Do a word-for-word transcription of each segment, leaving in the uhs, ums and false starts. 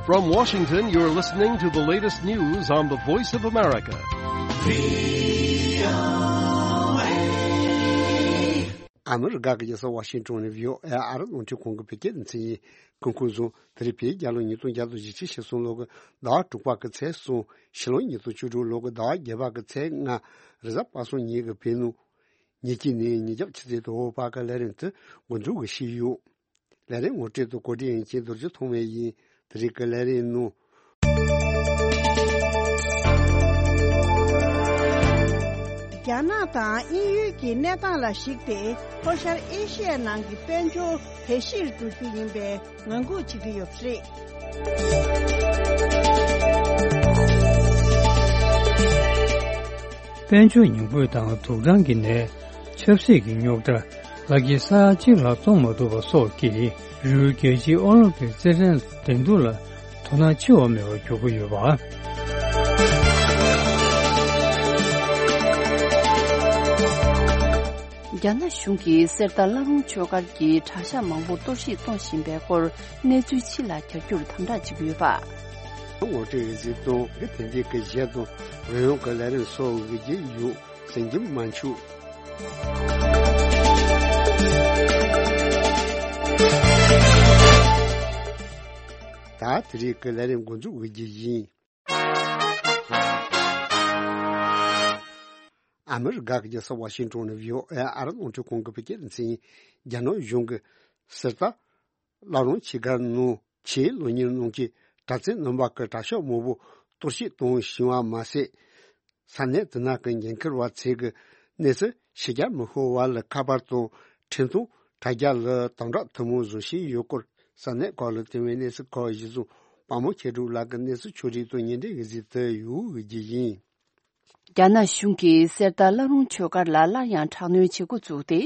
From Washington, you're listening to the latest news on the Voice of America. ཨ་མི་རི་ཀ་གི་རྒྱལ་ས་ཝ་ཤིང་ཊོན་ནས་བྷི་ཨོ་ཨེ་ཨ་རི་རླུང་འཕྲིན་ཁང་གི་བོད་སྐད་སྡེ་ཚན་ཡིན། སྐུ་ཁམས་བཟང་། དེ་རིང་བོད་རྒྱལ་ལོ་ཉིས་སྟོང་བརྒྱ་དང་བཞི་བཅུ་ཞེ་གསུམ་ལོ་གི་ཟླ་བ་དྲུག་པ་གི་ཚེས་གསུམ། ཕྱི་ལོ་ཉིས་སྟོང་བཅུ་དྲུག་ལོ་གི་ཟླ་བ་བརྒྱད་པ་གི་ཚེས་ལྔ། རེས་གཟའ་པ་སངས་ཉིན་གྱི་བོད་ནང་ཉིན་གཅིག་ནས་ཉིན་རྒྱབ་ཆུ་ཚོད་དང་པོ་བར་གྱི་ལས་རིམ་དེ་འགོ་འཛུགས་ཞུས་ཡོད། ལས་རིམ་ངོ་སྤྲོད་དང་གོ་སྒྲིག་མཁན་རྡོ་རྗེ་ཐོགས་མེད་ཡིན། དེ་རིང་གི་ལས་རིམ་ནང་། རྒྱ་ནག་དང་དབྱིན་ཡུལ་གྱི་གནས་སྟངས་ལ་གཞིགས་ཏེ། ལྷོ་ཤར་ཨེ་ཤི་ཡའི་ནང་གི་དཔལ་འབྱོར་བེད་གཞིར་འཛུགས་རྒྱུ་ཡིན་པའི་ངང་སྒུག་བྱེད་ཀྱི་ཡོད་པ་རེད། དཔལ་འབྱོར་ཉམས་རྒུད་དང་དུག་སྦྲང་གི་ནད། ཆབ་སྲིད་ཀྱི་རྙོག་དྲ། ལག་གི་ས་ཡ་གཅིག་ལྷག་གཏོང་མ་ཐུབ་པ་སོགས་ཀྱིས་རི་བོའི་རྒྱལ་སྤྱིའི་ཨོ་ལིམ་པིག་རྩེད་འགྲན་འགྲན་བསྡུར་ལ་དོ་སྣང་ཆེ་བ་མེད་པར་གྱུར་གྱི་ཡོད་པ། རྒྱ་ནག་གཞུང་གིས་གསེར་རྟ་བླ་རུང་ཆོས་སྒར་གྱི་གྲྭ་ཤག་མང་པོ་གཏོར་བཤིག་གཏོང་བཞིན་པའི་སྐོར། གནས་ཚུལ་ཕྱི་ལ་གྱར་རྒྱུར་དམ་དྲག་བྱེད་ཀྱི་ཡོད་པ། ངོ་སྤྲོད་ཡོད་ཚུལ་དང་། དེ་རྗེས་ཀྱི་གཞས་དང་རོལ་དབྱངས་ཀྱི་ལས་རིམ་སོགས་ཡོད་ཀྱི་ཡོད། གསན་རྒྱུ་མ་འཆུག། ད་དེ་རིང་གི་ལས་རིམ་འགོ་འཛུགས་ཡོད་ཀྱི་ཡིན། ཨ་མི་རི་ཀ་གི་རྒྱལ་ས་ཝ་ཤིང་ཊོན་ནས་བྷི་ཨོ་ཨེ་ཨ་རི་རླུང་འཕྲིན་ཁང་གི་བོད་སྐད་སྡེ་ཚན། རྒྱ་ནག་གཞུང་གིས་གསེར་རྟ་བླ་རུང་ཆོས་སྒར་ནང་ཆེས་སློབ་གཉེར་གནང་མཁན་གྲྭ་བཙུན་རྣམ་པ་གི་གྲྭ་ཤག་མང་པོ་གཏོར་བཤིག་གཏོང་བཞིན་པ་མ་ཟད། ས་གནས་དེ་ནང་གི་འགན་འཁུར་བ་ཚོས་ཀྱི་གནས་ཚུལ་ཕྱི་རྒྱལ་མི་ཤོར་བ་ལ་ཁ་པར་དང་འཕྲིན་ཐུང་དྲ་རྒྱ་ལ་དམ་དྲག་ཐུན་མོང་བཟོ་བཞིན་ཡོད་སྐོར། ས་གནས་ཁག་ལ་དེ་བའི་གནས་ཚུལ་ཁག་གཞིར་བཟུང་། པདྨ་མཁས་གྲུབ་ལགས་ཀྱིས་གནས་ཚུལ་ཕྱོགས་སྒྲིག་དང་སྙན་སྒྲོན་ཡོད་ཚུལ་དུ་ཡོད་ཀྱི་ཡིན། རྒྱ་ནག་གཞུང་གིས་གསེར་རྟ་བླ་རུང་ཆོས་སྒར་ལ་སླར་ཡང་དྲག་གནོན་བྱེད་འགོ་བཙུགས་ཏེ།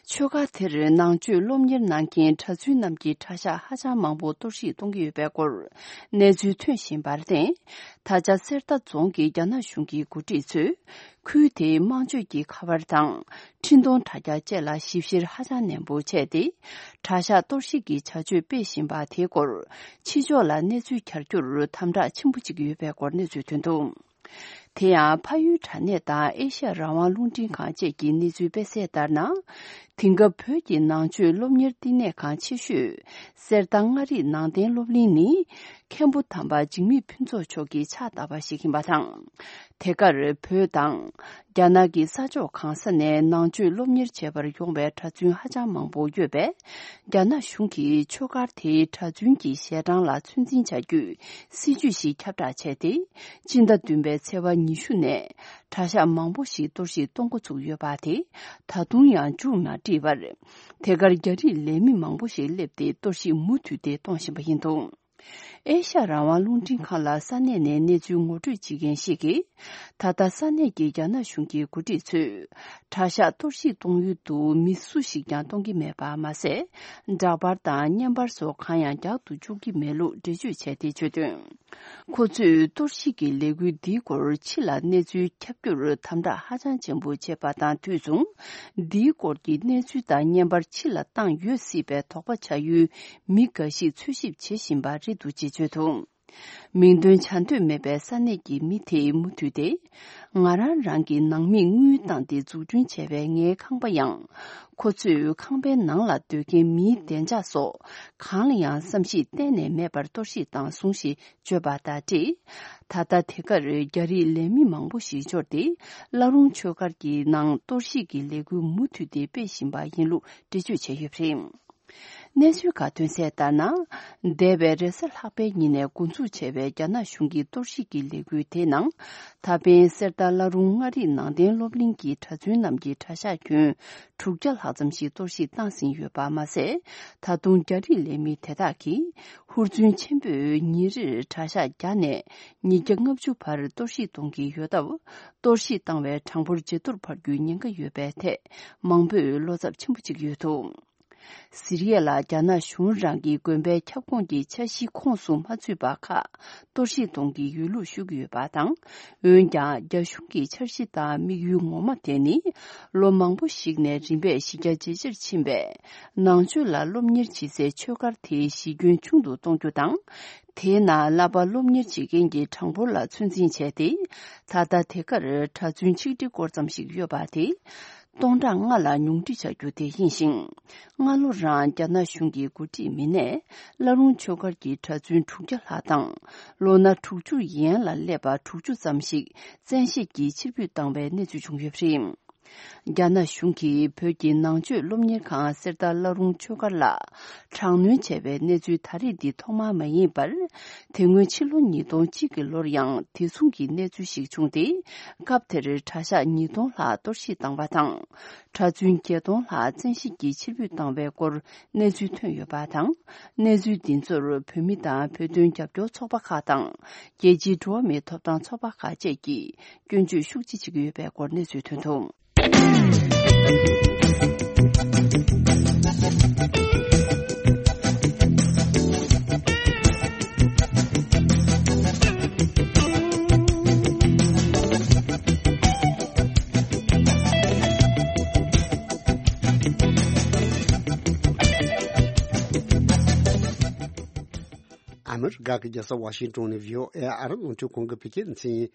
ཆོས་སྒར་དེར་ནང་ཆོས་སློབ་གཉེར་གནང་མཁན་གྲྭ་བཙུན་རྣམས་ཀྱི་གྲྭ་ཤག་ཧ་ཅང་མང་པོ་གཏོར་བཤིག་གཏོང་གི་ཡོད་པའི་སྐོར་གནས་ཚུལ་ཐོན་བཞིན་པར་བརྟེན། ད་ཆ་གསེར་རྟ་རྫོང་གི་རྒྱ་ནག་གཞུང་གི་འགོ་ཁྲིད་ཚོས་ཁུལ་དེའི་དམངས་སྤྱོད་ཀྱི་ཁ་པར་དང་འཕྲིན་གཏོང་དྲ་རྒྱ་བཅས་ལ་ཞིབ་བཤེར་ཧ་ཅང་ནན་པོ་བྱས་ཏེ། གྲྭ་ཤག་གཏོར་བཤིག་གི་བྱ་སྤྱོད་སྤེལ་བཞིན་པ་དེའི་སྐོར་ཕྱི་ཕྱོགས་ལ་གནས་ཚུལ་གྱར་རྒྱུར་དམ་དྲག་ཆེན་པོ་བྱེད་ཀྱི་ཡོད་པའི་སྐོར་གནས་ཚུལ་ཐོན་འདུག། དེ་ཡང་། ཕ་ཡུལ་དྲ་གནས་དང་ཨེ་ཤ་ཡ་རང་དབང་རླུང་འཕྲིན་ཁང་བཅས་ཀྱི་གནས་ཚུལ་སྤེལ་གསལ་ལྟར་ན། དེང་སྐབས་བོད་ཀྱི་ནང་ཆོས་སློབ་གཉེར་བསྟི་གནས་ཁང་ཆེ་ཤོས་གསེར་རྟ་མངའ་རིས་ནང་བསྟན་སློབ་གླིང་ནི། མཁན་པོ་དམ་པ་འཇིགས་མེད་ཕུན་ཚོགས་མཆོག་གི་ཕྱག་བཏབ་པ་ཞིག་ཡིན་པ་དང་། དེ་གར་བོད་དང་། རྒྱ་ནག་གི་ས་ཕྱོགས་གང་ས་ནས་ནང་ཆོས་སློབ་གཉེར་བྱེད་པར་ཡོང་བའི་གྲྭ་བཙུན་ཧ་ཅང་མང་པོ་ཡོད་པས། རྒྱ་ནག་གཞུང་གིས་ཆོས་སྒར་དེའི་གྲྭ་བཙུན་གྱི་ཞལ་གྲངས་ལ་ཚོད་འཛིན་བྱ་རྒྱུའི་སྲིད་ཇུས་ཤིག་ཁྱབ་བསྒྲགས་བྱས་ཏེ། སྤྱི་ཟླ་བདུན་པའི་ཚེས་པ་ཉི་ཤུ་ནས་གྲྭ་ཤག་མང་པོ་ཞིག་གཏོར་བཤིག་གཏོང་འགོ་ཚུགས་ཡོད་པ་དེ་ད་དུང་ཡང་མཇུག་མ་སྒྲིལ་བར། དེ་གར་རྒྱ་རིགས་ལས་མི་མང་པོ་ཞིག་སླེབས་ཏེ་གཏོར་བཤིག་མུ་མཐུད་དེ་གཏོང་བཞིན་པ་ཡིན་འདུག། ཨེ་ཤ་ཡ་རང་དབང་རླུང་འཕྲིན་ཁང་ལ་ས་གནས་ནས་གནས་ཚུལ་ངོ་སྤྲོད་བྱེད་མཁན་ཞིག་གིས། ད་ལྟ་ས་གནས་ཀྱི་རྒྱ་ནག་གཞུང་གི་འགོ་ཁྲིད་ཚོས་གྲྭ་ཤག་གཏོར་བཤིག་གཏོང་ཡུལ་དུ་མི་སུ་ཞིག་ཀྱང་གཏོང་གི་མེད་པ་མ་ཟད། འདྲ་པར་དང་བརྙན་པར་སོགས་གང་ཡང་རྒྱག་ཏུ་བཅུག་གི་མེད་ལུགས་འགྲེལ་བརྗོད་བྱས་ཏེ་བརྗོད་དོན། ཁོ་ཚོས་གཏོར་བཤིག་གི་ལས་འགུལ་འདིའི་སྐོར་ཕྱི་ལ་གནས་ཚུལ་ཁྱབ་རྒྱུར་དམ་དྲག་ཧ་ཅང་ཆེན་པོ་བྱས་པ་དང་དུས་མཚུངས། འདིའི་སྐོར་གྱི་གནས་ཚུལ་དང་བརྙན་པར་ཕྱི་ལ་བཏང་ཡོད་སྲིད་པའི་དོགས་པ་ཆགས་ཡུལ་མི་འགའ་ཞིག་འཚོལ་ཞིབ་བྱེད་བཞིན་པ་རེད་འདུག་ཅེས་བརྗོད་འདུག། མིང་འདོན་བྱ་འདོད་མེད་པའི་ས་གནས་ཀྱི་མི་དེས་མུ་མཐུད་དེ། ང་རང་རང་གི་ནང་མིས་དངུལ་བཏང་སྟེ་འཛུགས་སྐྲུན་བྱས་པའི་ངའི་ཁང་པ་ཡང་། ཁོ་ཚོས་ཁང་པའི་ནང་ལ་སྡོད་མཁན་མིའི་བདེ་འཇགས་སོགས་གང་ལ་ཡང་བསམ་གཞིག་གཏན་ནས་མེད་པར་གཏོར་བཤིག་བཏང་སོང་ཞེས་བརྗོད་པ་དང་འབྲེལ། ད་ལྟ་དེ་གར་རྒྱ་རིགས་ལས་མི་མང་པོ་ཞིག་འབྱོར་ཏེ། བླ་རུང་ཆོས་སྒར་གྱི་ནང་གཏོར་བཤིག་གི་ལས་འགུལ་མུ་མཐུད་དེ་སྤེལ་བཞིན་པ་ཡིན་ལུགས་འགྲེལ་བརྗོད་བྱས་ཡོད་པ་རེད། གནས་ཚུལ་ཁག་ཐོན་གསལ་ལྟར་ན། འདས་པའི་རེས་གཟའ་ལྷག་པའི་ཉིན་ནས་འགོ་འཛུགས་བྱས་པའི་རྒྱ་ནག་གཞུང་གི་གཏོར་བཤིག་གི་ལས་འགུལ་དེའི་ནང་། ད་ཕན་གསེར་རྟ་བླ་རུང་མངའ་རིས་ནང་བསྟན་སློབ་གླིང་གི་གྲྭ་བཙུན་རྣམས་ཀྱི་གྲྭ་ཤག་ཁྱོན་དྲུག་བརྒྱ་ལྷག་ཙམ་ཞིག་གཏོར་བཤིག་བཏང་ཟིན་ཡོད་པ་མ་ཟད། ད་དུང་རྒྱ་རིགས་ལས་མི་དེ་དག་གིས་ཧུར་བརྩོན་ཆེན་པོས་ཉིན་རེར་གྲྭ་ཤག་བརྒྱ་ནས་ཉིས་བརྒྱ་ལྔ་བཅུ་བར་གཏོར་བཤིག་གཏོང་གི་ཡོད་སྟབས། གཏོར་བཤིག་བཏང་བའི་གྲངས་འབོར་ཇེ་མཐོར་འཕར་རྒྱུའི་ཉེན་ཁ་ཡོད་པའི་ཐད་མང་པོས་བློ་འཚབ་ཆེན་པོ་བྱེད་ཀྱི་ཡོད་འདུག། སི་རི་ཡ་ལ་རྒྱ་ནག་གཞུང་རང་གི་དགོན་པའི་ཁྱབ་ཁོངས་ཀྱི་འཆར་གཞིའི་ཁོངས་སུ་མ་ཚུད་པ་ཁག་གཏོར་བཤིག་གཏོང་གི་ཡོད་ལུགས་ཞུ་གི་ཡོད་པ་དང་། འོན་ཀྱང་རྒྱ་གཞུང་གི་འཆར་གཞི་དང་དམིགས་ཡུལ་ངོ་མ་དེ་ནི། ལོ་མང་པོ་ཞིག་ནས་རིམ་པས་གཞི་རྒྱ་ཇེ་ཆེར་ཕྱིན་པའི་ནང་ཆོས་ལ་སློབ་གཉེར་བྱེད་སའི་ཆོས་སྒར་དེའི་གཞི་ཁྱོན་ཆུང་དུ་གཏོང་རྒྱུ་དང་། དེའི་ནང་བསླབ་པ་སློབ་གཉེར་བྱེད་མཁན་གྱི་གྲངས་འབོར་ལ་ཚོད་འཛིན་བྱས་ཏེ། ད་ལྟ་དེ་གར་གྲྭ་བཙུན་ཆིག་ཁྲི་སྐོར་ཙམ་ཞིག་ཡོད་པ་དེ། སྟོང་ཕྲག་ལྔ་ལ་ཉུང་འཕྲི་བྱ་རྒྱུ་དེ་ཡིན་ཞིང་། སྔ་ལོ་རང་རྒྱ་ནག་གཞུང་གི་འགོ་ཁྲིད་མི་སྣས་བླ་རུང་ཆོས་སྒར་གྱི་གྲྭ་བཙུན་དྲུག་བརྒྱ་ལྷག་དང་། ལོ་ན་དྲུག་ཅུ་ཡན་ལ་སླེབས་པ་དྲུག་ཅུ་ཙམ་ཞིག་བཙན་ཤེད་ཀྱིས་ཕྱིར་འབུད་བཏང་བའི་གནས་ཚུལ་བྱུང་ཡོད་པ་རེད། རྒྱ་ནག་གཞུང་གིས་བོད་ཀྱི་ནང་ཆོས་སློབ་གཉེར་ཁང་གསེར་རྟ་བླ་རུང་ཆོས་སྒར་ལ་དྲག་གནོན་བྱས་པའི་གནས་ཚུལ་ད་རེས་འདི་ཐོག་མ་མ་ཡིན་པར། དེ་སྔོན་ཕྱི་ལོ་ཉིས་སྟོང་གཅིག་གི་ལོར་ཡང་དེ་མཚུངས་ཀྱི་གནས་ཚུལ་ཞིག་བྱུང་སྟེ། སྐབས་དེར་གྲྭ་ཤག་ཉིས་སྟོང་ལྷག་གཏོར་བཤིག་བཏང་བ་དང་། གྲྭ་བཙུན་བརྒྱད་སྟོང་ལྷག་བཙན་ཤེད་ཀྱིས་ཕྱིར་འབུད་བཏང་བའི་སྐོར་གནས་ཚུལ་ཐོན་ཡོད་པ་དང་། གནས་ཚུལ་འདི་ཚོར་བོད་མི་དང་བོད་དོན་རྒྱབ་སྐྱོར་ཚོགས་པ་ཁག་དང་། རྒྱལ་སྤྱིའི་འགྲོ་བ་མིའི་ཐོབ་ཐང་ཚོགས་པ་ཁག་བཅས་ཀྱིས་སྐྱོན་བརྗོད་ཤུགས་ཆེ་བྱེད་ཀྱི་ཡོད་པའི་སྐོར་གནས་ཚུལ་ཐོན་འདུག། ཨ་མི་རི་ཀ་གི་རྒྱལ་ས་ཝ་ཤིང་ཏོན་ནས་བྷི་ཨོ་ཨེ་ཨ་རི་རླུང་འཕྲིན་ཁང་གི་བོད་སྐད་སྡེ་ཚན་ཡིན།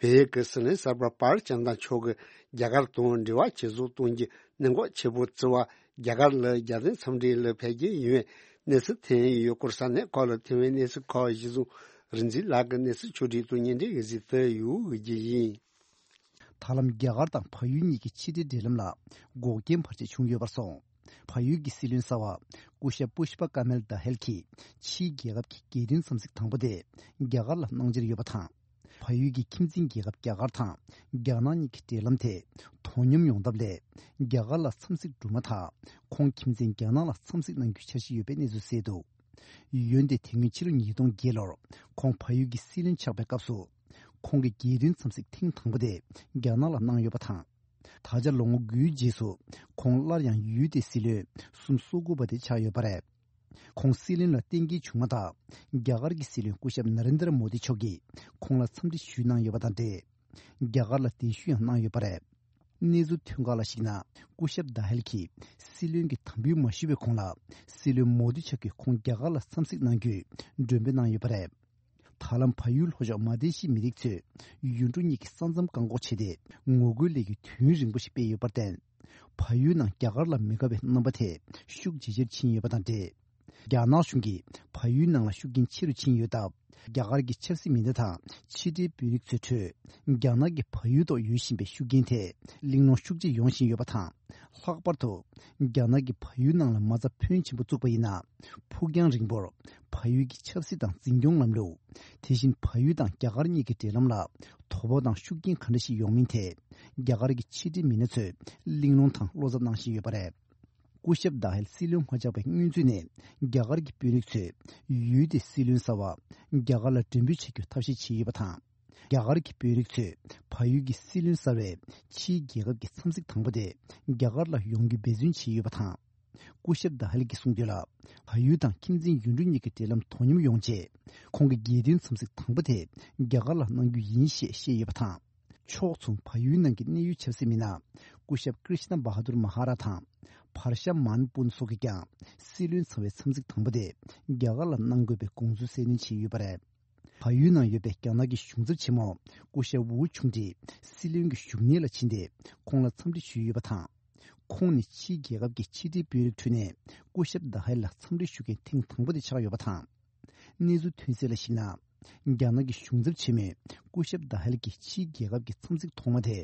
བལ་ཡུལ་གྱི་སྲིད་བློན་གསར་པ་པཱལ་ཅང་ཐང་མཆོག་གིས་རྒྱ་གར་དང་འབྲེལ་བ་ཇེ་བཟང་གཏོང་རྒྱུའི་གནད་འགག་ཆེ་བོ་བརྩི་བ། རྒྱ་གར་ལ་རྒྱལ་བསྟན་འཚམས་འདྲི་ལ་ཕེབས་ཀྱི་ཡོད་པའི་གནས་ཚུལ་ཐོན་ཡོད་སྐོར་ས་གནས་ཁག་ལ་ཐོན་པའི་གནས་ཚུལ་ཁག་གཞི་བཟུང་རིག་འཛིན་ལགས་ཀྱིས་གནས་ཚུལ་ཕྱོགས་སྒྲིག་དང་སྙན་སྒྲོན་ཡོད་ཟིན་དུ་ཡོད་རྒྱུ་ཡིན། ད་ལམ་རྒྱ་གར་དང་བལ་ཡུལ་གཉིས་ཀྱི་ཕྱི་འབྲེལ་འབྲེལ་ལམ་ལ་འགོག་རྐྱེན་བར་ཆད་བྱུང་ཡོད་པར་སོང་། བལ་ཡུལ་གྱི་སྲིད་བློན་གསར་པ་སྐུ་ཞབས་པུཤ་པ་ཀ་མེལ་དྷ་ཧེལ་གྱིས་ཕྱིའི་རྒྱལ་ཁབ་ཀྱི་རྒྱལ་དོན་འཚམས་གཟིགས་དང་པོ་དེ་རྒྱ་གར་ལ་གནང་འཆར་ཡོད་པ་དང་། བལ་ཡུལ་གྱི་ཁྱིམ་མཚེས་རྒྱལ་ཁབ་རྒྱ་གར་དང་རྒྱ་ནག་གཉིས་ཀྱི་འབྲེལ་ལམ་དེ་དོ་སྙོམས་ཡོང་ཐབས་སླད། རྒྱ་གར་ལ་འཚམས་གཟིགས་གྲུབ་མ་ཐག་ཁོང་ཁྱིམ་མཚེས་རྒྱ་ནག་ལ་འཚམས་གཟིགས་གནང་རྒྱུའི་འཆར་གཞི་ཡོད་པའི་གནས་ཚུལ་གསལ་འདུག། འོན་ཏེ་དེ་སྔོན་ཕྱི་ལོ་ཉིས་སྟོང་བརྒྱད་ལོར་ཁོང་བལ་ཡུལ་གྱི་སྲིད་བློན་ཆགས་པའི་སྐབས་སུ། ཁོང་གི་རྒྱལ་དོན་འཚམས་གཟིགས་ཐེངས་དང་པོ་དེ་རྒྱ་ནག་ལ་གནང་ཡོད་པ་དང་། ད་ཆ་ལོ་ངོ་དགུའི་རྗེས་སུ་ཁོང་སླར་ཡང་ཡུལ་དེའི་སྲིད་བློན་གསུམ་སོ་དགུ་པ་དེ་ཆགས་ཡོད་པ་རེད། ཁོང་སྲིད་བློན་ལ་བསྟེན་མཁན་བྱུང་མ་ཐག་རྒྱ་གར་གྱི་སྲིད་བློན་སྐུ་ཞབས་ན་རེན་དྲ་མོ་དི་མཆོག་གིས་ཁོང་ལ་འཚམས་འདྲི་ཞུས་གནང་ཡོད་པ་དང་འབྲེལ། རྒྱ་གར་ལ་གདན་ཞུ་ཡང་གནང་ཡོད་པ་རེད། གནས་ཚུལ་ཐོན་ཁག་ལ་གཞིགས་ན། སྐུ་ཞབས་དྷ་ཧེལ་གྱིས་སྲིད་བློན་གྱི་དམ་འབུལ་མ་ཞུ་བའི་གོང་ལ། སྲིད་བློན་མོ་དི་མཆོག་གིས་ཁོང་རྒྱ་གར་ལ་འཚམས་གཟིགས་གནང་རྒྱུའི་མགྲོན་འབོད་གནང་ཡོད་པ་རེད། ད་ལམ་བལ་ཡུལ་ལྷོ་ཕྱོགས་མ་ལྡེ་ཤི་མི་རིགས་ཚོས་ཡུལ་གྲུ་གཉིས་ཀྱི་ས་མཚམས་བཀག་འགོག་བྱས་ཏེ། ངོ་རྒོལ་ལས་འགུལ་དུས་ཡུན་རིང་པོ་ཞིག་སྤེལ་ཡོད་པར་བརྟེན། བལ་ཡུལ་ནང་རྒྱ་གར་ལ་མི་དགའ་བའི་རྣམ་པ་དེ་ཤུགས་ཇེ་ཆེར་ཕྱིན་ཡོད་པ་དང་འབྲེལ། རྒྱ་ནག་གཞུང་གིས་བལ་ཡུལ་ནང་ལ་ཤུགས་རྐྱེན་ཆེ་རུ་ཕྱིན་ཡོད་སྟབས། རྒྱ་གར་གྱི་ཆབ་སྲིད་མི་སྣ་དང་ཕྱི་འབྲེལ་དཔོན་རིགས་ཚོའི་ཁྲོད། རྒྱ་ནག་གིས་བལ་ཡུལ་ཐོག་ཡོད་བཞིན་པའི་ཤུགས་རྐྱེན་ཐད་གླེང་སློང་ཤུགས་ཆེ་ཡོང་བཞིན་ཡོད་པ་དང་། ལྷག་པར་དུ། རྒྱ་ནག་གིས་བལ་ཡུལ་ནང་ལ་མ་རྩ་ཕོན་ཆེན་པོ་བཙུགས་པ་ཡིན་ན། ཕུགས་རྒྱང་རིང་པོར་བལ་ཡུལ་གྱི་ཆབ་སྲིད་དང་འཛིན་སྐྱོང་ལམ་ལུགས། དེ་བཞིན་བལ་ཡུལ་དང་རྒྱ་གར་གཉིས་ཀྱི་འབྲེལ་ལམ་ལ་དོ་ཕོག་དང་ཤུགས་རྐྱེན་ག་འདྲ་ཞིག་ཡོང་མིན་ཐད། རྒྱ་གར་གྱི་ཕྱི་འབྲེལ་མི་སྣ་ཚོས་གླེང་སློང་དང་བློ་འཚབ་གནང་བཞིན་ཡོད་པ་རེད། སྐུ་ཞབས་དྷ་ཧེལ་སྲིད་བློན་མ་ཆགས་པའི་སྔོན་ཚུད་ནས་རྒྱ་གར་གྱི་དཔོན་རིགས་ཚོས་ཡུལ་དེའི་སྲིད་བློན་གསར་པ་རྒྱ་གར་ལ་མགྲོན་འབོད་བྱ་རྒྱུ་ཐབས་ཤེས་བྱས་ཡོད་པ་དང་། རྒྱ་གར་གྱི་དཔོན་རིགས་ཚོས་བལ་ཡུལ་གྱི་སྲིད་བློན་གསར་པས་ཕྱིའི་རྒྱལ་ཁབ་ཀྱི་འཚམས་གཟིགས་དང་པོ་དེ་རྒྱ་གར་ལ་ཡོང་རྒྱུ་འབད་བརྩོན་བྱས་ཡོད་པ་དང་། སྐུ་ཞབས་དྷ་ཧེལ་གྱིས་གསུངས་དོན་ལ། བལ་ཡུལ་དང་ཁྱིམ་མཚེས་ཡུལ་གྲུ་གཉིས་ཀྱི་འབྲེལ་ལམ་དོ་སྙོམས་ཡོང་ཆེད། ཁོང་གི་རྒྱལ་དོན་འཚམས་གཟིགས་དང་པོ་དེ་རྒྱ་གར་ལ་གནང་རྒྱུ་ཡིན་ཞེས་བཤད་ཡོད་པ་དང་། ཕྱོགས་མཚུངས་བལ་ཡུལ་ནང་གི་གནད་ཡོད་ཆབ་སྲིད་མི་སྣ་སྐུ་ཞབས་ཀྲིཤ་ན་བྷ་ཧ་དུར་མ་ཧ་ར་དང་བྷར་ཤ་མཱན་པུན་སོགས་ཀྱིས་ཀྱང་སྲིད་བློན་ཚང་བའི་འཚམས་གཟིགས་དང་པོ་དེ་རྒྱ་གར་ལ་གནང་དགོས་པའི་དགོངས་ཚུལ་གསལ་སྟོན་བྱས་ཡོད་པ་རེད། བལ་ཡུལ་ནང་ཡོད་པའི་རྒྱ་ནག་གི་གཞུང་ཚབ་ཆེན་མོ་སྐུ་ཞབས་ཝུའུ་ཆུང་ཀྲི་སྲིད་བློན་གྱི་བཞུགས་གནས་ལ་ཕྱིན་ཏེ་ཁོང་ལ་འཚམས་འདྲི་ཞུས་ཡོད་པ་དང་། ཁོང་ནི་ཕྱིའི་རྒྱལ་ཁབ་ཀྱི་ཕྱི་འབྲེལ་དཔོན་རིགས་ཁྲོད་ནས་སྐུ་ཞབས་དྷ་ཧེལ་ལ་འཚམས་འདྲི་ཞུ་མཁན་ཐེངས་དང་པོ་དེ་ཆགས་ཡོད་པ་དང་། གནས་ཚུལ་ཐོན་གསལ་ལ་གཞིགས་ན། རྒྱ་ནག་གི་གཞུང་ཚབ་ཆེན་མོས་སྐུ་ཞབས་དྷ་ཧེལ་གྱི་ཕྱིའི་རྒྱལ་ཁབ་ཀྱི་འཚམས་གཟིགས་ཐོག་མ་དེ་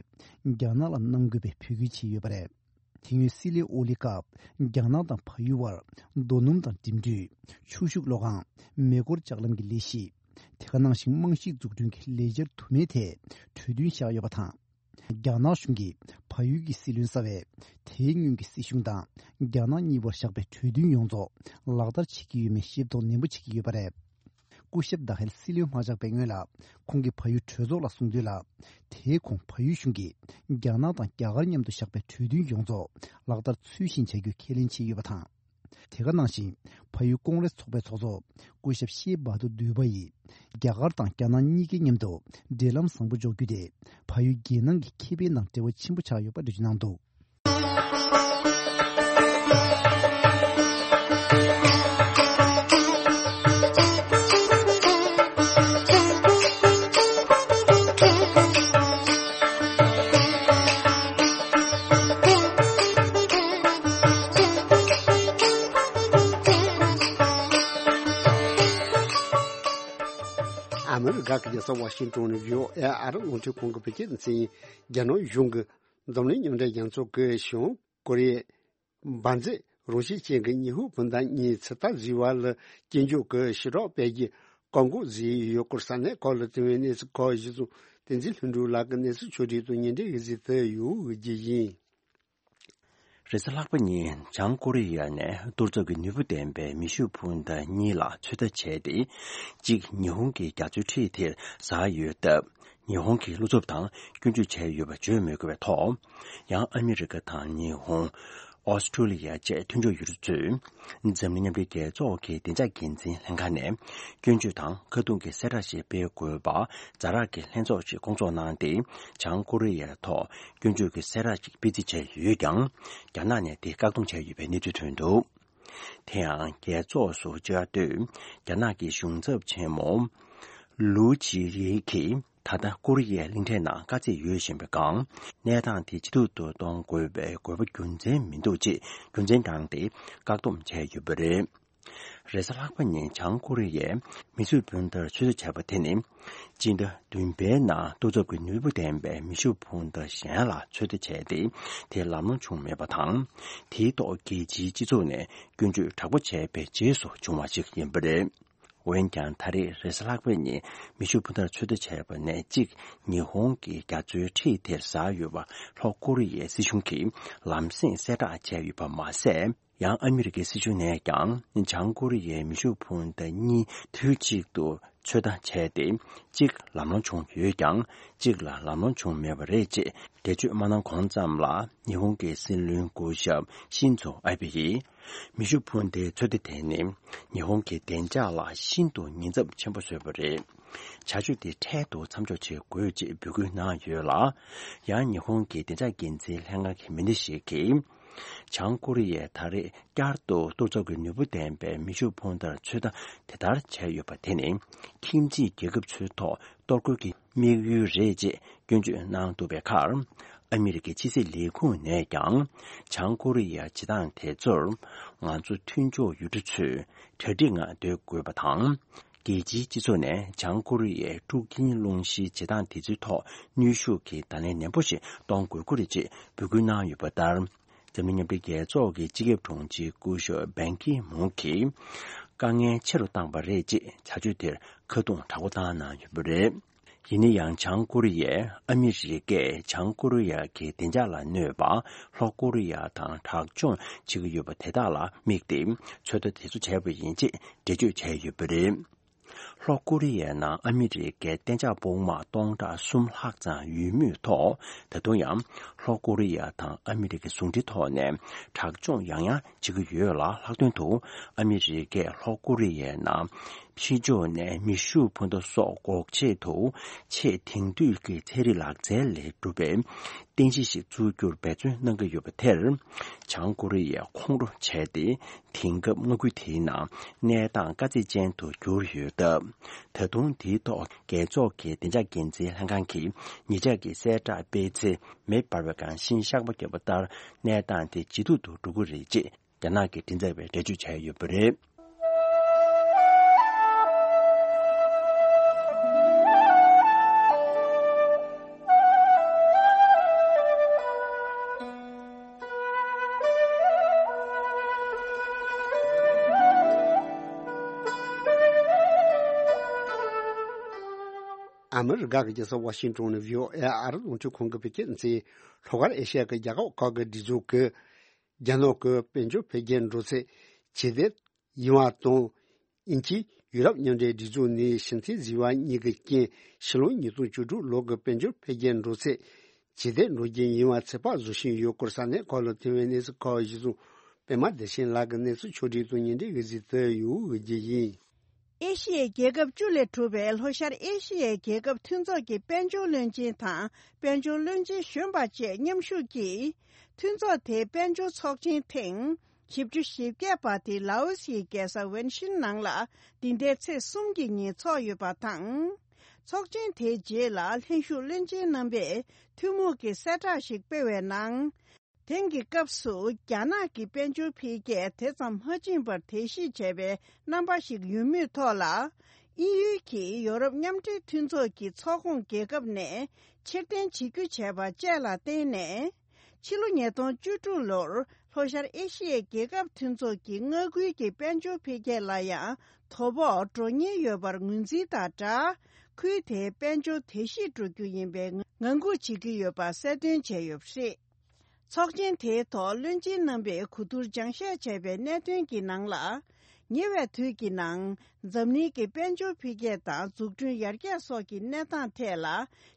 རྒྱ་ནག་ལ་གནང་དགོས་པའི་འབོད་སྐུལ་བྱས་ཡོད་པ་རེད། དེ་སྔོན་སྲིད་བློན་ཨོ་ལི་སྐབས་རྒྱ་ནག་དང་བལ་ཡུལ་བར་རྡོ་སྣུམ་དང་འགྲིམ་འགྲུལ། ཆུ་ཤུགས་གློག་ཁང་། མེ་འཁོར་ལྕགས་ལམ་གྱི་ལས་གཞི། དེ་ག་ནང་བཞིན་རྨང་གཞིའི་འཛུགས་སྐྲུན་གྱི་ལས་འཆར་དུ་མའི་ཐད་གྲོས་མཐུན་བཞག་ཡོད་པ་དང་། རྒྱ་ནག་གཞུང་གིས་བལ་ཡུལ་གྱི་སྲིད་བློན་གསར་པས་དེའི་སྔོན་གྱི་སྲིད་གཞུང་དང་རྒྱ་ནག་གཉིས་བར་བཞག་པའི་གྲོས་མཐུན་ཡོངས་རྫོགས་ལག་བསྟར་བྱེད་ཀྱི་ཡོད་མེད་ཤེས་རྟོགས་ནན་པོ་བྱེད་ཀྱི་ཡོད་པ་རེད། སྐུ་ཞབས་དྷ་ཧེལ་སྲིད་བློན་མ་ཆགས་པའི་སྔོན་ལ་ཁོང་གིས་བལ་ཡུལ་གྲོས་ཚོགས་ལ་གསུངས་དོན་ལ། དེའི་གོང་བལ་ཡུལ་གཞུང་གིས་རྒྱ་ནག་དང་རྒྱ་གར་མཉམ་དུ་བཞག་པའི་གྲོས་མཐུན་ཡོངས་རྫོགས་ལག་བསྟར་ཚུལ་བཞིན་བྱ་རྒྱུ་ཁས་ལེན་བྱས་ཡོད་པ་དང་། དེ་ག་ནང་བཞིན་བལ་ཡུལ་ཀོང་རེས་ཚོགས་པའི་ཚོགས་གཙོ་སྐུ་ཞབས་ཤེ་བྷ་དུ་དུ་བ་ཡིས་རྒྱ་གར་དང་རྒྱ་ནག་གཉིས་ཀའི་མཉམ་དུ་འབྲེལ་ལམ་བཟང་པོ་འཇོག་རྒྱུ་དེ་བལ་ཡུལ་རྒྱལ་ནང་གི་ཁེ་ཕན་ནང་འབྲེལ་བ་ཆེན་པོ་ཆགས་ཡོད་པ་འགྲེལ་བརྗོད་གནང་འདུག། ཨ་མི་རི་ཀ་གི་རྒྱལ་ས་ཝ་ཤིང་ཏོན་ནས་བྷི་ཨོ་ཨེ་ཨ་རི་རླུང་འཕྲིན་ཁང་གི་བོད་སྐད་སྡེ་ཚན་ཡིན། རྒྱ་ནག་གཞུང་གི་འཛམ་གླིང་མཉམ་འབྲེལ་རྒྱལ་ཚོགས་ཀྱི་བྱང་ཀོ་རི་ཡའི་འབར་རྫས་རང་བཞིན་ཅན་གྱི་ཉི་ཧོང་སྤུན་ཟླ་གཉིས་ཚོད་ལྟ་བཟོ་བ་ལ་སྐྱོན་བརྗོད་ཀྱི་ཞི་དྲག་སྤེལ་རྒྱུའི་བཀག་འགོག་བཟོས་ཡོད་སྐོར་ས་གནས་ཁག་ལ་ཐོན་པའི་གནས་ཚུལ་ཁག་གཞི་བཟུང་བསྟན་འཛིན་ལྷུན་གྲུབ་ལགས་ཀྱིས་གནས་ཚུལ་ཕྱོགས་སྒྲིག་དང་སྙན་སྒྲོན་ཞུ་གཟིགས་དུ་ཡོད་རྒྱུ་ཡིན། རེས་གཟའ་ལྷག་པ་ཉིན་བྱང་ཀོ་རི་ཡ་ནས་གཏོར་ཚོགས་ཀྱི་ནུས་པ་ལྡན་པའི་མེ་ཤུགས་འཕུར་མདའ་གཉིས་ལ་ཚོད་ལྟ་བྱས་ཏེ། གཅིག་ཉི་ཧོང་གི་རྒྱ་མཚོའི་འཁྲིས་དེར་ཟགས་ཡོད་སྟབས། ཉི་ཧོང་གིས་བློ་འཚབ་དང་སྐྱོན་བརྗོད་བྱས་ཡོད་པ་བརྗོད་མི་དགོས་པའི་ཐོག། ཡང་ཨ་མི་རི་ཀ་དང་ཉི་ཧོང་། ཨོ་སི་ཁྲུ་ལི་ཡ་བཅས་མཐུན་ཕྱོགས་ཡུལ་གྲུ་ཚོས། འཛམ་གླིང་མཉམ་འབྲེལ་རྒྱལ་ཚོགས་ཀྱི་བདེ་འཇགས་འགན་འཛིན་ལྷན་ཁང་ནས་སྐྱོན་བརྗོད་དང་ཁ་རྡུང་གི་གསལ་བསྒྲགས་ཤིག་སྤེལ་དགོས་པ་ཛ་དྲག་གི་ལྷན་ཚོགས་ཤིག་བསྐོང་ཚོགས་གནང་སྟེ། བྱང་ཀོ་རི་ཡའི་ཐོག་སྐྱོན་བརྗོད་ཀྱི་གསལ་བསྒྲགས་ཤིག་སྤེལ་རྩིས་བྱས་ཡོད་ཀྱང་། རྒྱ་ནག་ནས་དེ་བཀག་སྡོམ་བྱས་ཡོད་པའི་གནས་ཚུལ་ཐོན་འདུག། དེ་ཡང་རྒྱལ་ཚོགས་སུ་བཅའ་སྡོད་རྒྱ་ནག་གི་གཞུང་ཚབ་ཆེན་མོ་ལུའུ་ཅི་ཡེ་གིས། ད་ལྟ་ཀོ་རི་ཡའི་གླིང་ཕྲན་ནང་དཀའ་ཚེགས་ཡོད་བཞིན་པའི་སྒང་། གནས་སྟངས་དེ་ཇེ་སྡུག་ཏུ་གཏོང་དགོས་པའི་དགོས་པ་རྒྱུ་མཚན་མི་འདུག་ཅེས་རྒྱུ་མཚན་བགྲངས་ཏེ་བཀག་སྡོམ་བྱས་ཡོད་པ་རེད། རེས་གཟའ་ལྷག་པ་ཉིན་བྱང་ཀོ་རི་ཡས་མེ་ཤུགས་འཕུར་མདའ་ཚོད་ལྟ་བྱས་པ་དེ་ནི། སྤྱི་ཟླ་བདུན་པའི་ནང་གཏོར་ཚོགས་ཀྱི་ནུས་པ་ལྡན་པའི་མེ་ཤུགས་འཕུར་མདའ་གཞན་ལ་ཚོད་ལྟ་བྱས་ཏེ། དེ་ལམ་ལྷོང་བྱུང་མེད་པ་དང་། དེའི་ཐོག་རྒྱལ་སྤྱིའི་སྤྱི་ཚོགས་ནས་སྐྱོན་བརྗོད་དྲག་པོ་བྱས་པའི་རྗེས་སུ་བྱུང་བ་ཞིག་ཡིན་པ་རེད། འོན་ཀྱང་ད་རེས་རེས་གཟའ་ལྷག་པའི་ཉིན་མེ་ཤུགས་འཕུར་མདའ་ཚོད་ལྟ་བྱས་པ་ནས་གཅིག་ཉི་ཧོང་གི་རྒྱ་མཚོའི་འཁྲིས་དེར་ཟགས་ཡོད་པ་ལྷོ་ཀོ་རི་ཡའི་སྲིད་གཞུང་གིས་ལམ་སེང་གསལ་བསྒྲགས་བྱས་ཡོད་པ་མ་ཟད། ཡང་ཨ་མི་རི་ཀའི་སྲིད་གཞུང་ནས་ཀྱང་བྱང་ཀོ་རི་ཡའི་མེ་ཤུགས་འཕུར་མདའ་གཉིས་དུས་གཅིག་ཏུ་ཚོད་ལྟ་བྱས་ཏེ། གཅིག་ལམ་ལྷོང་བྱུང་ཡོད་ཀྱང་། གཅིག་ལ་ལམ་ལྷོང་བྱུང་མེད་པ་རེད་ཅེས་འགྲེལ་བརྗོད་མ་གནང་གོང་ཙམ་ལ། ཉི་ཧོང་གི་སྲིད་བློན་སྐུ་ཞབས་ཤིན་ཛོ་ཨ་བྷེ་ཡིས། མེ་ཤུགས་འཕུར་མདའི་ཚོད་ལྟ་དེ་ནི་ཉི་ཧོང་གི་བདེ་འཇགས་ལ་ཤིན་ཏུ་ཉེན་ཚབས་ཆེན་པོ་བཟོས་པ་རེད། བྱ་སྤྱོད་དེ་འཕྲལ་དུ་མཚམས་འཇོག་བྱེད་དགོས་ཅེས་འབོད་སྐུལ་གནང་ཡོད་ལ། ཡང་ཉི་ཧོང་གི་བདེ་འཇགས་འགན་འཛིན་ལྷན་ཁང་གི་མི་སྣ་ཞིག་གིས། བྱང་ཀོ་རི་ཡས་ད་རེས་བསྐྱར་དུ་གཏོར་ཚོགས་ཀྱི་ནུས་པ་ལྡན་པའི་མེ་ཤུགས་འཕུར་མདའ་ཚོད་ལྟ་དེ་ལྟར་བྱས་ཡོད་པ་དེ་ནི། ཁྱིམ་མཚེས་རྒྱལ་ཁབ་ཚོའི་ཐོག་གཏོར་རྒོལ་གྱི་དམིགས་ཡུལ་རེད་ཅེས་སྐྱོན་བརྗོད་གནང་འདུག་པའི་ཁར། ཨ་མི་རི་ཀའི་ཕྱི་སྲིད་ལས་ཁུངས་ནས་ཀྱང་། བྱང་ཀོ་རི་ཡ་བྱེད་སྟངས་དེ་ཚོར། ང་ཚོ་མཐུན་ཕྱོགས་ཡུལ་གྲུ་ཚོས་གྲ་སྒྲིག་ངང་སྡོད་དགོས་པ་དང་། རྒྱལ་སྤྱིའི་སྤྱི་ཚོགས་ནས་བྱང་ཀོ་རི་ཡའི་འཁྲུག་རྐྱེན་སློང་གཞིའི་བྱེད་སྟངས་དེ་ཚོའི་ཐོག་གནོན་ཤུགས་ཀྱི་བརྡ་ལན་ནན་པོ་ཞིག་གཏོང་དགོས་ཀྱི་རེད་ཅེས་འབོད་སྐུལ་གནང་ཡོད་པ་ལྟར། འཛམ་གླིང་མཉམ་འབྲེལ་རྒྱལ་ཚོགས་ཀྱི་སྤྱི་ཁྱབ་དྲུང་ཆེ་སྐུ་ཞབས་བན་ཀི་མུན་གྱིས། དཀའ་ངལ་ཆེ་རུ་བཏང་བ་རེད་ཅེས་བྱ་སྤྱོད་དེར་ཁ་རྡུང་དྲག་པོ་བཏང་གནང་ཡོད་པ་རེད། ཡིན་ན་ཡང་། བྱང་ཀོ་རི་ཡས་ཨ་མི་རི་ཀས་བྱང་ཀོ་རི་ཡ་གི་བདེ་འཇགས་ལ་གནོད་པ་ལྷོ་ཀོ་རི་ཡ་དང་དྲག་སྦྱོང་བྱེད་ཀྱི་ཡོད་པ་དེ་དག་ལ་དམིགས་ཏེ་ཚོད་ལྟ་དེ་ཚོ་བྱས་པ་ཡིན་ཅེས་འགྲེལ་བརྗོད་བྱས་ཡོད་པ་རེད། ལྷོ་ཀོ་རི་ཡའི་ནང་ཨ་མི་རི་ཀའི་གཏན་འཇགས་དཔུང་དམག་སྟོང་ཕྲག་གསུམ་ལྷག་ཙམ་ཡོད་མུས་ཐོག། ད་དུང་ཡང་ལྷོ་ཀོ་རི་ཡ་དང་ཨ་མི་རི་ཀའི་ཟུང་འབྲེལ་ཐོག་ནས་དྲག་སྦྱོང་ཡང་ཡང་བྱེད་ཀྱི་ཡོད་ལ། ལྷག་དོན་དུ་ཨ་མི་རི་ཀས་ལྷོ་ཀོ་རི་ཡའི་ནང་ཕྱི་ཕྱོགས་ནས་མེ་ཤུགས་འཕུར་མདའ་སོགས་འགོག་ཆེད་དུ་ཆེས་དེང་དུས་ཀྱི་ཚན་རིག་ལག་རྩལ་ལས་གྲུབ་པའི་རྟེན་གཞི་ཞིག་བཙུགས་རྒྱུར་འབད་བརྩོན་གནང་གི་ཡོད་པ་དེར། བྱང་ཀོ་རི་ཡས་ཁོང་ཁྲོ་བྱས་ཏེ། དེང་སྐབས་མངའ་ཁུལ་དེའི་ནང་གནས་སྟངས་དཀའ་ཚེགས་ཅན་དུ་གྱུར་ཡོད་སྟབས། ད་དུང་དེའི་ཐོག་རྒྱལ་ཚོགས་ཀྱི་བདེ་འཇགས་འགན་འཛིན་ལྷན་ཁང་གིས་ཉེ་ཆར་གྱི་གསལ་བསྒྲགས་སྤེལ་ཚེ་མེ་འབར་བའི་སྒང་ཤིང་གཤགས་པ་བརྒྱབ་པ་ལྟར། གནས་སྟངས་དེ་ཇེ་སྡུག་ཏུ་འགྲོ་གི་རེད་ཅེས་རྒྱ་ནག་གི་མགྲིན་ཚབ་པས་འགྲེལ་བརྗོད་བྱས་ཡོད་པ་རེད། ཨ་མི་རི་ཀ་གི་རྒྱལ་ས་ཝ་ཤིང་ཏོན་ནས་བྷི་ཨོ་ཨེ་ཨ་རི་རླུང་འཕྲིན་ཁང་གི་བོད་སྐད་སྡེ་ཚན། ལྷོ་ཤར་ཨེ་ཤ་ཡ་གི་རྒྱལ་ཁབ་ཁག་གི་སྒྲིག་འཛུགས་ཀྱིས། རྒྱ་ནག་གི་དཔལ་འབྱོར་འཕེལ་རྒྱས་འགྲོ་ཚད་ཇེ་བདེ་ཡིན་པ་དང་། དབྱིན་ཇི་ཡུ་རོབ་མཉམ་འབྲེལ་སྒྲིག་འཛུགས་ནས་ཞི་མཐུན་བཟོས་པ་གཉིས་ཀྱི་རྐྱེན། ཕྱི་ལོ་ཉིས་སྟོང་བཅུ་དྲུག་ལོ་གི་དཔལ་འབྱོར་འཕེལ་རྒྱས་འགྲོ་ཚད་ཇེ་བདེ་འགྲོ་རྒྱུ་ཡིན་པ་ཚོད་དཔག་བཟོ་བཞིན་ཡོད་སྐོར་ས་གནས་ཁག་ལ་ཐོན་པའི་གནས་ཚུལ་ཁག་གཞིར་བཟུང་ པད་མ་བདེ་ཆེན་ལགས་ཀྱིས་གནས་ཚུལ་ཕྱོགས་སྒྲིག་དང་སྙན་སྒྲོན་གྱིས་གཟིགས་ཚུལ་ཡོད་རྒྱུ་ཡིན། ཨེ་ཤི་ཡའི་རྒྱལ་ཁབ་བཅུ་ལས་གྲུབ་པའི་ལྷོ་ཤར་ཨེ་ཤི་ཡའི་རྒྱལ་ཁབ་མཐུན་ཚོགས་ཀྱི་དཔལ་འབྱོར་བློན་ཆེན་དང་དཔལ་འབྱོར་བློན་ཆེན་གཞོན་པ་བཅས་མཉམ་ཞུགས་ཀྱིས། མཐུན་ཚོགས་དེའི་དཔལ་འབྱོར་ཚོགས་ཆེན་ཐེངས་བཞི་བཅུ་ཞེ་བརྒྱད་པ་དེ་ལའོ་སིའི་རྒྱལ་ས་ཝན་ཤིན་ནང་ལ་འདི་ཟླའི་ཚེས་གསུམ་གྱི་ཉིན་འཚོགས་ཡོད་པ་དང་། ཚོགས་ཆེན་དེའི་རྗེས་ལ་ལྷན་ཞུགས་བློན་ཆེན་རྣམ་པས་ཐུན་མོང་གི་གསལ་བསྒྲགས་ཤིག་སྤེལ་བའི་ནང་། དེང་གི་སྐབས་སུ་རྒྱ་ནག་གི་དཔལ་འབྱོར་འཕེལ་རྒྱས་དེ་ཙམ་མ་ཕྱིན་པར་དེ་བཞིན་བྱས་པའི་རྣམ་པ་ཞིག་ཡོད་མུས་ཐོག་ལ། དབྱིན་ཡུལ་གྱིས་ཡོ་རོབ་མཉམ་འབྲེལ་མཐུན་ཚོགས་ཀྱི་ཚོགས་ཁོངས་རྒྱལ་ཁབ་ནས་ཕྱིར་འཐེན་བྱེད་རྒྱུ་བྱས་པ་བཅས་ལ་བརྟེན་ནས། ཕྱི་ལོ་ཉིས་སྟོང་བཅུ་དྲུག་ལོར་ལྷོ་ཤར་ཨེ་ཤི་ཡའི་རྒྱལ་ཁབ་མཐུན་ཚོགས་ཀྱི་མངའ་ཁུལ་གྱི་དཔལ་འབྱོར་འཕེལ་རྒྱས་ལ་ཡང་དོ་ཕོག་འགྲོ་ཉེན་ཡོད་པར་ངོས་འཛིན་དང་སྦྲགས། ཁུལ་དེའི་དཔལ་འབྱོར་བདེ་སྐྱིད་འགྲོ་རྒྱུ་ཡིན་པའི་ངང་སྒུག་བྱེད་ཀྱི་ཡོད་པ་གསལ་སྟོན་བྱས་ཡོད་པ་རེད། ཚོགས་ཆེན་དེའི་ཐོག་བློན་ཆེན་རྣམ་པས་གོ་བསྡུར་སྦྱང་བཤད་བྱས་པའི་གནད་དོན་གྱི་ནང་ལ། ཉེ་བའི་དུས་ཀྱི་ནང་འཛམ་གླིང་གི་དཔལ་འབྱོར་འཕེལ་རྒྱས་དང་འཛུགས་སྐྲུན་ཡར་རྒྱས་སོགས་ཀྱི་གནས་སྟངས་ཐད་ལ་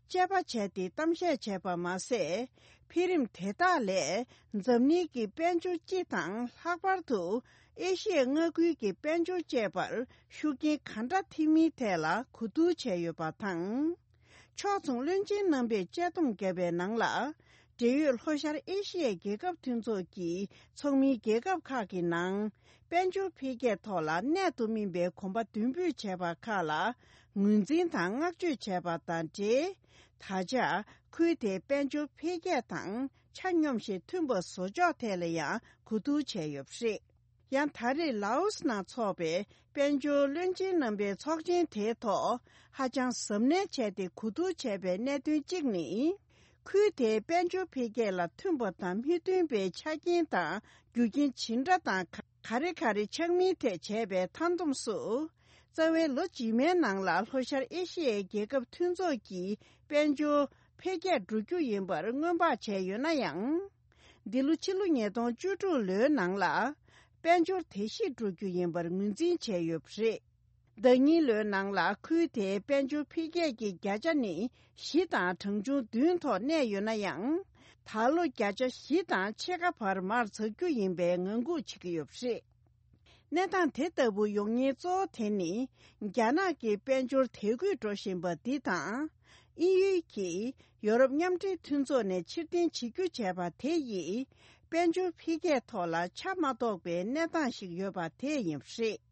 དཔྱད་པ་བྱས་ཏེ་གཏམ་བཤད་བྱས་པ་མ་ཟད། འཕེལ་རིམ་དེ་དག་ལས་འཛམ་གླིང་གི་དཔལ་འབྱོར་སྤྱི་དང་ལྷག་པར་དུ་ཨེ་ཤི་ཡའི་མངའ་ཁུལ་གྱི་དཔལ་འབྱོར་བཅས་པར་ཤུགས་རྐྱེན་ག་འདྲ་ཐེབས་མིན་ཐད་ལ་གོ་བསྡུར་བྱས་ཡོད་པ་དང་། ཕྱོགས་མཚུངས་བློན་ཆེན་རྣམ་པས་དཔྱད་སྡོམ་བརྒྱབ་པའི་ནང་ལ། འབྲེལ་ཡོད་ལྷོ་ཤར་ཨེ་ཤི་ཡའི་རྒྱལ་ཁབ་མཐུན་ཚོགས་ཀྱི་ཚོགས་མིའི་རྒྱལ་ཁབ་ཁག་གི་ནང་། དཔལ་འབྱོར་འཕེལ་རྒྱས་ཐོག་ལ་གནད་དུ་སྨིན་པའི་གོམ་པ་མདུན་སྤོས་བྱས་པ་ཁག་ལ་ངོས་འཛིན་དང་བསྔགས་བརྗོད་བྱས་པ་དང་འབྲེལ། ད་ཆ་ཁུལ་དེའི་དཔལ་འབྱོར་འཕེལ་རྒྱས་དང་ཆ་སྙོམས་ཤིང་མཐུན་པ་བཟོ་ཕྱོགས་ཐད་ལ་ཡང་གོ་བསྡུར་བྱས་ཡོད་པ་རེད། ཡང་ད་རེས་ལའོ་སི་ནང་འཚོགས་པའི་དཔལ་འབྱོར་བློན་ཆེན་རྣམ་པའི་ཚོགས་ཆེན་དེའི་ཐོག་ཧ་ཅང་གཟབ་ནན་བྱས་ཏེ་གོ་བསྡུར་བྱས་པའི་གནད་དོན་གཅིག་ནི། ཁུལ་དེའི་དཔལ་འབྱོར་འཕེལ་རྒྱས་ལ་མཐུན་པ་དང་མི་མཐུན་པའི་ཆ་རྐྱེན་དང་རྒྱུ་རྐྱེན་ཇི་འདྲ་དང་ག་རེ་ག་རེ་ཆགས་མིན་ཐད་བྱས་པའི་མཐའ་བསྡོམས་སུ། རྩ་བའི་ལོ་རྗེས་མའི་ནང་ལ་ལྷོ་ཤར་ཨེ་ཤི་ཡའི་རྒྱལ་ཁབ་མཐུན་ཚོགས་ཀྱི་དཔལ་འབྱོར་འཕེལ་རྒྱས་འགྲོ་རྒྱུ་ཡིན་པར་སྔོན་དཔག་བྱས་ཡོད་ན་ཡང་། འདི་ལོ་ཕྱི་ལོ་ཉིས་སྟོང་བཅུ་དྲུག་ལོའི་ནང་ལ་དཔལ་འབྱོར་བདེ་སྐྱིད་འགྲོ་རྒྱུ་ཡིན་པར་ངོས་འཛིན་བྱས་ཡོད་པ་རེད། ཟླ་གཉིས་ལོའི་ནང་ལ་ཁུལ་དེའི་དཔལ་འབྱོར་འཕེལ་རྒྱས་ཀྱི་བརྒྱ་ཆ་ནི་བཞི་དང་གྲངས་ཆུང་བདུན་ཐོག་གནས་ཡོད་ན་ཡང་། ད་ལོ་བརྒྱ་ཆ་བཞི་དང་ཕྱེད་ཀ་བར་མར་འཛེག་རྒྱུ་ཡིན་པའི་ངང་སྒུག་བྱེད་ཀྱི་ཡོད་པ་རེད། གནས་སྟངས་དེ་ལྟ་བུ་ཡོང་ཉེན་གཙོ་བོ་དེ་ནི། རྒྱ་ནག་གི་དཔལ་འབྱོར་དལ་རྒུད་འགྲོ་བཞིན་པ་འདི་དང་། དབྱིན་ཡུལ་གྱིས་ཡོ་རོབ་མཉམ་འབྲེལ་མཐུན་ཚོགས་ནས་ཕྱིར་འཐེན་བྱེད་རྒྱུ་བྱས་པ་དེ་ཡིས། དཔལ་འབྱོར་འཕེལ་རྒྱས་ཐོག་ལ་ཆ་མ་གཏོགས་པའི་གནས་སྟངས་ཤིག་ཡོད་པ་དེ་ཡིན་པ་རེད།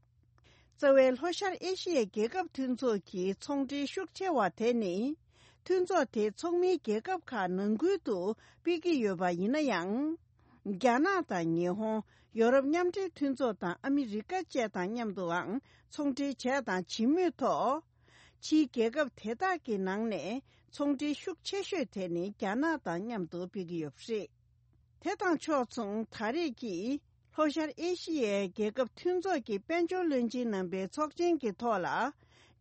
རྩ་བའི་ལྷོ་ཤར་ཨེ་ཤི་ཡའི་རྒྱལ་ཁབ་མཐུན་ཚོགས་ཀྱི་ཚོང་འབྲེལ་ཤུགས་ཆེ་བ་དེ་ནི། མཐུན་ཚོགས་དེའི་ཚོགས་མིའི་རྒྱལ་ཁབ་ཁག་ནང་ཁུལ་དུ་སྤེལ་གྱི་ཡོད་པ་ཡིན་ན་ཡང་། རྒྱ་ནག་དང་ཉི་ཧོང་། ཡོ་རོབ་མཉམ་འབྲེལ་མཐུན་ཚོགས་དང་ཨ་མི་རི་ཀ་བཅས་དང་མཉམ་དུའང་ཚོང་འབྲེལ་བྱས་དང་བྱེད་མུས་ཐོག་ཕྱིའི་རྒྱལ་ཁབ་དེ་དག་གི་ནང་ནས་ཚོང་འབྲེལ་ཤུགས་ཆེ་ཤོས་དེ་ནི་རྒྱ་ནག་དང་མཉམ་དུ་སྤེལ་གྱི་ཡོད་པ་རེད། དེ་དང་ཕྱོགས་མཚུངས་ད་རེས་ཀྱི་ལྷོ་ཤར་ཨེ་ཤི་ཡའི་རྒྱལ་ཁབ་མཐུན་ཚོགས་ཀྱི་དཔལ་འབྱོར་བློན་ཆེན་རྣམ་པའི་ཚོགས་ཆེན་གྱི་ཐོག་ལ།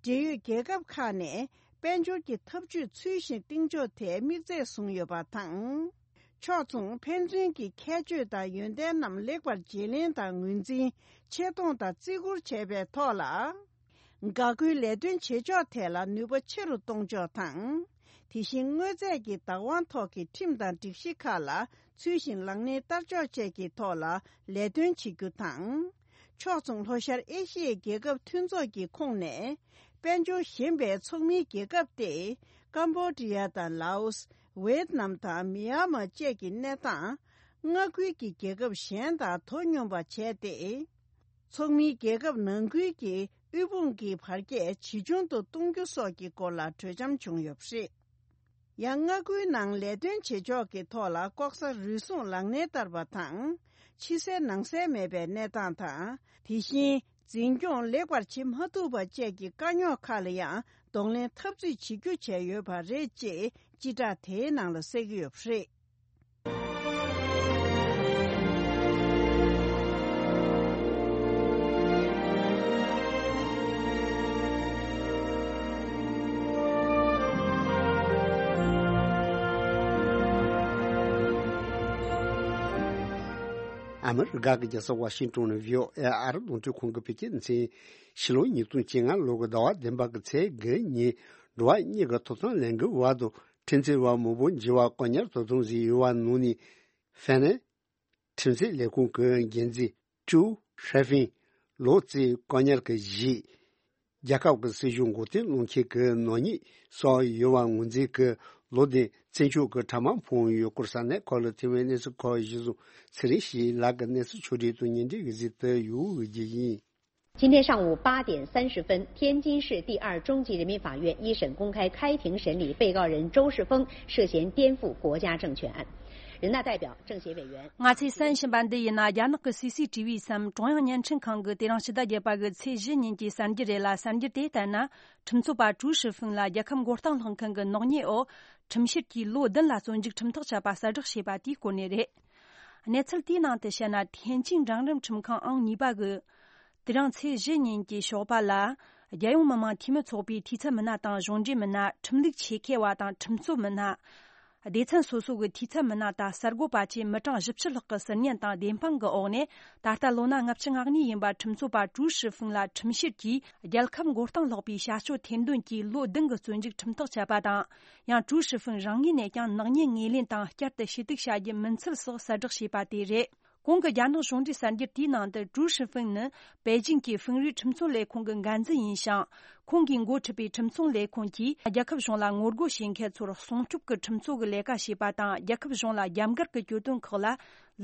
འབྲེལ་ཡོད་རྒྱལ་ཁབ་ཁག་ནས་དཔལ་འབྱོར་གྱི་འཐབ་ཇུས་ཚུལ་བཞིན་གཏིང་འཇོག་ཐད་དམིགས་ཚད་བཟུང་ཡོད་པ་དང་། ཕྱོགས་མཚུངས་ཕན་ཚུན་གྱི་ཁྱད་ཆོས་དང་ཡོན་ཏན་རྣམས་ལེགས་པར་བརྗེ་ལེན་དང་ངོས་འཛིན་ཆེ་མཐོང་དང་བརྩི་བཀུར་བྱས་པའི་ཐོག་ལ། འགག་སྒོའི་ལས་དོན་བྱེད་ཕྱོགས་ཐད་ལ་ནུས་པ་ཆེ་རུ་གཏོང་ཕྱོགས་དང་། དེ་བཞིན་དངོས་རྫས་ཀྱི་བདག་དབང་ཐོག་གི་ཁྲིམས་དང་སྒྲིག་གཞི་ཁག་ལ་ཚུལ་བཞིན་ལག་ལེན་བསྟར་ཕྱོགས་བཅས་ཀྱི་ཐོག་ལ་ལས་དོན་བྱེད་རྒྱུ་དང་། ཕྱོགས་མཚུངས་ལྷོ་ཤར་ཨེ་ཤི་ཡའི་རྒྱལ་ཁབ་མཐུན་ཚོགས་ཀྱི་ཁོངས་ནས་དཔལ་འབྱོར་ཞན་པའི་ཚོགས་མིའི་རྒྱལ་ཁབ་སྟེ། ཀམ་བོ་ཌི་ཡ་དང་ལའོ་སི། ཝེ་ཏི་ནམ་དང་མི་ཡན་མར་བཅས་ཀྱི་གནས་སྟངས། མངའ་ཁུལ་གྱི་རྒྱལ་ཁབ་གཞན་དང་དོ་སྙོམས་པ་བྱས་ཏེ། ཚོགས་མིའི་རྒྱལ་ཁབ་ནང་ཁུལ་གྱི་དབུལ་ཕོངས་ཀྱི་བར་ཁྱད་ཇེ་ཆུང་དུ་གཏོང་རྒྱུ་སོགས་ཀྱི་སྐོར་ལ་གྲོས་འཆམ་བྱུང་ཡོད་པ་རེད། ཡང་མངའ་ཁུལ་ནང་ལས་དོན་བྱེད་ཕྱོགས་ཀྱི་ཐོག་ལ་ལྐོག་ཟ་རུལ་སུངས་ལག་ལེན་བསྟར་བ་དང་། ཕྱི་གསལ་ནང་གསལ་མེད་པའི་གནས་སྟངས་དང་། དེ་བཞིན་འཛིན་སྐྱོང་ལེགས་པར་བྱེད་མ་ཐུབ་པ་བཅས་ཀྱི་དཀའ་རྙོག་ཁག་ལ་ཡང་གདོང་ལེན་འཐབ་རྩོད་བྱེད་རྒྱུ་བྱས་ཡོད་པ་རེད་ཅེས་སྤྱི་བསྒྲགས་དེའི་ནང་ལ་གསལ་གྱི་ཡོད་པ་རེད། ཨ་མི་རི་ཀ་གི་རྒྱལ་ས་ཝ་ཤིང་ཏོན་ནས་བྷི་ཨོ་ཨེ་ཨ་རི་རླུང་འཕྲིན་ཁང་གི་བོད་སྐད་སྡེ་ཚན། ཕྱི་ལོ་ཉིས་སྟོང་བཅོ་ལྔ་ལོ་གི་ཟླ་བ་བདུན་པ་གི་ཚེས་དགུ་ཉིན། འགྲོ་བ་མིའི་ཐོབ་ཐང་ལས་འགུལ་བ་དང་ཁྲིམས་རྩོད་བ་མང་པོ་འཇིགས་པ་སྐོར་ཉར་དོ་དམ་བཟོས་ཡོད་པ་ནང་ནས། ཧྥན་ནན། ཁྲིམས་སྲིད་ལས་ཁུངས་ཀྱི་འགན་འཛིན་ཀྲུའུ་ཧྲེ་ཧྥིན། ལོ་ཙཱའི་བཀག་ཉར་གྱི་གཞི། རྒྱལ་ཁབ་ཀྱི་སྲིད་གཞུང་མགོ་རྟིང་སློང་མཁན་གྱི་ནག་ཉེས་སོགས་ཡོད་པ་ངོས་འཛིན་གྱིས་ལོ་བདུན་བཙུན་ཆུང་གི་ཕྲ་མ་ཕོག་ཡོད་སྐོར་ས་གནས་ཁག་ལ་ཐོན་པའི་གནས་ཚུལ་ཁག་གཞི་བཟུང་ཚེ་རིང་ཞིག་ལགས་ཀྱི་གནས་ཚུལ་ཕྱོགས་སྒྲིག་དང་སྙན་སྒྲོན་གྱི་གཟིགས་དུ་ཡོད་རྒྱུ་ཡིན། 今天上午八点三十分，天津市第二中级人民法院一审公开开庭审理被告人周世峰涉嫌颠覆国家政权案。人大代表、政协委员。ང་ཚོས་གསན་བཞིན་པ་འདི་ཡིན་ན། རྒྱ་ནག་གི་སི་སི་ཊི་བི་སམ་ཀྲུང་དབྱང་བརྙན་འཕྲིན་ཁང་གི་དེ་རིང་ཕྱི་ཟླ་བརྒྱད་པ་གི་ཚེས་བཞི་ཉིན་གྱི་གསར་འགྱུར་རེད་ལ། གསར་འགྱུར་དེ་ལྟར་ན། ཁྲིམས་རྩོད་པ་ཀྲུའུ་ཧྲི་ཧྥིན་ལ་རྒྱལ་ཁབ་མགོ་རྟིང་སློག་མཁན་གྱི་ནག་ཉེས་འོག་ཁྲིམས་བཤེར་གྱིས་ལོ་བདུན་ལ་བཙོན་འཇུག་ཁྲིམས་ཐག་བཅད་པ་གསལ་བསྒྲགས་བྱས་པ་དེའི་སྐོར་ནས་རེད། གནས་ཚུལ་དེའི་ནང་དུ་བཤད་ན། ཐེན་ཅིང་འབྲིང་རིམ་ཁྲིམས་ཁང་ཨང་གཉིས་པ་གི་དེ་རིང་ཚེས་བཞི་ཉིན་གྱི་ཞོགས་པ་ལ། རྒྱལ་ཡོངས་མི་དམངས་འཐུས་མི་ཚོགས་པའི་འཐུས་ཚབ་མི་སྣ་དང་གཞུང་འབྲེལ་མི་སྣ། ཁྲིམས་ལུགས་ཆེད་མཁས་པ་དང་ཁྲིམས་རྩོད་མི་སྣ། སྡེ་ཚན་སོ་སོ་གི་འཐུས་ཚབ་མི་སྣ་དང་གསར་འགོད་པ་བཅས་མི་གྲངས་བཞི་བཅུ་ལྷག་གི་ཟུར་ཉན་དང་བདེན་དཔང་གི་འོག་ནས། ད་ལྟ་ལོ་ན་ལྔ་བཅུ་ང་གཉིས་ཡིན་པ་ཁྲིམས་རྩོད་པ་ཀྲུའུ་ཧྲི་ཧྥིན་ལ་ཁྲིམས་བཤེར་གྱིས་རྒྱལ་ཁབ་མགོ་རྟིང་སློག་པའི་བྱ་སྤྱོད་ཐེར་འདོན་གྱིས་ལོ་བདུན་གྱི་བཙོན་འཇུག་ཁྲིམས་ཐག་བཅད་པ་དང་། ཡང་ཀྲུའུ་ཧྲི་ཧྥིན་རང་ངོས་ནས་ཀྱང་ནག་ཉེས་ངོས་ལེན་དང་བསྐྱར་དུ་ཞུ་གཏུག་བྱ་རྒྱུ་མིན་ཚུལ་སོགས་གསལ་བསྒྲགས་བྱས་པ་དེ་རེད། གོང་གི་རྒྱ་ནག་གཞུང་འབྲེལ་གསར་འགྱུར་དེའི་ནང་དུ། ཀྲུའུ་ཧྲི་ཧྥིན་ནི་པེ་ཅིང་གི་ཧྥིན་རུའི་ཁྲིམས་རྩོད་ལས་ཁུངས་ཀྱི་འགན་འཛིན་ཡིན་ཞིང་། ཁོང་གིས་འགོ་ཁྲིད་པའི་ཁྲིམས་རྩོད་ལས་ཁུངས་ཀྱིས་རྒྱལ་ཁབ་གཞུང་ལ་ངོ་རྒོལ་བྱེད་མཁན་ཚོར་སྲུང་སྐྱོབ་ཀྱི་ཁྲིམས་རྩོད་ཀྱི་ལས་ཀ་བྱས་པ་དང་། རྒྱལ་ཁབ་གཞུང་ལ་རྒྱབ་འགལ་གྱི་གྱོད་དོན་ཁག་ལ་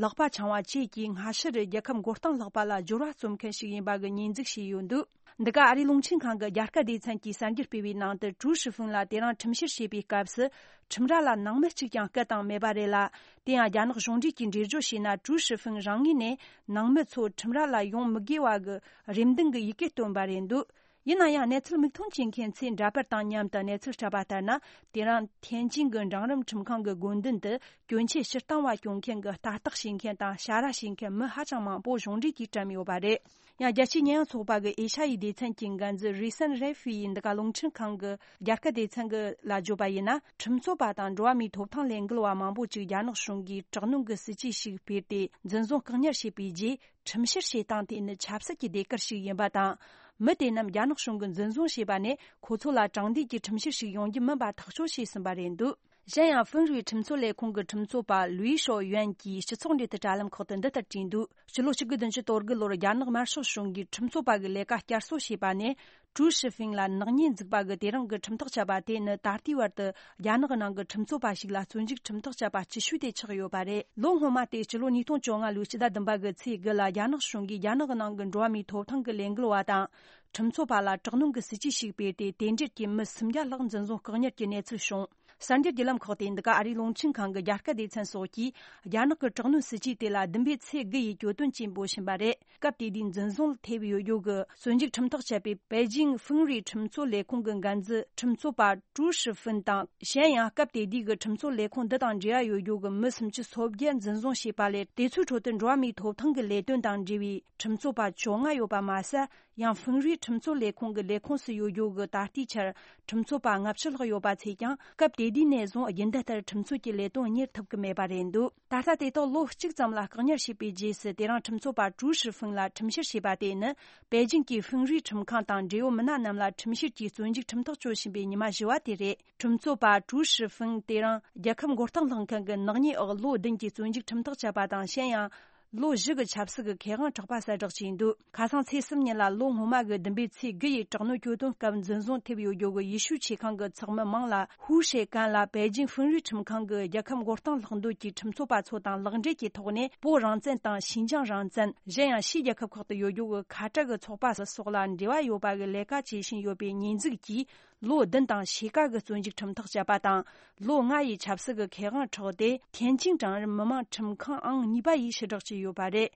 ལག་པ་འཆང་བ་བཅས་ཀྱིས་སྔ་ཕྱི་རུ་རྒྱལ་ཁབ་མགོ་རྟིང་སློག་པ་ལ་སྦྱོར་བ་རྩོམ་མཁན་ཞིག་ཡིན་པ་གི་ཉེས་འཛུགས་བྱས་ཡོད་འདུག་འདི་ག་ཨ་རིའི་རླུང་འཕྲིན་ཁང་གི་རྒྱ་སྐད་སྡེ་ཚན་གྱིས་གསར་འགྱུར་སྤེལ་བའི་ནང་དུ། ཀྲུའུ་ཧྲི་ཧྥིན་ལ་དེ་རིང་ཁྲིམས་བཤེར་བྱེད་པའི་སྐབས་སུ། ཁྲིམས་ར་ལ་ནང་མི་གཅིག་ཀྱང་སྐུ་དང་མེད་པ་རེད་ལ། དེ་ཡང་རྒྱ་ནག་གཞུང་འབྲེལ་གྱིས་འགྲེལ་བརྗོད་བྱས་ན། ཀྲུའུ་ཧྲི་ཧྥིན་རང་ངོས་ནས་ནང་མི་ཚོ་ཁྲིམས་ར་ལ་ཡོང་མི་དགོས་པ་གི་རེ་འདུན་གྱི་ཡི་གེ་བཏོན་པ་རེད་འདུག་ཡིན་ན་ཡང་། གནས་ཚུལ་མིག་མཐོང་བྱེད་མཁན་ཚོས་འདྲ་པར་དང་མཉམ་དུ་གནས་ཚུལ་སྤྲད་པ་ལྟར་ན། དེ་རིང་ཐེན་ཅིང་གི་འབྲིང་རིམ་ཁྲིམས་ཁང་གི་དགོན་མདུན་དུ་གྱོན་ཆས་ཕྱིར་བཏང་བ་སྐྱོན་མཁན་གྱི་ལྟ་རྟོག་བྱེད་མཁན་དང་ཞ་ར་བྱེད་མཁན་མི་ཧ་ཅང་མང་པོ་གཞུང་འབྲེལ་གྱིས་བཀྲམ་ཡོད་པ་རེད། ཡང་རྒྱལ་སྤྱིའི་ཉེས་ཡངས་ཚོགས་པ་གི་ཨེ་ཤ་ཡའི་སྡེ་ཚན་གྱི་འགན་འཛིན་རི་སན་རེ་ཧྥི་ཡིས་འདི་ག་རླུང་འཕྲིན་ཁང་གི་རྒྱ་སྐད་སྡེ་ཚན་གྱི་ལ་བརྗོད་པ་ཡིན་ན། ཁྲིམས་རྩོད་པ་དང་འགྲོ་བ་མིའི་ཐོབ་ཐང་ལས་འགུལ་བ་མང་པོ་ཅིག་རྒྱ་ནག་གཞུང་གིས་དྲག་གནོན་གྱི་སྲིད་ཇུས་ཤིག་སྤེལ་ཏེ། འཛིན་བཟུང་བཀག་ཉར་བྱས་པའི་རྗེས། ཁྲིམས་བཤེར་བྱེད་སྟངས་དེ་ནི་ཆབ་སྲིད་ཀྱི་ཟློས་གར་ཞིག་ཡིན་པ་དང་། མི་དེ་རྣམས་རྒྱ་ནག་གཞུང་གིས་འཛིན་བཟུང་བྱས་པ་ནས་ཁོ་ཚོ་ལ་དྲང་བདེན་གྱི་ཁྲིམས་བཤེར་ཞིག་ཡོང་རྒྱུ་མིན་པ་ཐག་གཅོད་བྱས་ཟིན་པ་རེད་འདུག་གཞན་ཡང་། ཧྥིན་རུའི་ཁྲིམས་རྩོད་ལས་ཁུངས་ཀྱི་ཁྲིམས་རྩོད་པ་ལུའི་ཤོ་ཡོན་གྱིས་སྤྱི་ཚོགས་འབྲེལ་མཐུད་དྲ་ལམ་ཁག་ཏུ་འདི་ལྟར་བྲིས་འདུག་སྤྱི་ལོ་གཅིག་དགུ་བདུན་ཅུ་དོན་དགུ་ལོར་རྒྱ་ནག་དམར་ཤོག་གཞུང་གིས་ཁྲིམས་རྩོད་པ་གི་ལས་ཀ་བསྐྱར་གསོ་བྱས་པ་ནས། ཀྲུའུ་ཧྲི་ཧྥིན་ལ་ནག་ཉེས་འཛུགས་པ་གི་དེ་རིང་གི་ཁྲིམས་ཐག་བཅད་པ་དེ་ནི། ད་ལྟའི་བར་དུ་རྒྱ་ནག་གི་ནང་གི་ཁྲིམས་རྩོད་པ་ཞིག་ལ་བཙོན་འཇུག་ཁྲིམས་ཐག་བཅད་པ་བཅུ་དྲུག་དེ་ཆགས་ཡོད་པ་རེད། ལོ་སྔོན་མ་སྟེ། སྤྱི་ལོ་ཉིས་སྟོང་བཅོ་ལྔ་ལོའི་ཕྱི་ཟླ་བདུན་པ་གི་ཚེས་དགུ་ལ། རྒྱ་ནག་གཞུང་གིས་རྒྱ་ནག་གི་ནང་གི་འགྲོ་བ་མིའི་ཐོབ་ཐང་གི་ལས་འགུལ་བ་དང་། ཁྲིམས་རྩོད་པ་ལ་དྲག་གནོན་གྱི་སྲིད་ཇུས་ཤིག་སྤེལ་ཏེ། དེ་འབྲེལ་གྱི་མི་སུམ་བརྒྱ་ལྷག་འཛིན་བཟུང་བཀག་ཉར་གྱི་གནས་ཚུལ་བྱུང་། གསར་འགྱུར་བརྒྱུད་ལམ་ཁག་སྟེ། འདི་ག་ཨ་རིའི་རླུང་འཕྲིན་ཁང་གི་རྒྱ་སྐད་སྡེ་ཚན་སོགས་ཀྱིས། རྒྱ་ནག་གི་དྲག་གནོན་སྲིད་ཇུས་དེ་ལ་བདུན་པའི་ཚེས་དགུ་ཡི་གྱོད་དོན་ཅིག་འབོད་བཞིན་པ་རེད། སྐབས་དེ་དུས་འཛིན་བཟུང་ལ་ཐེབས་ཡོད་རྒྱུ་གི་བཙོན་འཇུག་ཁྲིམས་ཐག་བཅད་པའི་པེ་ཅིང་ཧྥིན་རུའི་ཁྲིམས་རྩོད་ལས་ཁུངས་ཀྱི་འགན་འཛིན་ཁྲིམས་རྩོད་པ་ཀྲུའུ་ཧྲི་ཧྥིན་དང་། གཞན་ཡང་། སྐབས་དེ་དུས་ཀྱི་ཁྲིམས་རྩོད་ལས་ཁུངས་འདི་དང་འབྲེལ་བ་ཡོད་རྒྱུ་གི་མི་སུམ་ཅུ་སོ་བརྒྱད་འཛིན་བཟུང་བྱས་པ་ལས། དེ་ཚོའི་ཁྲོད་དུ་འགྲོ་བ་མིའི་ཐོབ་ཐང་གི་ལས་དོན་དང་འབྲེལ་བའི་ཁྲིམས་རྩོད་པ་བཅོ་ལྔ་ཡོད་པ་མ་ཟད། ཡང་། ཧྥིན་རུའི་ཁྲིམས་རྩོད་ལས་ཁུངས་ཀྱི་ལས་ཁུངས་སུ་ཡོད་རྒྱུ་གི་ད་ལྟའི་ཆར་ཁྲིམས་རྩོད་པ་ལྔ་བཅུ་ལྷག་ཡོད་པ་ཚོས་ཀྱང་། སྐབས་དེ་དུས་ནས་བཟུང་རྒྱུན་ལྡན་ལྟར་ཁྲིམས་རྩོད་ཀྱི་ལས་དོན་གཉེར་ཐུབ་ཀྱི་མེད་པ་རེད་འདུག་ད་ལྟ་དེ་དག་ལོ་གཅིག་ཙམ་ལ་བཀག་ཉར་བྱས་པའི་རྗེས་སུ། དེ་རིང་ཁྲིམས་རྩོད་པ་ཀྲུའུ་ཧྲི་ཧྥིན་ལ་ཁྲིམས་བཤེར་བྱས་པ་དེ་ནི། པེ་ཅིང་གི་ཧྥིན་རུའི་ཁྲིམས་ཁང་དང་འབྲེལ་ཡོད་མི་སྣ་རྣམས་ལ་ཁྲིམས་བཤེར་གྱིས་བཙོན་འཇུག་ཁྲིམས་ཐག་གཅོད་བཞིན་པའི་ཉི་མ་བཞི་བ་དེ་རེད། ཁྲིམས་རྩོད་པ་ཀྲུའུ་ཧྲི་ཧྥིན་དེ་རིང་རྒྱལ་ཁབ་མགོ་རྟིང་སློག་མཁན་གྱི་ནག་ཉེས་འོག་ལོ་བདུན་གྱི་བཙོན་འཇུག་ཁྲིམས་ཐག་བཅད་པ་དང་། གཞན་ཡང་། ལོ་བཞི་གི་ཆབ་སྲིད་ཀྱི་ཁེ་དབང་དྲག་པ་གསལ་བསྒྲགས་བྱས་འདུག་ཁ་སང་ཚེས་གསུམ་ཉིན་ལ་ལོ་སྔོན་མ་གི་བདུན་པའི་ཚེས་དགུ་ཡི་དྲག་གནོན་གྱོད་དོན་སྐབས་འཛིན་བཟུང་ཐེབས་ཡོད་རྒྱུ་གི་ཡེ་ཤུའི་ཆེ་ཁང་གི་ཚོགས་མི་མང་ལ། ཧུའུ་ཧྲེ་ཀན་ལ་པེ་ཅིང་ཧྥིན་རུའི་ཁྲིམས་ཁང་གི་རྒྱལ་ཁབ་མགོ་རྟིང་སློག་འདོད་ཀྱི་ཁྲིམས་རྩོད་པ་ཚོ་དང་ལག་འབྲེལ་གྱི་ཐོག་ནས། བོད་རང་བཙན་དང་ཞིན་ཅང་རང་བཙན། གཞན་ཡང་། ཕྱིའི་རྒྱལ་ཁབ་ཁག་ཏུ་ཡོད་རྒྱུ་གི་ཁ་བྲལ་གྱི་ཚོགས་པ་སོགས་ལ་འབྲེལ་བ་ཡོད་པ་གི་ལས་ཀ་བྱེད་བཞིན་ཡོད་པའི་ཉེས་འཛུགས་ཀྱིས། ལོ་བདུན་དང་ཕྱེད་ཀ་གི་བཙོན་འཇུག་ཁྲིམས་ཐག་བཅད་པ་དང་། ལོ་ལྔ་ཡི་ཆབ་སྲིད་ཀྱི་ཁེ་དབང་འཕྲོག་སྟེ། ཐེན་ཅིང་གྲངས་རིམ་མི་དམངས་ཁྲིམས་ཁང་ཨང་གཉིས་པ་ཡིས་ཕྱིར་བསྒྲགས་བྱས་ཡོད་པ་རེད།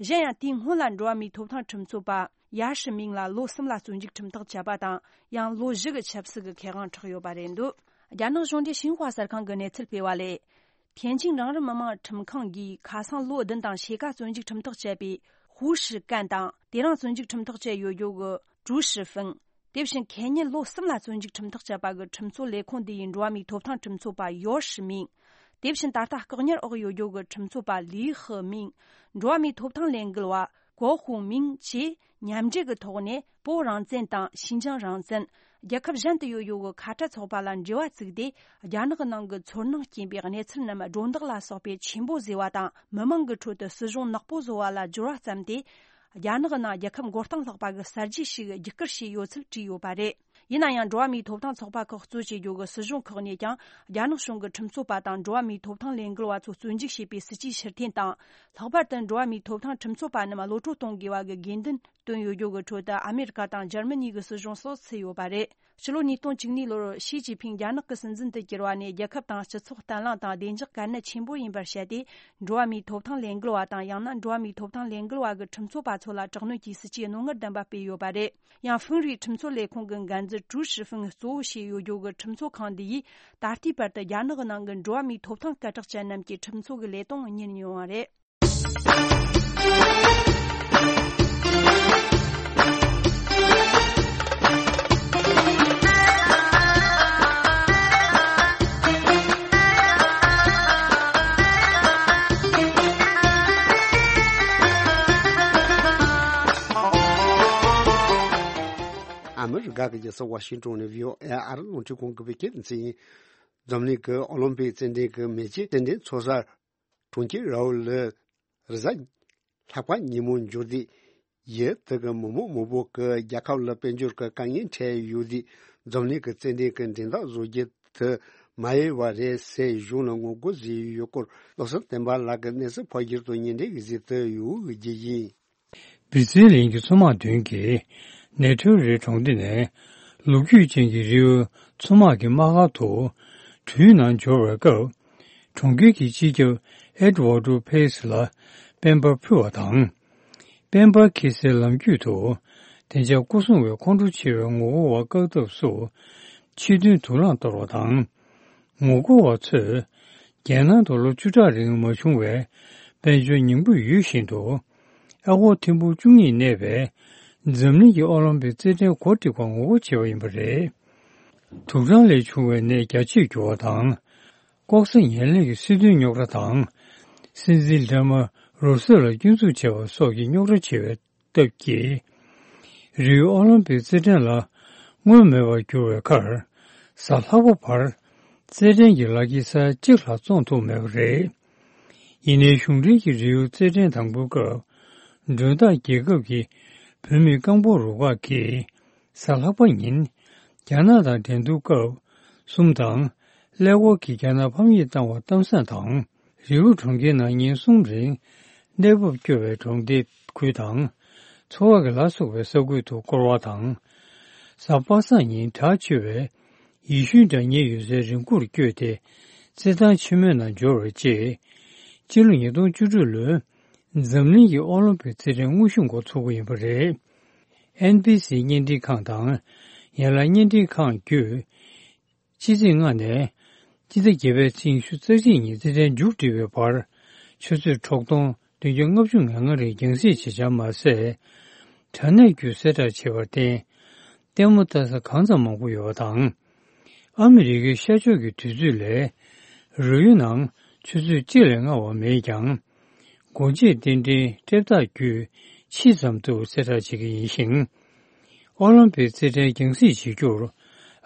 གཞན་ཡང་། དེའི་སྔོན་ལ་འགྲོ་བ་མིའི་ཐོབ་ཐང་ཁྲིམས་རྩོད་པ་ཡ་ཧྲི་མིང་ལ་ལོ་གསུམ་ལ་བཙོན་འཇུག་ཁྲིམས་ཐག་བཅད་པ་དང་། ཡང་ལོ་བཞི་གི་ཆབ་སྲིད་ཀྱི་ཁེ་དབང་འཕྲོག་ཡོད་པ་རེད་འདུག་རྒྱ་ནག་གཞུང་འབྲེལ་ཤིན་ཧྭ་གསར་ཁང་གིས་གནས་ཚུལ་སྤེལ་བ་ལས། ཐེན་ཅིང་གྲངས་རིམ་མི་དམངས་ཁྲིམས་ཁང་གིས་ཁ་སང་ལོ་བདུན་དང་ཕྱེད་ཀ་བཙོན་འཇུག་ཁྲིམས་ཐག་བཅད་པའི་ཧུའུ་ཧྲི་ཀན་དང་། དེ་རིང་བཙོན་འཇུག་ཁྲིམས་ཐག་བཅད་ཡོད་རྒྱུ་གི་ཀྲུའུ་ཧྲི་ཧྥིན། དེ་བཞིན་ཁེ་ཉིན་ལོ་གསུམ་ལ་བཙོན་འཇུག་ཁྲིམས་ཐག་བཅད་པ་གི་ཁྲིམས་རྩོད་ལས་ཁུངས་འདི་ཡི་འགྲོ་བ་མིའི་ཐོབ་ཐང་ཁྲིམས་རྩོད་པ་ཡོ་ཧྲི་མིང་། དེ་བཞིན་ད་ལྟ་བཀག་ཉར་འོག་ཡོད་རྒྱུ་གི་ཁྲིམས་རྩོད་པ་ལི་ཧི་མིང་། འགྲོ་བ་མིའི་ཐོབ་ཐང་ལས་འགུལ་བ་ 国货民 བཅས་མཉམ་འབྲེལ་གྱི་ཐོག་ནས་བོད་རང་བཙན་དང་ཞིན་ཅང་རང་བཙན། རྒྱལ་ཁབ་གཞན་དུ་ཡོད་ཡོད་ཀྱི་ཁ་བྲལ་ཚོགས་པ་ལ་འབྲེལ་བ་བཙུགས་ཏེ། རྒྱ་ནག་གི་ནང་གི་ཚོར་སྣང་སྐྱེན་པའི་གནས་ཚུལ་རྣམས་སྒྲོ་འདོགས་ལ་སོགས་པའི་ཆེན་པོ་བཟོས་པ་དང་། མི་མང་གི་ཁྲོད་དུ་སྲིད་གཞུང་ནག་པོ་བཟོ་བ་ལ་སྦྱོར་བ་བརྩམས་ཏེ། རྒྱ་ནག་གི་ནང་རྒྱལ་ཁབ་མགོ་རྟིང་སློག་པ་གི་གསར་བརྗེ་ཞིག་བརྒྱུད་བསྐུལ་བྱས་ཡོད་ཚུལ་བྲིས་ཡོད་པ་རེད། ཡིན་ན་ཡང་། འགྲོ་བ་མིའི་ཐོབ་ཐང་ཚོགས་པ་ཁག་གཙོ་བྱེད་རྒྱུ་གི་སྲིད་གཞུང་ཁག་ནས་ཀྱང་། རྒྱ་ནག་གཞུང་གི་ཁྲིམས་རྩོད་པ་དང་འགྲོ་བ་མིའི་ཐོབ་ཐང་ལས་འགུལ་བ་ཚོ་བཙོན་འཇུག་བྱས་པའི་སྲིད་ཇུས་ཕྱིར་འཐེན་དང་། ལྷག་པར་དུ་འགྲོ་བ་མིའི་ཐོབ་ཐང་ཁྲིམས་རྩོད་པ་རྣམས་གློད་གྲོལ་གཏོང་དགོས་པ་གི་དགོས་འདུན་བཏོན་ཡོད་རྒྱུ་གི་ཁྲོད་དུ། ཨ་མེ་རི་ཀ་དང་འཇར་མ་ནི་གི་སྲིད་གཞུང་སོགས་ཚུད་ཡོད་པ་རེད། ཕྱི་ལོ་ཉིས་སྟོང་བཅུ་གཉིས་ལོར་ཞི་ཅིན་ཕིང་རྒྱ་ནག་གི་སྲིད་འཛིན་དུ་གྱུར་བ་ནས། རྒྱལ་ཁབ་དང་སྤྱི་ཚོགས་བརྟན་ལྷིང་དང་བདེ་འཇགས་གལ་གནད་ཆེན་པོ་ཡིན་པར་བཤད་དེ། འགྲོ་བ་མིའི་ཐོབ་ཐང་ལས་འགུལ་བ་དང་། ཡང་ན་འགྲོ་བ་མིའི་ཐོབ་ཐང་ལས་འགུལ་བ་གི་ཁྲིམས་རྩོད་པ་ཚོ་ལ་དྲག་གནོན་གྱི་སྲིད་ཇུས་རྣོ་ངར་ལྡན་པ་སྤེལ་ཡོད་པ་རེད། ཡང་། ཧྥུན་རིའི་ཁྲིམས་རྩོད་ལས་ཁུངས་ཀྱི་འགན་འཛིན་ཀྲུའུ་ཧྲི་ཧྥུང་གཙོ་བོ་བྱས་ཡོད་རྒྱུ་གི་ཁྲིམས་རྩོད་ཁང་འདི་ཡིས། ད་ལྟའི་བར་དུ་རྒྱ་ནག་གི་ནང་གི་འགྲོ་བ་མིའི་ཐོབ་ཐང་སྐད་གྲགས་ཅན་རྣམས་ཀྱི་ཁྲིམས་རྩོད་ཀྱི་ལས་དོན་གཉེར་མྱོང་བ་རེད། ཨ་མི་རི་ཀ་གི་རྒྱལ་ས་ཝ་ཤིང་ཏོན་ནས་བྷི་ཨོ་ཨེ་ཨ་རི་རླུང་འཕྲིན་ཁང་གི་བོད་སྐད་སྡེ་ཚན་ཡིན། འཛམ་གླིང་གི་ཨོ་ལིམ་པིག་རྩེད་འགྲན་གྱི་མེ་ལྕེ་རྩེད་འགྲན་ཚོགས་ས་གྲོང་ཁྱེར་རའུ་ལི་རེས་གཟའ་ལྷག་པ་ཉིན་མོ་འབྱོར་ཏེ། ཡུལ་དེ་གི་མི་མང་མང་པོ་གིས་རྒྱལ་ཁབ་ལ་དཔལ་འབྱོར་གྱི་དཀའ་ངལ་འཕྲད་ཡོད་དུས། འཛམ་གླིང་གི་རྩེད་འགྲན་གྱི་འགྲན་ཟླ་བཟོ་རྒྱུ་དེ་མ་ཡལ་བ་རེད་ཟེར་གཞུང་ལ་ངོ་རྒོལ་བཟོས་ཡོད་སྐོར། བློ་བཟང་བསྟན་པ་ལགས་ཀྱིས་གནས་ཚུལ་ཕབ་སྒྱུར་དང་སྙན་སྒྲོན་གྱི་གཟིགས་ཏེ་ཡོད་རྒྱུ་ཡིན། སྦི་ཙི་ལིང་གི་མཚོ་དམག་མདུན་གྱི་ནེ་ཐོ་རི་གྲོང་སྡེ་ནས་ལོ་རྒྱུས་ཅན་གྱི་རི་བོའི་མཚོ་དམག་གི་དམག་སྒར་དུ་གྲུའི་ནང་འབྱོར་བའི་སྐབས། གྲོང་ཁྱེར་གྱི་སྤྱི་ཁྱབ་ཨེ་ཌི་ཝར་ཌོ་ཕེ་སི་ལ་སྤེན་པ་ཕུལ་བ་དང་། སྤེན་པ་འཁྱེར་སའི་ལམ་རྒྱུད་དུ་བདེ་འཇགས་སྐོར་སྲུང་བས་ཁོང་ཁྲོ་ཆེ་བའི་ངོ་རྒོལ་བ་བཀག་ཐབས་སུ་ཕྱི་དོན་དུག་རླངས་གཏོར་བ་དང་། ངོ་རྒོལ་བ་ཚོས་རྒྱལ་ནང་དུ་ལོ་བཅུ་ཕྲག་རིང་མ་བྱུང་བའི་དཔལ་འབྱོར་ཉིང་ཁུ་ཡོད་བཞིན་དུ། ཨ་སྒོར་ཐེར་འབུམ་བཅུ་གཉིས་གནས་པའི་འཛམ་གླིང་གི་ཨོ་ལིམ་པིག་རྩེད་འགྲན་གོ་སྒྲིག་པར་ངོ་རྒོལ་བྱས་པ་ཡིན་པ་རེད། དུག་སྦྲང་ལས་བྱུང་བའི་ནད་རྒྱ་ཆེར་འགྱུར་བ་དང་། ལྐོག་ཟ་ངན་ལྷད་ཀྱི་སྲིད་དོན་རྙོག་དྲ་དང་། སྲིད་འཛིན་ལྡན་མ་རུ་སེལ་ལ་སྐྱོན་འཛུགས་བྱས་པ་སོགས་ཀྱི་རྙོག་དྲ་ཆེ་བའི་སྟབས་ཀྱིས། རིའུ་ཨོ་ལིམ་པིག་རྩེད་འགྲན་ལ་སྔོན་མེད་པར་གྱུར་བའི་ཁར། གཟའ་ལྷག་པ་བར་རྩེད་འགྲན་གྱི་ལག་འཁྱེར་ས་ཡ་གཅིག་ལྷག་བཙོང་ཐུབ་མེད་པ་རེད། ཡིན་ནའི་གཞུང་འབྲེལ་གྱི་རིའུ་རྩེད་འགྲན་དང་པོའི་སྐབས། མགྲོན་བདག་རྒྱལ་ཁབ་ཀྱི་བུད་མེད་རྐང་སྤོལ་རུ་ཁག་གིས། གཟའ་ལྷག་པ་ཉིན། རྒྱ་ནག་དང་འགྲན་བསྡུར་སྐབས་གསུམ་དང་། ཀླད་ཀོར་གྱིས་རྒྱ་ནག་ཕམ་ཉེས་བཏང་བ་གཏམ་བཟང་དང་། རི་བོ་གྲོང་ཁྱེར་ནང་ཉིན་གསུམ་རིང་གནས་བབ་སྐྱོ་བའི་གྲོང་སྡེ་ཁུལ་དང་། ཚོ་བ་གི་ལ་སོགས་པའི་ས་ཁུལ་དུ་བསྐོར་བ་དང་། གཟའ་པ་སངས་ཉིན་གྲགས་ཆེ་བའི་ཡེ་ཤུའི་སྒྲ་སྙན་ཡོད་སའི་རི་མགོར་བསྐྱོད་དེ། རྩེད་ཐང་ཆེན་མོའི་ནང་འབྱོར་བའི་རྗེས། སྤྱི་ལོ་ཉིས་སྟོང་བཅུ་དྲུག་ལོའི་འཛམ་གླིང་གི་ཨོ་ལིམ་པིག་རྩེད་འགྲན་དངོས་གཞི་འགོ་ཚུགས་པ་ཡིན་པ་རེད། ཨེན་བི་སི་བརྙན་འཕྲིན་ཁང་དང་། ཡན་ལག་བརྙན་འཕྲིན་ཁང་བརྒྱུད། ཕྱི་ཚེས་ལྔ་ནས་སྤྱི་ཟླ་བརྒྱད་པའི་ཚེས་ཉི་ཤུ་རྩ་གཅིག་ཉིན་རྩེད་འགྲན་མཇུག་སྒྲིལ་བའི་བར། ཆུ་ཚོད་དྲུག་སྟོང་བདུན་བརྒྱ་ལྔ་བཅུ་ང་ལྔ་རིང་རྒྱང་སྲིང་བྱེད་འཆར་མ་ཟད། དྲ་གནས་བརྒྱུད་གསལ་བསྒྲགས་བྱས་པར་བརྟེན། ལྟད་མོ་ལྟ་ས་གང་ཙམ་མང་པོ་ཡོད་པ་དང་། ཨ་མི་རི་ཀའི་ཤར་ཕྱོགས་ཀྱི་དུས་ཚོད་ལས། རི་ཡུལ་ནང་ཆུ་ཚོད་གཅིག་ལས་སྔ་བ་མེད་ཀྱང་། སྒོ་འབྱེད་རྟེན་འབྲེལ་སྤྲད་རྟགས་བརྒྱུད་ཕྱིས་ཙམ་དུ་གསལ་བསྒྲགས་བྱེད་ཀྱི་ཡིན་ཞིང་། ཨོ་ལིམ་པིག་རྩེད་འགྲན་རྒྱང་སྲིང་བྱེད་རྒྱུར་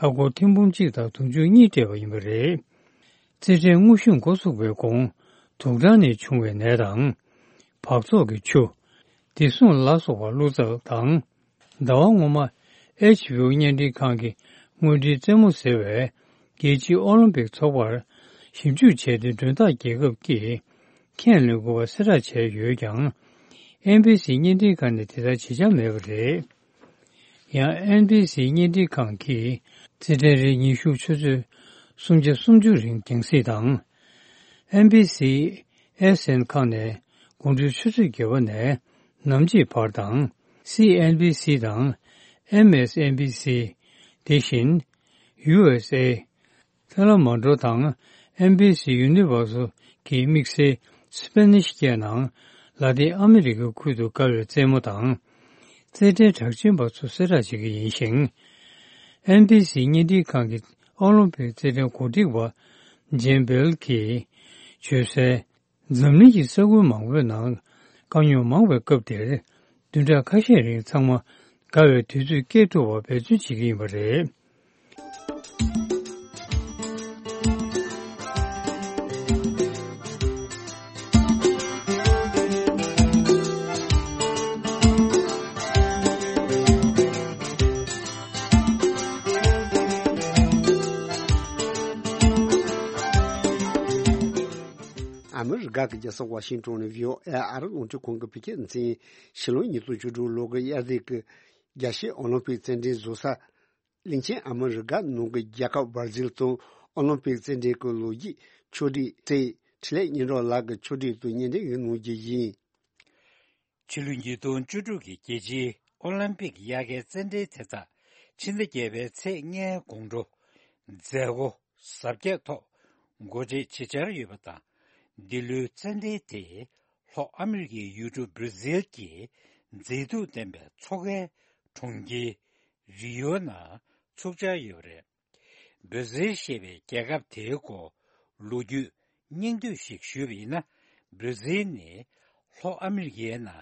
ཨ་སྒོར་ཐེར་འབུམ་གཅིག་དང་དུང་ཕྱུར་གཉིས་སྤྲད་པ་ཡིན་པ་རེད། རྩེད་འགྲན་དངོས་གཞི་འགོ་ཚུགས་པའི་གོང་དུག་སྦྲང་ནས་བྱུང་བའི་ནད་དང་། འབག་བཙོག་གི་ཆུ། བདེ་སྲུང་ལ་སོགས་པ་བླུགས་ཚར་དང་། ཟླ་བ་སྔོན་མ། ཨེཆ་བི་ཨོ་བརྙན་འཕྲིན་ཁང་གི་དངོས་འབྲེལ་རྩེད་མོ་ཟེར་བས། རྒྱལ་སྤྱིའི་ཨོ་ལིམ་པིག་ཚོགས་པར་ཞིབ་འཇུག་བྱས་ཏེ། མགྲོན་བདག་རྒྱལ་ཁབ་ཀྱིས་ཁས་ལེན་དགོས་པ་གསལ་བསྒྲགས་བྱས་ཡོད་ཀྱང་། ཨེན་བི་སི་བརྙན་འཕྲིན་ཁང་ནས་དེ་ལྟར་བྱེད་འཆར་མེད་པ་རེད། ཡང་ཨེན་བི་སི་བརྙན་འཕྲིན་ཁང་གིས་རྩེད་འགྲན་རིང་ཉིན་ཤུགས་ཆུ་ཚོད་སུམ་བརྒྱ་སུམ་ཅུ་རིང་རྒྱང་སྲིང་དང་། ཨེན་བི་སི་ཨེས་ཨེན་ཁང་ནས་དགོང་དྲོའི་ཆུ་ཚོད་བརྒྱད་པ་ནས་ནམ་ཕྱེད་བར་དང་། སི་ཨེན་བི་སི་དང་ཨེམ་ཨེས་ཨེན་བི་སི། དེ་བཞིན་ཡུ་ཨེས་ཨེ། ཐེ་ལ་མ་ཌོ་དང་ཨེན་བི་སི་ཡུ་ནི་ཝར་སལ་གྱི་དམིགས་བསལ་སི་པེ་ནིཤ་སྐད་ནང་ལ་ཏིན་ཨ་མི་རི་ཀའི་ཁུལ་དུ་བཀལ་བའི་རྩེད་མོ་དང་། རྩེད་འགྲན་གྲགས་ཅན་པ་ཚོ་གསལ་བསྒྲགས་བྱེད་ཀྱི་ཡིན་ཞིང་། ཨེན་བི་སི་བརྙན་འཕྲིན་ཁང་གི་ཨོ་ལིམ་པིག་རྩེད་འགྲན་གོ་སྒྲིག་པ་ཇེན་བེལ་གྱིས་བརྗོད་གསལ། འཛམ་གླིང་གི་ས་ཁུལ་མང་པོའི་ནང་དཀའ་རྙོག་མང་བའི་སྐབས་དེར། བདུན་ཕྲག་ཁ་ཤས་རིང་ཚང་མ་དགའ་བའི་དུས་ཚོད་སྐྱེལ་ཐུབ་པར་འབད་བརྩོན་བྱེད་ཀྱི་ཡིན་པ་རེད། ཨ་མི་རི་ཀ་གི་རྒྱལ་ས་ཝ་ཤིང་ཏོན་ནས་བྷི་ཨོ་ཨེ་ཨ་རི་རླུང་འཕྲིན་ཁང་གི་བོད་སྐད་སྡེ་ཚན་ཕྱི་ལོ་ཉིས་སྟོང་བཅུ་དྲུག་ལོ་གི་དབྱར་ཟས་ཀྱི་རྒྱལ་སྤྱིའི་ཨོ་ལིམ་པིག་རྩེད་འགྲན་བཟོ་ས། གླིང་ཆེན་ཨ་མི་རི་ཀ་ནང་གི་རྒྱལ་ཁབ་བར་ཛིལ་དུ་ཨོ་ལིམ་པིག་རྩེད་འགྲན་གྱི་ལོ་རྒྱུས་ཕྱོགས་བསྒྲིགས་ཚེ་འཕྲིན་ལས་སྙན་གྲགས་ལགས་ཀྱིས་ཕྱོགས་བསྒྲིགས་དུ་སྙན་སྒྲོན་ཞིག་གནང་རྒྱུ་ཡིན། ཕྱི་ལོ་ཉིས་སྟོང་བཅུ་དྲུག་གི་རྒྱལ་སྤྱིའི་ཨོ་ལིམ་པིག་དབྱར་ཁའི་རྩེད་འགྲན་དེ་དག་ཕྱི་ཟླ་བརྒྱད་པའི་ཚེས་ལྔའི་དགོང་དྲོ་མཛད་སྒོ་གཟབ་རྒྱས་ཐོག་འགོ་འབྱེད་བྱེད་འཆར་ཡོད་པ་དང་། འདི་ལོའི་རྩེད་འགྲན་དེ་ལྷོ་ཨ་མི་རི་ཀའི་ཡུལ་གྲུ་བྷར་ཛིལ་གྱི་མཛེས་སྡུག་ལྡན་པའི་མཚོ་ཁའི་གྲོང་ཁྱེར་རི་ཡོ་ནང་ཚུགས་འཆར་ཡོད་པ་རེད། བྷར་ཛིལ་ཞེས་པའི་རྒྱལ་ཁབ་དེའི་སྐོར་ལོ་རྒྱུས་སྙིང་བསྡུས་ཤིག་ཞུས་པ་ཡིན་ན། བྷར་ཛིལ་ནི་ལྷོ་ཨ་མི་རི་ཀའི་ནང་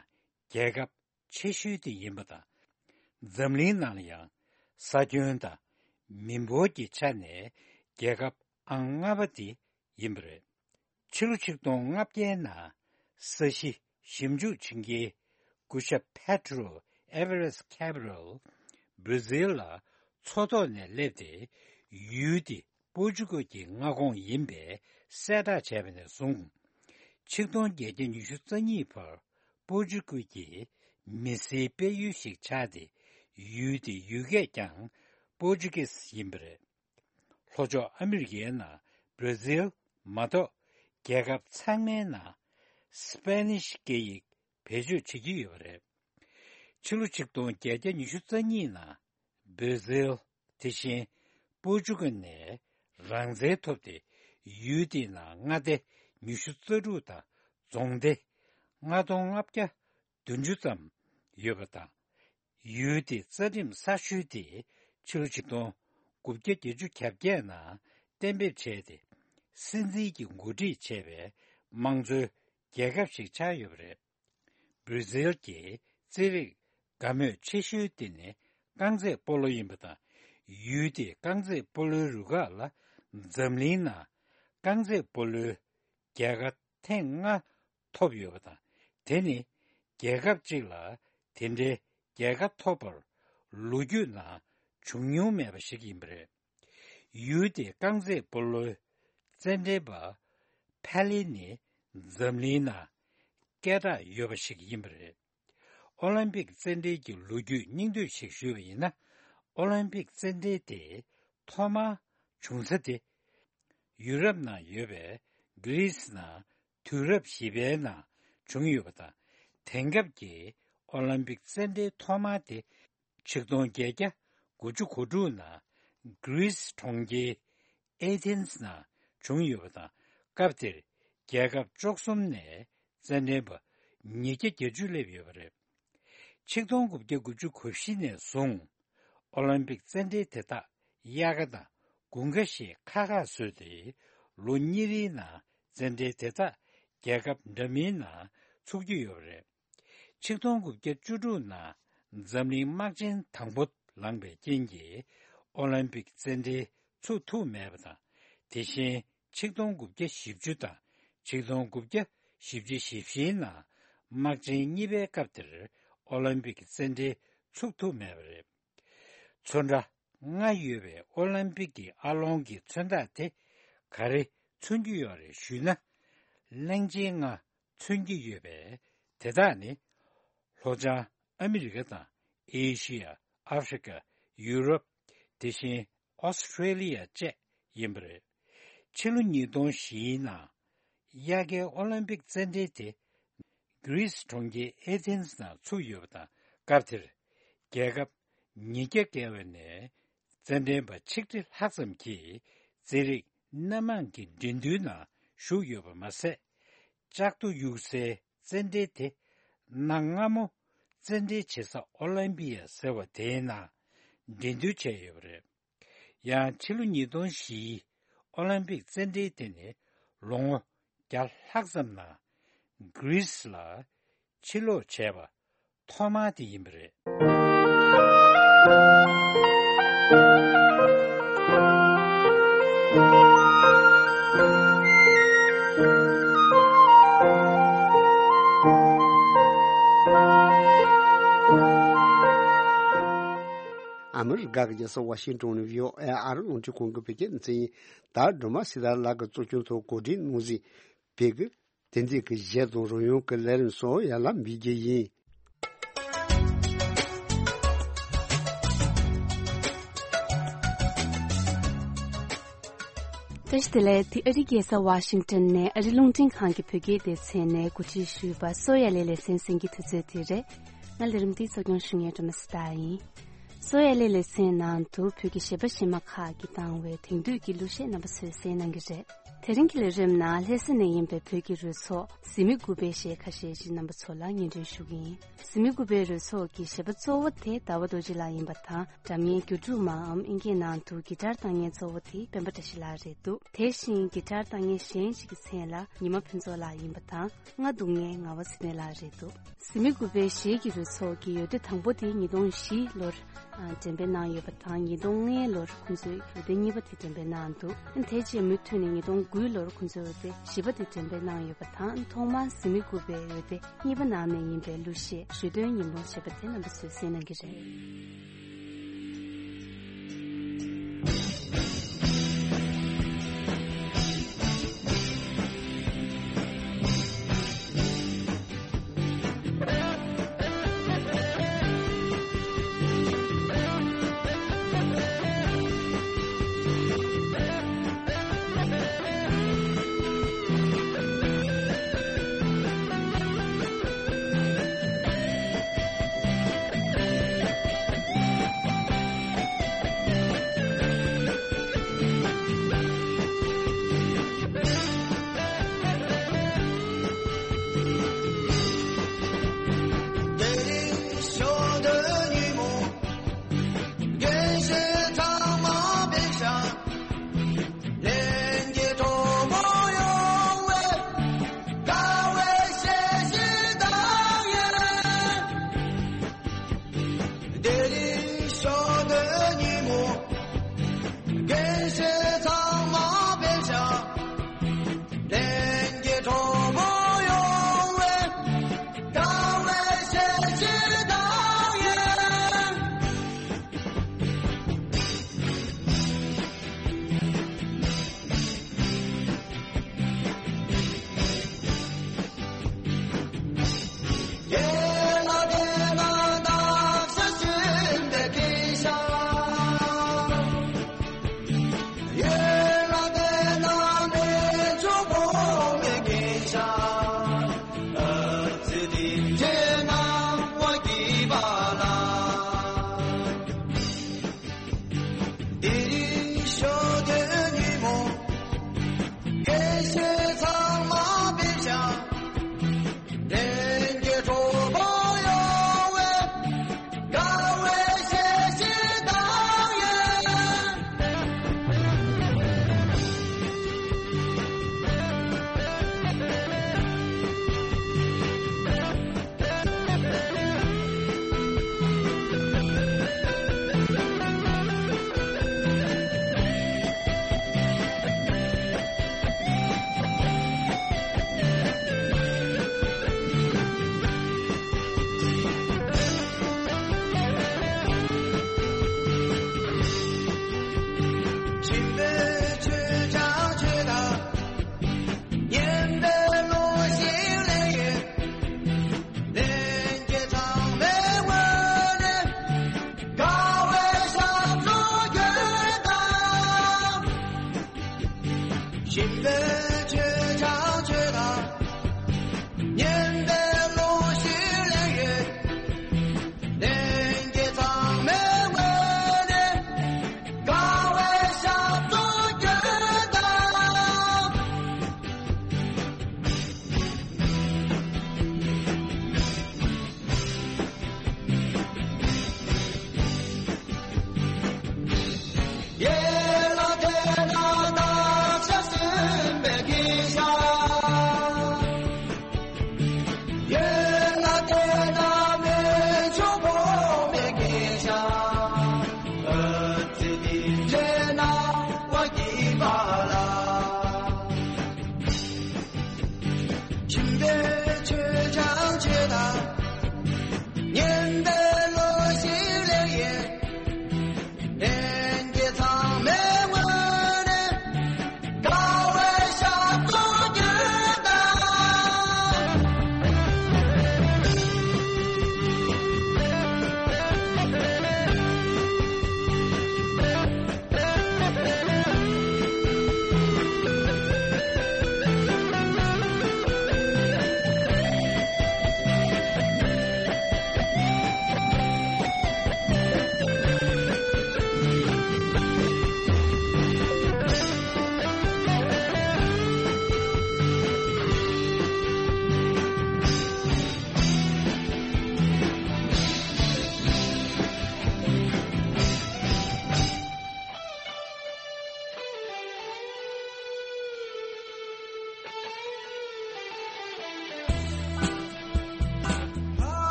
རྒྱལ་ཁབ་ཆེ་ཤོས་དེ་ཡིན་པ་དང་། འཛམ་གླིང་ནང་ལ་ཡང་ས་ཁྱོན་དང་མི་འབོར་གྱི་ཆ་ནས་རྒྱལ་ཁབ་ཨང་ལྔ་པ་དེ་ཡིན་པ་རེད། ཕྱི་ལོ་ཆིག་སྟོང་ལྔ་བརྒྱའི་ནང་ས་གཞི་ཞིབ་འཇུག་བྱེད་མཁན་སྐུ་ཞབས་Pedro Álvares Cabral བྷར་ཛིལ་ལ་མཚོ་ཐོག་ནས་སླེབས་ཏེ། ཡུལ་དེ་པོར་ཅུ་ཀལ་གྱི་མངའ་ཁོངས་ཡིན་པའི་གསལ་བསྒྲགས་བྱས་པ་ནས་བཟུང་། ཆིག་སྟོང་བརྒྱད་བརྒྱ་ཉི་ཤུ་རྩ་གཉིས་བར་པོར་ཅུ་ཀལ་གྱི་མི་སེར་སྤེལ་ཡུལ་ཞིག་ཆགས་ཏེ། ཡུལ་དེའི་ཡུལ་སྐད་ཀྱང་པོར་ཅུ་ཀིས་ཡིན་པ་རེད། ལྷོ་ཕྱོགས་ཨ་མི་རི་ཀའི་ནང་བྷར་ཛིལ་མ་གཏོགས་རྒྱལ་ཁབ་ཚང་མའི་ནང་སི་པེ་ནིཤ་སྐད་ཡིག་བེད་སྤྱོད་བྱེད་ཀྱི་ཡོད་པ་རེད། ཕྱི་ལོ་ཆིག་སྟོང་བརྒྱད་བརྒྱ་ཉི་ཤུ་རྩ་གཉིས་ནང་བྷར་ཛིལ་དེ་བཞིན་པོར་ཅུ་ཀལ་ནས་རང་བཙན་ཐོབ་སྟེ། ཡུལ་དེའི་ནང་མངའ་སྡེ་ཉི་ཤུ་རྩ་དྲུག་དང་རྫོང་སྡེ་ལྔ་སྟོང་ལྔ་བརྒྱ་བདུན་ཅུ་ཙམ་ཡོད་པ་དང་། ཡུལ་དེའི་རྩ་ཁྲིམས་གསར་ཤོས་དེ་ཕྱི་ལོ་ཆིག་སྟོང་དགུ་བརྒྱ་བརྒྱད་ཅུ་གྱ་བརྒྱད་ནང་གཏན་འབེབས་བྱས་ཏེ། སྲིད་འཛིན་གྱིས་འགོ་ཁྲིད་བྱས་པའི་དམངས་གཙོའི་རྒྱལ་ཁབ་ཞིག་ཆགས་ཡོད་པ་རེད། བྷར་ཛིལ་གྱི་རྩེད་རིགས་དགའ་མོས་ཆེ་ཤོས་དེ་ནི་རྐང་རྩེད་སྤོ་ལོ་ཡིན་པ་དང་། ཡུལ་དེའི་རྐང་རྩེད་སྤོ་ལོའི་རུ་ཁག་ལ་འཛམ་གླིང་ནང་རྐང་རྩེད་སྤོ་ལོའི་རྒྱལ་ཁ་ཐེངས་ལྔ་ཐོབ་ཡོད་པ་དང་། དེ་ནི་རྒྱལ་ཁབ་གཅིག་ལ་དེ་འདྲའི་རྒྱལ་ཁ་ཐོབ་པར་ལོ་རྒྱུས་ནང་བྱུང་མྱོང་མེད་པ་ཞིག་ཡིན་པ་རེད། ཡུལ་དེའི་རྐང་རྩེད་སྤོ་ལོའི་རྩེད་འགྲན་པ་ཕེ་ལེ་ནི་འཛམ་གླིང་ནང་སྐད་གྲགས་ཡོད་པ་ཞིག་ཡིན་པ་རེད། ཨོ་ལིམ་པིག་རྩེད་འགྲན་གྱི་ལོ་རྒྱུས་སྙིང་བསྡུས་ཤིག་ཞུས་པ་ཡིན་ན། ཨོ་ལིམ་པིག་རྩེད་འགྲན་དེ་ཐོག་མར་བྱུང་ས་དེ་ཡུ་རོབ་ནང་ཡོད་པའི་གྷི་རིས་ནང་དུས་རབས་བཞི་པའི་ནང་བྱུང་ཡོད་པ་དང་། དེང་སྐབས་ཀྱི་ཨོ་ལིམ་པིག་རྩེད་འགྲན་ཐོག་མ་དེ་ཆིག་སྟོང་བརྒྱད་བརྒྱ་དགུ་བཅུ་གོ་དྲུག་ནང་གྷི་རིས་གྲོང་ཁྱེར་ཨེ་ཐེན་སི་ནང་བྱུང་ཡོད་པ་དང་། སྐབས་དེར་རྒྱལ་ཁབ་བཅུ་གསུམ་ནས་རྩེད་འགྲན་པ་ཉིས་བརྒྱ་བརྒྱད་ཅུ་སླེབས་ཡོད་པ་རེད། ཆིག་སྟོང་དགུ་བརྒྱ་དགུ་བཅུ་གོ་བཞི་ནས་བཟུང་ཨོ་ལིམ་པིག་རྩེད་འགྲན་དེ་དག་དབྱར་ཁ་དང་དགུན་ཁ་ཞེས་ཁག་ཁག་བཟོས་ཏེ། ལོ་གཉིས་རེའི་ནང་རྩེད་འགྲན་དེ་དག་རྒྱལ་ཁབ་འདྲ་མིན་ནང་ཚུགས་ཀྱི་ཡོད་པ་རེད། ཆིག་སྟོང་དགུ་བརྒྱ་བཅུ་དྲུག་ནང་འཛམ་གླིང་དམག་ཆེན་དང་པོ་ལངས་པའི་རྐྱེན་གྱིས། ཨོ་ལིམ་པིག་རྩེད་འགྲན་ཚུགས་ཐུབ་མེད་པ་དང་། དེ་བཞིན་ཆིག་སྟོང་དགུ་བརྒྱ་བཞི་བཅུ་དང་ཆིག་སྟོང་དགུ་བརྒྱ་བཞི་བཅུ་ཞེ་བཞིའི་ནང་དམག་ཆེན་གཉིས་པའི་སྐབས་དེར་ཨོ་ལིམ་པིག་རྩེད་འགྲན་ཚུགས་ཐུབ་མེད་པ་རེད། ཚོན་ཁྲ་ལྔ་ཡོད་པའི་ཨོ་ལིམ་པིག་གི་ཨ་ལོང་གི་མཚོན་རྟགས་དེ་ག་རེ་མཚོན་གྱི་ཡོད་རེད་ཞུས་ན། གླིང་ཆེན་ལྔ་མཚོན་གྱི་ཡོད་པས། དེ་དག་ནི་ལྷོ་བྱང་ཨ་མི་རི་ཀ་དང་ཨེ་ཤི་ཡ། ཨ་ཧྥི་རི་ཀ། ཡུ་རོབ། དེ་བཞིན་ཨོ་སི་ཁྲེ་ལི་ཡ་བཅས་ཡིན་པ་རེད། ཕྱི་ལོ་ཉིས་སྟོང་བཞིའི་ནང་དབྱར་ཁའི་ཨོ་ལིམ་པིག་རྩེད་འགྲན་དེ་གྷི་རིས་གྲོང་ཁྱེར་ཨེ་ཐེན་སི་ནང་ཚུགས་ཡོད་པ་དང་། སྐབས་དེར་རྒྱལ་ཁབ་ཉིས་བརྒྱ་བརྒལ་བ་ནས་རྩེད་འགྲན་པ་ཆིག་ཁྲི་ལྷག་ཙམ་གྱིས་རྩེད་རིགས་སྣ་མང་གི་འགྲན་བསྡུར་ནང་ཞུགས་ཡོད་པ་མ་ཟད། ལྕགས་རྡོ་གཡུག་སའི་རྩེད་འགྲན་དེ་གནའ་སྔ་མོ་རྩེད་འགྲན་བྱེད་ས་ཨོ་ལིམ་པི་ཡ་ཟེར་བ་དེའི་ནང་འགྲན་བསྡུར་བྱས་ཡོད་པ་རེད། ཡང་ཕྱི་ལོ་ཉིས་སྟོང་བཞིའི་ཨོ་ལིམ་པིག་རྩེད་འགྲན་དེ་ནི་ལོ་ངོ་བརྒྱ་ལྷག་ཙམ་ནང་གྷི་རིས་ལ་ཕྱིར་ལོག་བྱས་པ་ ཐོག་མ་དེ་ཡིན་པ་རེད། ཨ་མི་རི་ཀ་གི་རྒྱལ་ས་ཝ་ཤིང་ཏོན་ནས་བྷི་ཨོ་ཨེ་ཨ་རི་རླུང་འཕྲིན་ཁང་གི་བོད་སྐད་སྡེ་ཚན་ཡིན། ད་སྒྲོལ་མ་སྲི་ཐར་ལགས་ཀྱི་གཙོ་སྐྱོང་ཐོག་གོ་སྒྲིག་གནང་གཟིགས་བོད་ཀྱི་དེང་དུས་ཀྱི་གཞས་དང་རོལ་དབྱངས་ཀྱི་ལས་རིམ་སོགས་ཡར་ལ་འབུལ་རྒྱུ་ཡིན། བཀྲ་ཤིས་བདེ་ལེགས། འདི་ཨ་རིའི་རྒྱལ་ས་ཝ་ཤིང་ཏོན་ནས་ཨ་རི་རླུང་འཕྲིན་ཁང་གི་བོད་སྐད་སྡེ་ཚན་ནས་གོ་སྒྲིག་ཞུས་པ་སོ་ཡ་ལེ་ལེ་ཚན་གསན་གྱི་དུས་ཚོད་དེ་རེད། ང་ལས་རིམ་འདིའི་གཙོ་སྐྱོང་ཞུ་མཁན་སྒྲོལ་མ་སྲི་ཐར་ཡིན། སོ་ཡ་ལེ་ལེ་ཚན་ནང་དུ་བོད་ཀྱི་གཞས་པ་གཞས་མ་ཁག་གིས་བཏང་བའི་དེང་དུས་ཀྱི་གླུ་གཞས་རྣམ་པ་ཚོས་གསན་གནང་གི་རེད། དེ་རིང་གི་ལས་རིམ་ནང་ལྷ་ས་ནས་ཡིན་པའི་བོད་ཀྱི་རོལ་ཚོགས་གཟི་མིག་དགུ་པའི་གཞས་ཁ་ཤས་ཤིག་རྣམ་པ་ཚོ་ལ་སྙན་སྒྲོན་ཞུ་གི་ཡིན། གཟི་མིག་དགུ་པའི་རོལ་ཚོགས་ཀྱི་གཞས་པ་གཙོ་བོ་དེ་ཟླ་བ་རྡོ་རྗེ་ལགས་ཡིན་པ་དང་། སྒྲ་སྙན་སྒྱུ་འབྲུག་མའམ་ཨིན་སྐད་ནང་དུ་གི་ཊར་བཏང་མཁན་གཙོ་བོ་དེ་སྤེན་པ་བཀྲ་ཤིས་ལགས་རེད་འདུག་དེ་བཞིན་གི་ཊར་བཏང་མཁན་གཞན་ཞིག་གི་མཚན་ལ་ཉི་མ་ཕུན་ཚོགས་ལགས་ཡིན་པ་དང་། རྔ་བརྡུང་མཁན་ངག་དབང་ཚེ་བརྟན་ལགས་རེད་འདུག་གཟི་མིག་དགུ་པའི་གཞས་ཀྱི་རོལ་ཚོགས་ཀྱི་འོད་སྡེར་དང་པོ་དེ་ཉིས་སྟོང་བཞི་ལོར་འགྲེམས་སྤེལ་གནང་ཡོད་པ་དང་། ཉིས་སྟོང་ལྔ་ལོར་ཁོང་ཚོས་འོད་སྡེར་གཉིས་པ་དེ་འགྲེམས་སྤེལ་གནང་འདུག་དེ་རྗེས་མུ་མཐུད་ནས་ཉིས་སྟོང་དགུ་ལོར་ཁོང་ཚོས་འོད་སྡེར་བཞི་པ་དེ་འགྲེམས་སྤེལ་གནང་ཡོད་པ་དང་། ཐོག་མར་གཟི་མིག་དགུ་པའི་འོད་སྡེར་གཉིས་པ་ནང་ནས་ཡིན་པའི་གླུ་གཞས་ཞོ་སྟོན་ཉིན་མོ་ཞེས་པ་དེ་རྣམ་པ་ཚོས་གསན་གནང་གི་རེད།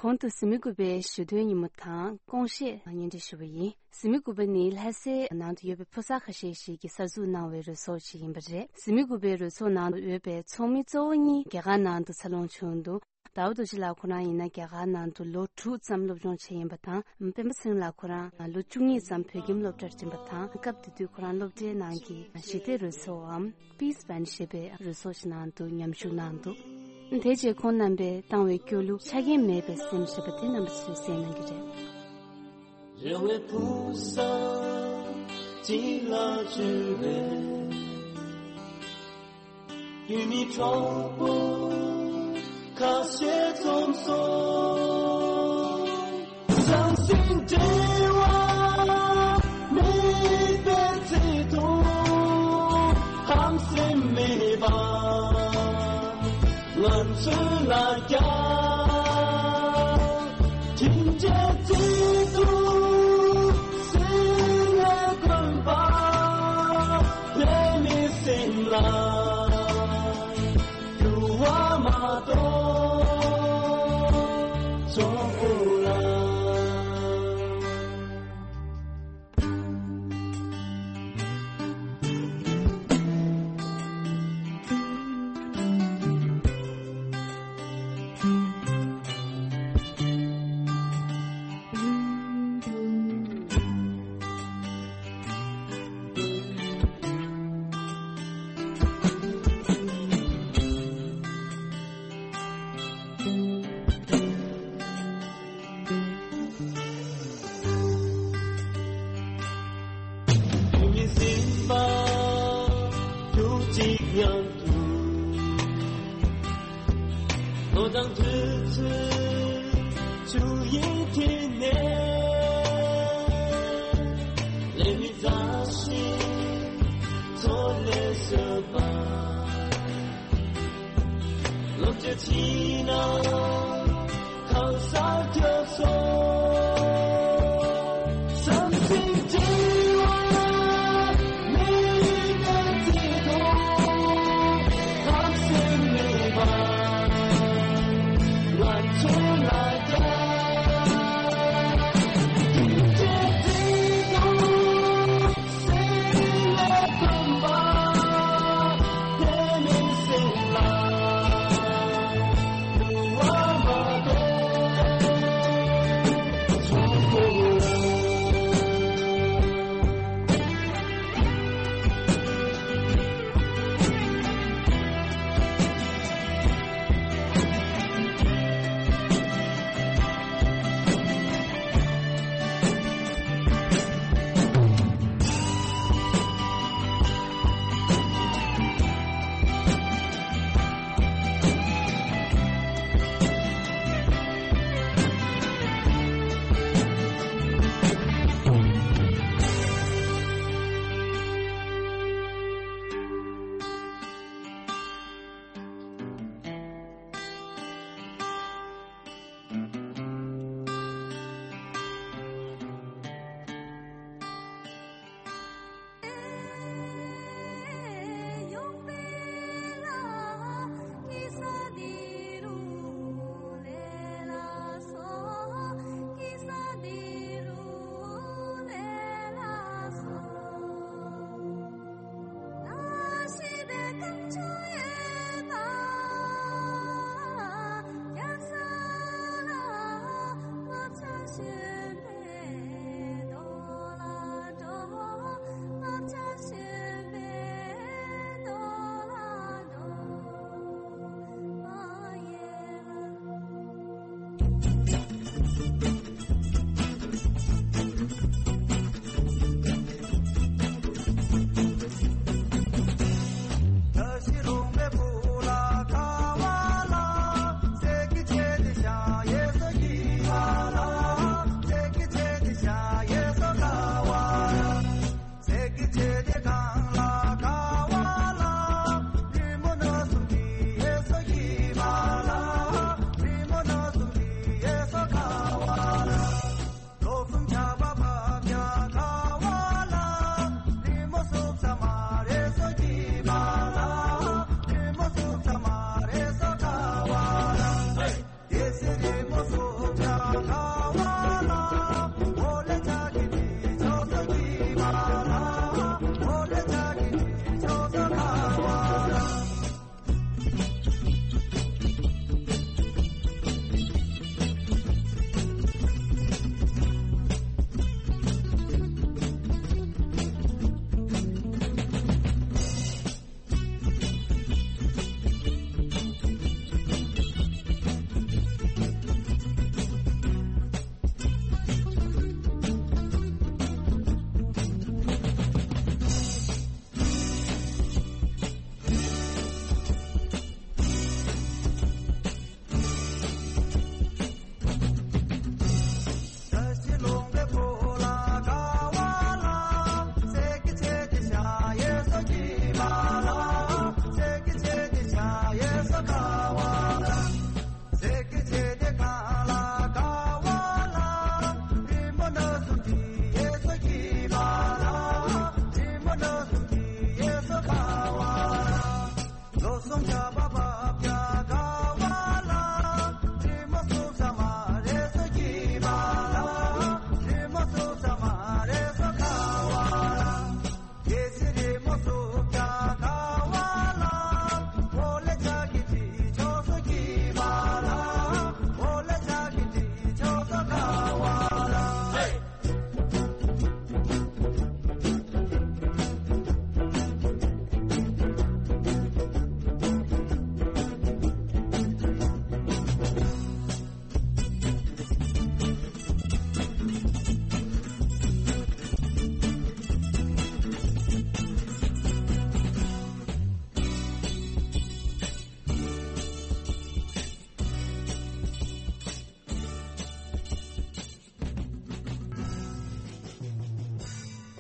གོང་དུ་གཟིགས་མོ་རྒྱུག་པའི་ཞུ་དོན་ཉིན་མོ་དང་སྐོང་བཤད་སྙན་སྒྲོན་ཞུ་བ་ཡིན། གཟིགས་མོ་རྒྱུག་པ་ནི་ལྷ་སའི་ནང་དུ་ཡོད་པའི་ཕོ་གསར་ཁ་ཤས་ཤིག་གིས་གསར་འཛུགས་གནང་བའི་རོལ་ཚོགས་ཤིག་ཡིན་པ་རེད། གཟིགས་མོ་རྒྱུག་པའི་རོལ་ཚོགས་ནང་དུ་ཡོད་པའི་ཚོགས་མི་གཙོ་བོ་གཉིས་རྒྱ་གར་ནང་དུ་འཚར་ལོངས་བྱུང་འདུག་ཟླ་བ་རྡོ་རྗེ་ལགས་ཁོ་རང་ཡིན་ན་རྒྱ་གར་ནང་དུ་ལོ་དྲུག་ཙམ་སློབ་སྦྱོང་བྱས་ཡིན་པ་དང་། སྤེན་པ་ཚེ་རིང་ལགས་ཁོ་རང་ལོ་བཅུ་གཉིས་ཙམ་བོད་ཁྱིམ་སློབ་གྲྭར་འགྲིམས་པ་དང་། སྐབས་དེ་དུས་ཁོ་རང་སློབ་གྲྭའི་ནང་གི་ཞི་བདེའི་རོལ་ཚོགས་འམ་Peace Band ཞེས་པའི་རོལ་ཚོགས་ཤིག་ནང་དུ་མཉམ་ཞུགས་གནང་འདུག་དེ་རྗེས་ཁོང་རྣམ་པས་བཏང་བའི་སྐྱོ་གླུ་ཆ་རྐྱེན་མེད་པའི་སེམས་ཞེས་པ་དེ་རྣམ་པ་ཚོས་གསན་གནང་གི་རེད། རེ་བའི་ཕུགས་བསམ་གཅིག་ལ་བཅོལ་བའི་རྒྱུས་མེད་གྲོགས་པོ་ཁ་ཤས་འཛོམས་སོང་། ཟང་ཟིང་འབྲེལ་བ་མེད་པའི་ཚེ་དང་། ཧམ་སེམས་མེད་པ་ང་ཚོ་ལ་རྒྱ་ཁྲིམས་ཆད་བརྩི་དུ་སེམས་ལས་དགོན་པ་ལས་མི་སེམས་ལ་འགྱུར་བ་མ་གཏོགས་ཚོགས་པོ་ལ། མི་ཟིན་པ་ཐུགས་གཅིག་མཉམ་དུ། ལོ་དང་དུས་ཚོད་ཆུ་ཡི་མཐིལ་ནས། ལས་མི་མཛའ་ཞིང་ཚོ་ལས་བཟོད་པ། ལོ་བཅུ་ཕྱིན་ན་གང་སར་འགྱོ་སོང་། བསམ་ཚུལ་འབྲེལ་བ་མེད་པའི་ཚེ་དང་། ཧམ་སེམས་མེད་པ་ང་ཚོ་ལ་རྒྱ་ཁྲིམས་ཆད་བརྩི་དང་།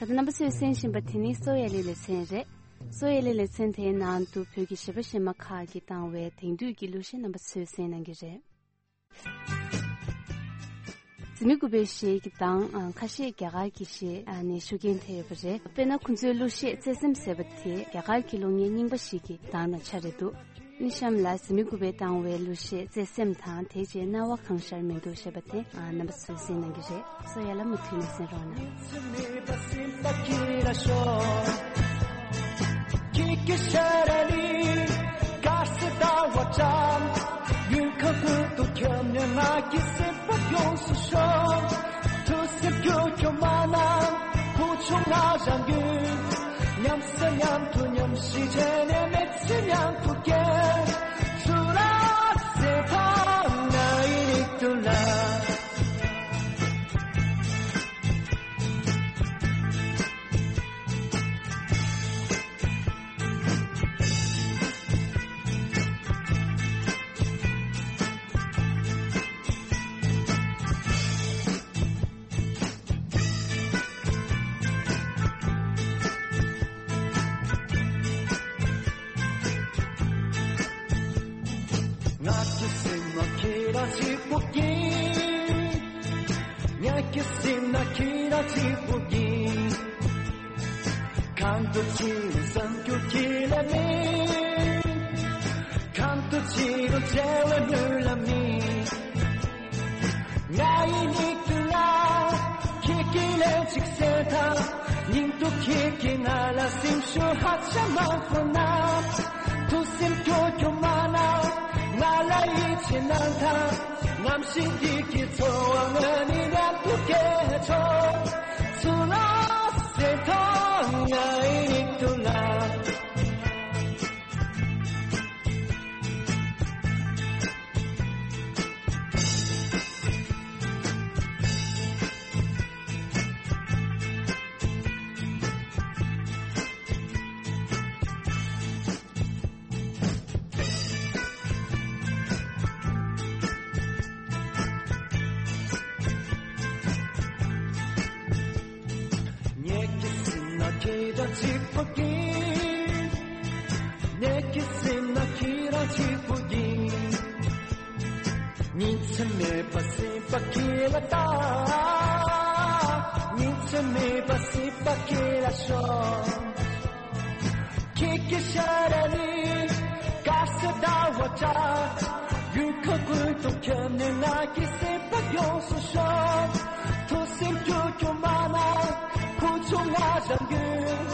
ད་ལྟ་རྣམ་པ་ཚོས་གསན་བཞིན་པ་དེ་ནི་སོ་ཡ་ལི་ལེ་ཚན་རེད། སོ་ཡ་ལི་ལེ་ཚན་དེའི་ནང་དུ་བོད་ཀྱི་གཞས་པ་གཞས་མ་ཁག་གིས་བཏང་བའི་དེང་དུས་ཀྱི་གླུ་གཞས་རྣམ་པ་ཚོས་གསན་གནང་གི་རེད། འཛིན་མའི་སྐུ་པའི་གཞས་ཀྱི་གདངས་ཁ་ཤས་རྒྱ་གར་གྱི་གཞས་ནས་ཤུགས་རྐྱེན་ཐེབས་ཡོད་པ་རེད། དཔེར་ན་ཁོང་ཚོའི་གླུ་གཞས་བརྩེ་སེམས་ཟེར་བ་དེ་རྒྱ་གར་གྱི་གླུ་སྙན་རྙིང་པ་ཞིག་གི་གདངས་དང་ཆ་རེད་འདུག། ནི་གཤམ་ལ་འཛིན་མའི་སྐུ་པས་བཏང་བའི་གླུ་གཞས་བརྩེ་སེམས་དང་དེ་རྗེས་རྣ་བ་གང་ཤར་མི་འདུག་ཞེས་པ་དེ་རྣམ་པ་ཚོས་གསན་གནང་གི་རེད། སོ་ཡ་ལ་མུ་མཐུད་ནས་གསན་རོགས་གནང་། ང་ཀྱི་སེམས་ན་ཁྱེད་རང་གཅིག་པུ་ཡིན། ངེད་ཀྱི་སེམས་ན་ཁྱེད་རང་གཅིག་པུ་ཡིན། གང་དུ་ཕྱིན་རུང་བསམ་རྒྱུ་ཁྱེད་ལ་མེད། གང་དུ་ཕྱིན་རུང་བརྗེ་བའི་ལམ་ལ་མེད། ང་ཡི་མིག་ཏུ་ལ་ཁྱེད་ཀྱི་ལན་ཅིག་གསལ་ཐལ། སྙིང་དུ་ཁྱེད་ཀྱིས་ང་ལ་སེམས་ཤུགས་ཧ་ཅང་མང་པོ་གནང་། ཐུགས་སེམས་སྐྱོ་སྐྱོ་མ་གནང་། ང་ལ་ཡིད་ཆེས་གནང་དང་། གནམ་གཤིས་འདི་གི་ཚོར་བ་ང་ནི་མཉམ་དུ་སྐྱེལ་ཆོག། ཚུར་ལ་གསལ་ཐལ་ང་ཡི་མིག་ཏུ་ལ། ངེད་ཀྱི་སེམས་ན་ཁྱེད་རང་གཅིག་པུ་ཡིན། ངེད་ཀྱི་སེམས་ན་ཁྱེད་རང་གཅིག་པུ་ཡིན། ཉིན་མཚན་མེད་པར་སེམས་པ་ཁྱེད་ལ་བལྟ། ཉིན་མཚན་མེད་པར་སེམས་པ་ཁྱེད་ལ་ཤོར། ཁྱེད་ཀྱི་ཤ་ར་ནི་དཀར་སེར་ཟླ་བ་འདྲ། ཡུལ་ཁ་ཀུན་ཏུ་ཁྱབ་ནས་ང་གི་སེམས་པ་ཡོངས་སུ་ཤོར། ཐུགས་སེམས་སྐྱོ་སྐྱོ་མ་གནང་། ཁུ་ཆུང་ང་རང་ཡུལ།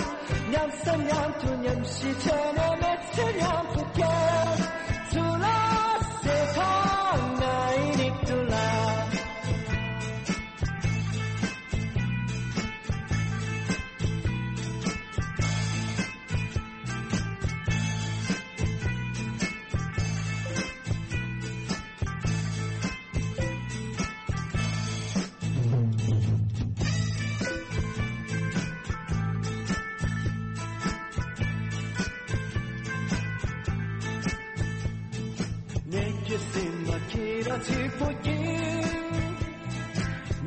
མཉམ་ཟ་མཉམ་འཐུང་མཉམ་ཞིག་བྱས་ནས་མི་ཚེ་མཉམ་དུ་སྐྱེལ། ཚུར་ལ་གསལ་ཐལ་ང་ཡི་མིག་ཏུ་ལ། ངེད་ཀྱི་སེམས་ན་ཁྱེད་རང་གཅིག་པུ་ཡིན།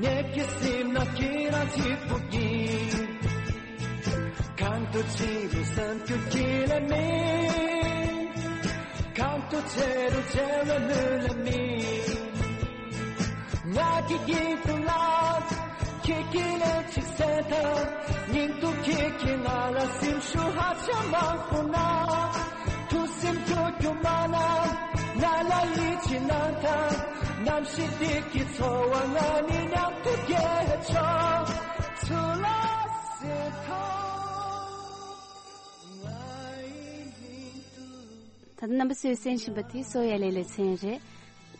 ངེད་ཀྱི་སེམས་ན་ཁྱེད་རང་གཅིག་པུ་ཡིན། གང་དུ་ཕྱིན་རུང་བསམ་རྒྱུ་ཁྱེད་ལ་མེད། གང་དུ་བྱེད་རུང་བྱེད་པའི་མུན་ལ་མེད། ང་གི་ཡིད་དུ་ལ་ཁྱེད་ཀྱི་ལན་ཅིག་གསལ་ཐལ། སྙིང་དུ་ཁྱེད་ཀྱིས་ང་ལ་སེམས་ཤུགས་ཧ་ཅང་མང་པོ་གནང་། ཐུགས་སེམས་སྐྱོ་སྐྱོ་མ་གནང་། ང་ལ་ཡིད་ཆེས་གནང་དང་། གནམ་གཤིས་འདི་གི་ཚོར་བ་ང་ནི་མཉམ་དུ་སྐྱེལ་ཆོག། ཚུར་ལ་གསལ་ཐལ་ང་ཡི་མིག་ཏུ། ད་ལྟ་རྣམ་པ་ཚོས་གསན་བཞིན་པ་དེ་སོ་ཡ་ལེ་ལེ་ཚན་རེད།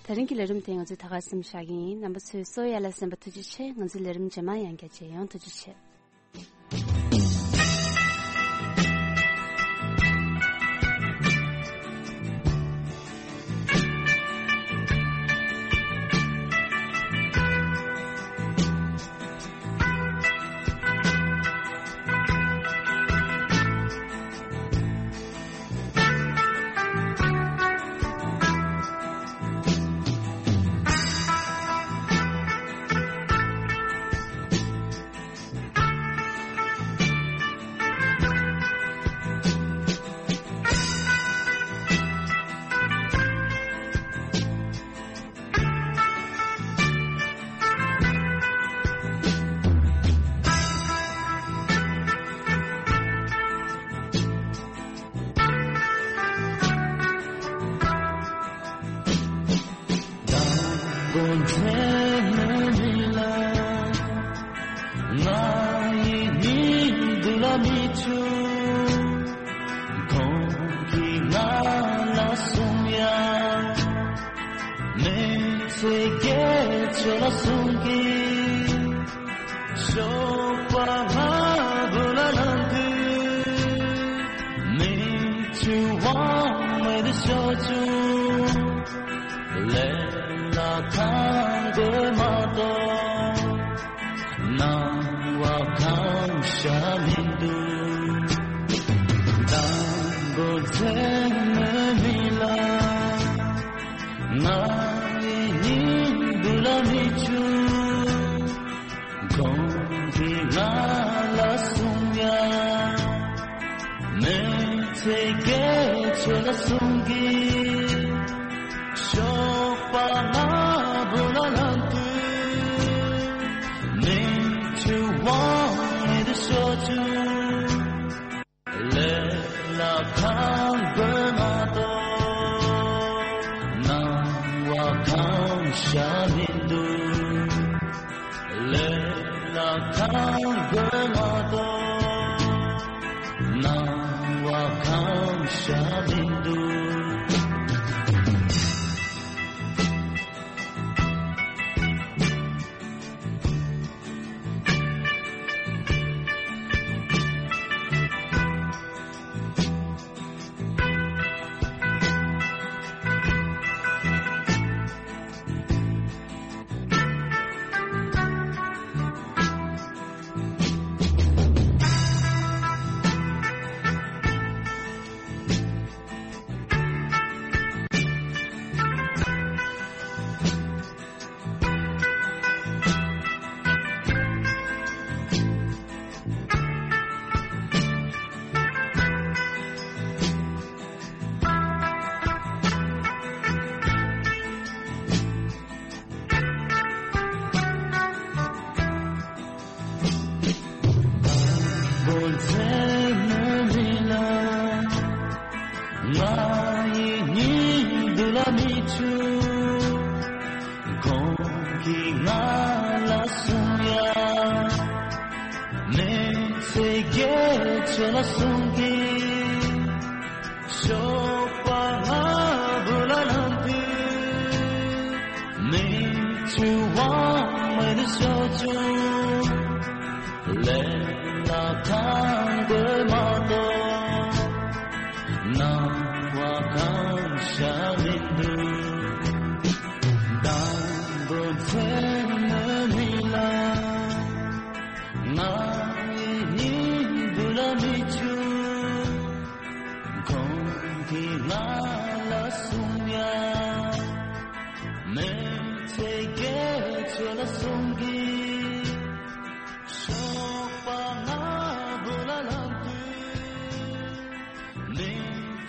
དེ་རིང་གི་ལས་རིམ་དེ་ང་ཚོས་ད་གར་མཚམས་བཞག་གི་ཡིན། རྣམ་པ་ཚོས་སོ་ཡ་ལ་གསན་པ་ཐུགས་རྗེ་ཆེ། ང་ཚོའི་ལས་རིམ་རྗེས་མ་ཡང་བསྐྱར་མཇལ་ཡོང་། ཐུགས་རྗེ་ཆེ། ང་ཡི་སྙིང་དུ་ལ་མི་ཆུ། ཁོང་གིས་ང་ལ་གསུངས་ཡ། མི་ཚེ་སྐྱེལ་ཆོག་ལ་གསུང་གི། ཞོགས་པ་སྔ་པོ་ལ་ལངས་དུས། མི་ཆུ་དབང་མེད་དུ་ཤོར་བྱུང་། ལས་ལ་ཁང་དགོས་མ་གཏོགས། སྣང་བ་གང་ཤར་མི་འདུག། དང་པོ་མཚན་མོའི་མི་ལ། ང་ཡི་སྙིང་དུ་ལ་མི་ཆུ། ཁོང་གིས་ང་ལ་གསུངས་ཡ། མི་ཚེ་སྐྱེལ་ཆོག་ལ་གསུང་གི། ཞོགས་པ་སྔ་པོ་ལ་ལངས་དུས། མི་ཆུ་དབང་མེད་དུ་ཤོར་བྱུང་། ལས་ལ་ཁང་དགོས་མ་གཏོགས། སྣང་བ་གང་ཤར་མི་འདུག། ལས་ལ་ཁང་དགོས་མ་གཏོགས། སྣང་བ་གང་ཤར་མི་འདུག། ང་ཡི་སྙིང་དུ་ལ་མི་ཆུ། ཁོང་གིས་ང་ལ་གསུངས་ཡ། མི་ཚེ་སྐྱེལ་ཆོག་ལ་གསུང་གི། ཞོགས་པ་སྔ་པོ་ལ་ལངས་དུས། མི་ཆུ་དབང་མེད་དུ་ཤོར་བྱུང་། ལས་ལ་ཁང་དགོས་མ་གཏོགས། སྣང་བ་གང་ཤར་མི་འདུག། དང་པོ་མཚན་མོའི་མི་ལ། ང་ཡི་སྙིང་དུ་ལ་མི་ཆུ། ཁོང་གིས་ང་ལ་གསུངས་ཡ། མི་ཚེ་སྐྱེལ་ཆོག་ལ་གསུང་གི། ཞོགས་པ་སྔ་པོ་ལ་ལངས་དུས། མི་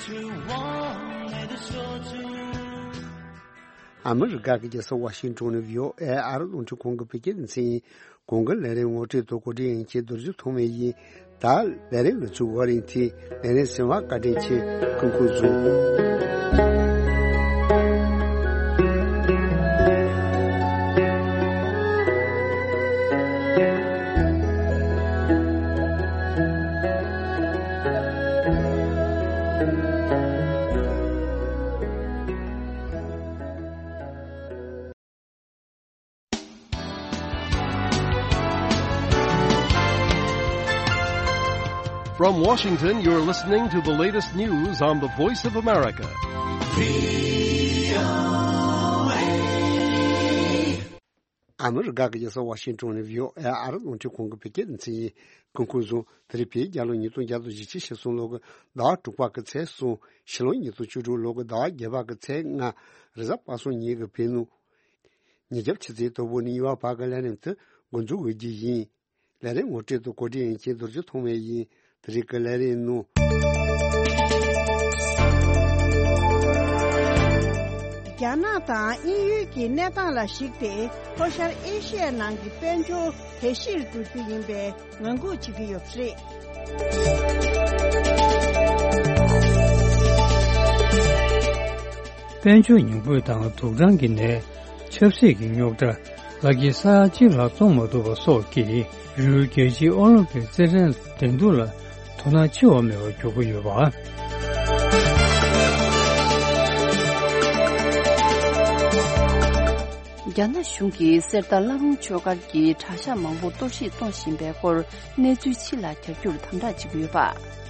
ཆུ་དབང་མེད་དུ་ཤོར་བྱུང་། ཨ་མི་རི་ཀ་གི་རྒྱལ་ས་ཝ་ཤིང་ཊོན་ནས་བྷི་ཨོ་ཨེ་ཨ་རི་རླུང་འཕྲིན་ཁང་གི་བོད་སྐད་སྡེ་ཚན་ཡིན། གོང་གི་ལས་རིམ་ངོ་སྤྲོད་དང་གོ་སྒྲིག་ཡིན་མཁན་རྡོ་རྗེ་ཐོགས་མེད་ཡིན། ད་ལས་རིམ་ལ་ཚུར་བ་རིང་ཐིག་ལས་རིམ་གསན་པར་བཀའ་དྲིན་ཆེ། སྐུ་ཁམས་བཟང་། From Washington, you're listening to the latest news on the Voice of America. ཨ་མི་རི་ཀ་གི་རྒྱལ་ས་ཝ་ཤིང་ཊོན་ནས་བྷི་ཨོ་ཨེ་ཨ་རི་རླུང་འཕྲིན་ཁང་གི་བོད་སྐད་སྡེ་ཚན་ཡིན། སྐུ་ཁམས་བཟང་། དེ་རིང་བོད་རྒྱལ་ལོ་ཉིས་སྟོང་བརྒྱ་དང་བཞི་བཅུ་ཞེ་གསུམ་ལོ་གི་ཟླ་བ་དྲུག་པ་གི་ཚེས་གསུམ། ཕྱི་ལོ་ཉིས་སྟོང་བཅུ་དྲུག་ལོ་གི་ཟླ་བ་བརྒྱད་པ་གི་ཚེས་ལྔ། རེས་གཟའ་པ་སངས་ཉིན་གྱི་བོད་ནུབ། ཉིན་རྒྱབ་ཕྱི་ཚེས་དང་པོ་ནས་ཉི་མ་བར་གྱི་ལས་རིམ་དེ་འགོ་འཛུགས་འོས་རྒྱུ་ཡིན། ལས་རིམ་ངོ་སྤྲོད་དང་གོ་སྒྲིག་ཡིན་མཁན་རྡོ་རྗེ་ཐོགས་མེད་ཡིན། དེ་རིང་གི་ལས་རིམ་ནང་། རྒྱ་ནག་དང་དབྱིན་ཡུལ་གྱི་གནས་སྟངས་ལ་གཞིགས་ཏེ། ལྷོ་ཤར་ཨེ་ཤི་ཡའི་ནང་གི་དཔལ་འབྱོར་དལ་བཤིག་ཏུ་འགྲོ་རྒྱུ་ཡིན་པའི་ངང་སྒུག་བྱེད་ཀྱི་ཡོད་པ་རེད། དཔལ་འབྱོར་ཉོ་དགོས་དང་དུག་སྦྲང་གི་ནད། ཆབ་སྲིད་ཀྱི་རྙོག་དྲ། ལག་གི་ས་ཡ་གཅིག་ལྷག་བཙོང་མ་ཐུབ་པ་སོགས་ཀྱིས་རི་བོའི་རྒྱལ་སྤྱིའི་ཨོ་ལིམ་པིག་རྩེད་འགྲན་ལ་འགྲན་བསྡུར་ལ་དོ་སྣང་ཆེ་བ་མེད་པར་གྱུར་གྱི་ཡོད་པ། རྒྱ་ནག་གཞུང་གིས་གསེར་རྟ་བླ་རུང་ཆོས་སྒར་གྱི་གྲྭ་ཤག་མང་པོ་གཏོར་བཤིག་གཏོང་བཞིན་པའི་སྐོར་གནས་ཚུལ་ཕྱི་ལ་གྱར་རྒྱུར་དམ་དྲག་བྱེད་ཀྱི་ཡོད་པ།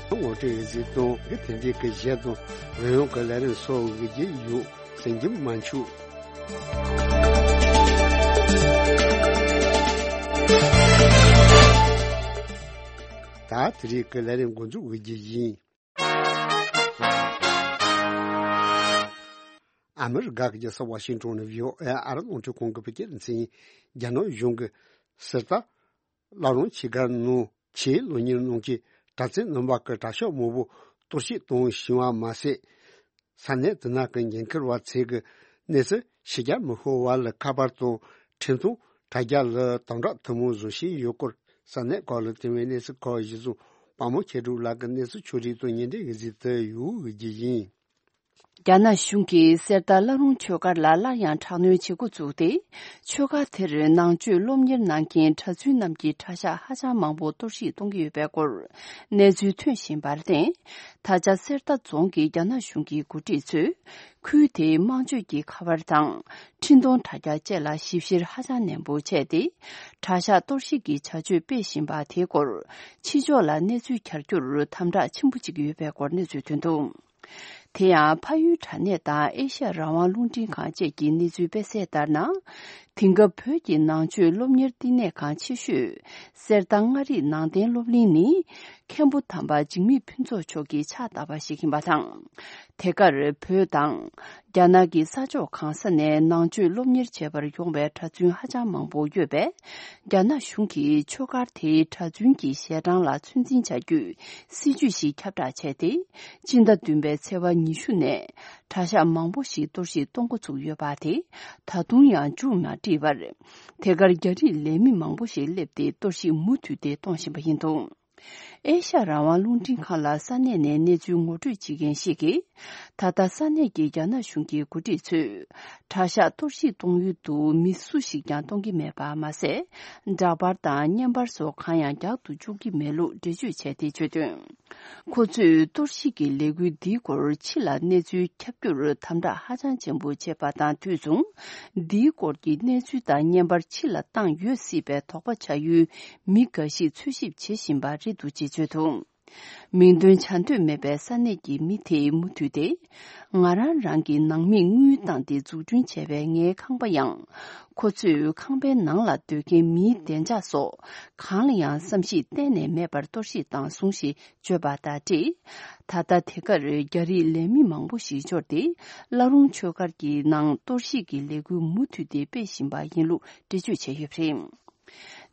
ངོ་སྤྲོད་ཡོད་ཚུལ་དང་དེ་དེ་འདྲའི་གི་གཞས་དང་རོལ་དབྱངས་ཀྱི་ལས་རིམ་སོགས་འགུལ་གྱི་ཡོད། གསན་རྒྱུ་མ་འཆུག་ད་དེ་རིང་གི་ལས་རིམ་འགོ་འཛུགས་འོས་རྒྱུ་ཡིན། ཨ་མི་རི་ཀ་གི་རྒྱལ་ས་ཝ་ཤིང་ཏོན་ནས་བྷི་ཨོ་ཨེ་ཨ་རི་རླུང་འཕྲིན་ཁང་གི་བོད་སྐད་སྡེ་ཚན། རྒྱ་ནག་གཞུང་གིས་གསེར་རྟ་བླ་རུང་ཆོས་སྒར་ནང་ཆེད་སློབ་གཉེར་གནང་མཁན་གྲྭ་བཙུན་རྣམ་པ་གི་གྲྭ་ཤག་མང་པོ་གཏོར་བཤིག་གཏོང་བཞིན་པ་མ་ཟད། ས་གནས་དེ་ནང་གི་འགན་འཁུར་བ་ཚོས་ཀྱི་གནས་ཚུལ་ཕྱི་རྒྱལ་མི་ཤོར་བ་ལ་ཁ་པར་དང་འཕྲིན་ཐུང་དྲ་རྒྱ་ལ་དམ་དྲག་ཐུན་མོང་བཟོ་བཞིན་ཡོད་སྐོར་ས་གནས་ཁག་ལ་བཏོན་པའི་གནས་ཚུལ་ཁག་གཞི་བཟུང་། པདྨ་མཁས་གྲུབ་ལགས་ཀྱི་གནས་ཚུལ་ཕྱོགས་སྒྲིག་དང་ཉེ་འབྲེལ་ཡོད་ཚུལ་དུ་ཡོད་རྒྱུ་ཡིན། རྒྱ་ནག་གཞུང་གིས་གསེར་རྟ་བླ་རུང་ཆོས་སྒར་ལ་སླར་ཡང་དྲག་གནོན་བྱེད་འགོ་བཙུགས་ཏེ། ཆོས་སྒར་དེར་ནང་ཆོས་སློབ་གཉེར་གནང་མཁན་གྲྭ་བཙུན་རྣམས་ཀྱི་གྲྭ་ཤག་ཧ་ཅང་མང་པོ་གཏོར་བཤིག་གཏོང་གི་ཡོད་པའི་སྐོར་གནས་ཚུལ་ཐོན་བཞིན་པར་བརྟེན། ད་ཆ་གསེར་རྟ་རྫོང་གི་རྒྱ་ནག་གཞུང་གི་འགོ་ཁྲིད་ཚོས་ཁུལ་དེའི་དམངས་སྤྱོད་ཀྱི་ཁ་པར་དང་འཕྲིན་གཏོང་དྲ་རྒྱ་བཅས་ལ་ཞིབ་བཤེར་ཧ་ཅང་ནན་པོ་བྱས་ཏེ། གྲྭ་ཤག་གཏོར་བཤིག་གི་བྱ་སྤྱོད་སྤེལ་བཞིན་པ་དེའི་སྐོར་ཕྱི་ཕྱོགས་ལ་གནས་ཚུལ་གྱར་རྒྱུར་དམ་དྲག་ཆེན་པོ་བྱེད་ཀྱི་ཡོད་པའི་སྐོར་གནས་ཚུལ་ཐོན་འདུག་དེ་ཡང་། ཕ་ཡུལ་དྲ་གནས་དང་ཨེ་ཤ་ཡ་རང་དབང་རླུང་འཕྲིན་ཁང་བཅས་ཀྱི་གནས་ཚུལ་སྤེལ་གསལ་ལྟར་ན། དེང་སྐབས་བོད་ཀྱི་ནང་ཆོས་སློབ་གཉེར་བསྟི་གནས་ཁང་ཆེ་ཤོས་གསེར་རྟ་མངའ་རིས་ནང་བསྟན་སློབ་གླིང་ནི། མཁན་པོ་དམ་པ་འཇིགས་མེད་ཕུན་ཚོགས་མཆོག་གིས་ཕྱག་བཏབ་པ་ཞིག་ཡིན་པ་དང་། དེ་གར་བོད་དང་། རྒྱ་ནག་གི་ས་ཕྱོགས་གང་ས་ནས་ནང་ཆོས་སློབ་གཉེར་བྱེད་པར་ཡོང་བའི་གྲྭ་བཙུན་ཧ་ཅང་མང་པོ་ཡོད་པས། རྒྱ་ནག་གཞུང་གིས་ཆོས་སྒར་དེའི་གྲྭ་བཙུན་གྱི་ཞལ་གྲངས་ལ་ཚོད་འཛིན་བྱ་རྒྱུའི་སྲིད་ཇུས་ཤིག་ཁྱབ་བསྒྲགས་བྱས་ཏེ། སྤྱི་ཟླ་བདུན་པའི་ཚེས་པ་ཉི་ཤུ་ནས་གྲྭ་ཤག་མང་པོ་ཞིག་གཏོར་བཤིག་གཏོང་འགོ་ཚུགས་ཡོད་པ་དེ་ད་དུང་ཡང་མཇུག་མ་སྒྲིལ་བར། དེ་གར་རྒྱ་རིགས་ལས་མི་མང་པོ་ཞིག་སླེབས་ཏེ་གཏོར་བཤིག་མུ་མཐུད་དེ་གཏོང་བཞིན་པ་ཡིན་འདུག་ཨེ་ཤ་ཡ་རང་དབང་རླུང་འཕྲིན་ཁང་ལ་ས་གནས་ནས་གནས་ཚུལ་ངོ་སྤྲོད་བྱེད་མཁན་ཞིག་གིས། ད་ལྟ་ས་གནས་ཀྱི་རྒྱ་ནག་གཞུང་གི་འགོ་ཁྲིད་ཚོས། གྲྭ་ཤག་གཏོར་བཤིག་གཏོང་ཡུལ་དུ་མི་སུ་ཞིག་ཀྱང་གཏོང་གི་མེད་པ་མ་ཟད། འདྲ་པར་དང་བརྙན་པར་སོགས་གང་ཡང་རྒྱག་ཏུ་བཅུག་གི་མེད་ལུགས་འགྲེལ་བརྗོད་བྱས་ཏེ་བརྗོད་དོན། ཁོ་ཚོས་གཏོར་བཤིག་གི་ལས་འགུལ་འདིའི་སྐོར་ཕྱི་ལ་གནས་ཚུལ་ཁྱབ་རྒྱུར་དམ་དྲག་ཧ་ཅང་ཆེན་པོ་བྱས་པ་དང་དུས་མཚུངས། འདིའི་སྐོར་གྱི་གནས་ཚུལ་དང་བརྙན་པར་ཕྱི་ལ་བཏང་ཡོད་སྲིད་པའི་དོགས་པ་ཆགས་ཡུལ་མི་འགའ་ཞིག་འཚོལ་ཞིབ་བྱེད་བཞིན་པ་རེད་འདུག་ཅེས་བརྗོད་འདུག་མིང་འདོན་བྱ་འདོད་མེད་པའི་ས་གནས་ཀྱི་མི་དེས་མུ་མཐུད་དེ། ང་རང་རང་གི་ནང་མིས་དངུལ་བཏང་སྟེ་འཛུགས་སྐྲུན་བྱས་པའི་ངའི་ཁང་པ་ཡང་། ཁོ་ཚོས་ཁང་པའི་ནང་ལ་སྡོད་མཁན་མིའི་བདེ་འཇགས་སོགས་གང་ལ་ཡང་བསམ་གཞིག་གཏན་ནས་མེད་པར་གཏོར་བཤིག་བཏང་སོང་ཞེས་བརྗོད་པ་དང་འབྲེལ། ད་ལྟ་དེ་གར་རྒྱ་རིགས་ལས་མི་མང་པོ་ཞིག་འབྱོར་ཏེ། བླ་རུང་ཆོས་སྒར་གྱི་ནང་གཏོར་བཤིག་གི་ལས་འགུལ་མུ་མཐུད་དེ་སྤེལ་བཞིན་པ་ཡིན་ལུགས་འགྲེལ་བརྗོད་བྱས་ཡོད་པ་རེད།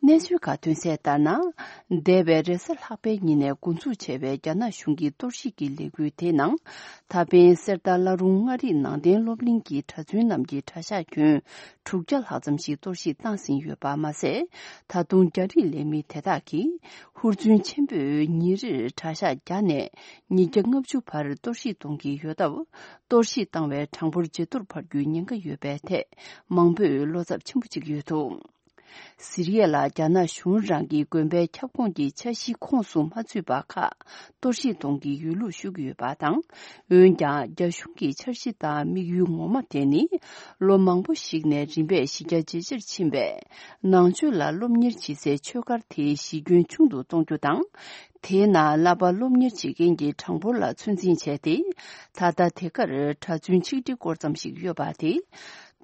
གནས་ཚུལ་ཁག་ཐོན་གསལ་ལྟར་ན། འདས་པའི་རེས་གཟའ་ལྷག་པའི་ཉིན་ནས་འགོ་འཛུགས་བྱས་པའི་རྒྱ་ནག་གཞུང་གི་གཏོར་བཤིག་གི་ལས་འགུལ་དེའི་ནང་། ད་ཕན་གསེར་རྟ་བླ་རུང་མངའ་རིས་ནང་བསྟན་སློབ་གླིང་གི་གྲྭ་བཙུན་རྣམས་ཀྱི་གྲྭ་ཤག་ཁྱོན་དྲུག་བརྒྱ་ལྷག་ཙམ་ཞིག་གཏོར་བཤིག་བཏང་ཟིན་ཡོད་པ་མ་ཟད། ད་དུང་རྒྱ་རིགས་ལས་མི་དེ་དག་གིས་ཧུར་བརྩོན་ཆེན་པོས་ཉིན་རེར་གྲྭ་ཤག་བརྒྱ་ནས་ཉིས་བརྒྱ་ལྔ་བཅུ་བར་གཏོར་བཤིག་གཏོང་གི་ཡོད་སྟབས། གཏོར་བཤིག་བཏང་བའི་གྲངས་འབོར་ཇེ་མཐོར་འཕར་རྒྱུའི་ཉེན་ཁ་ཡོད་པའི་ཐད་མང་པོས་བློ་འཚབ་ཆེན་པོ་བྱེད་ཀྱི་ཡོད་འདུག་སི་རི་ཡ་ལ་རྒྱ་ནག་གཞུང་རང་གི་དགོན་པའི་ཁྱབ་ཁོངས་ཀྱི་འཆར་གཞིའི་ཁོངས་སུ་མ་ཚུད་པ་ཁག་གཏོར་བཤིག་གཏོང་གི་ཡོད་ལུགས་ཞུ་གི་ཡོད་པ་དང་། འོན་ཀྱང་རྒྱ་གཞུང་གི་འཆར་གཞི་དང་དམིགས་ཡུལ་ངོ་མ་དེ་ནི། ལོ་མང་པོ་ཞིག་ནས་རིམ་པས་གཞི་རྒྱ་ཇེ་ཆེར་ཕྱིན་པའི་ནང་ཆོས་ལ་སློབ་གཉེར་བྱེད་སའི་ཆོས་སྒར་དེའི་གཞི་ཁྱོན་ཆུང་དུ་གཏོང་རྒྱུ་དང་། དེའི་ནང་བསླབ་པ་སློབ་གཉེར་བྱེད་མཁན་གྱི་གྲངས་འབོར་ལ་ཚོད་འཛིན་བྱས་ཏེ། ད་ལྟ་དེ་གར་གྲྭ་བཙུན་ཆིག་ཁྲི་སྐོར་ཙམ་ཞིག་ཡོད་པ་དེ།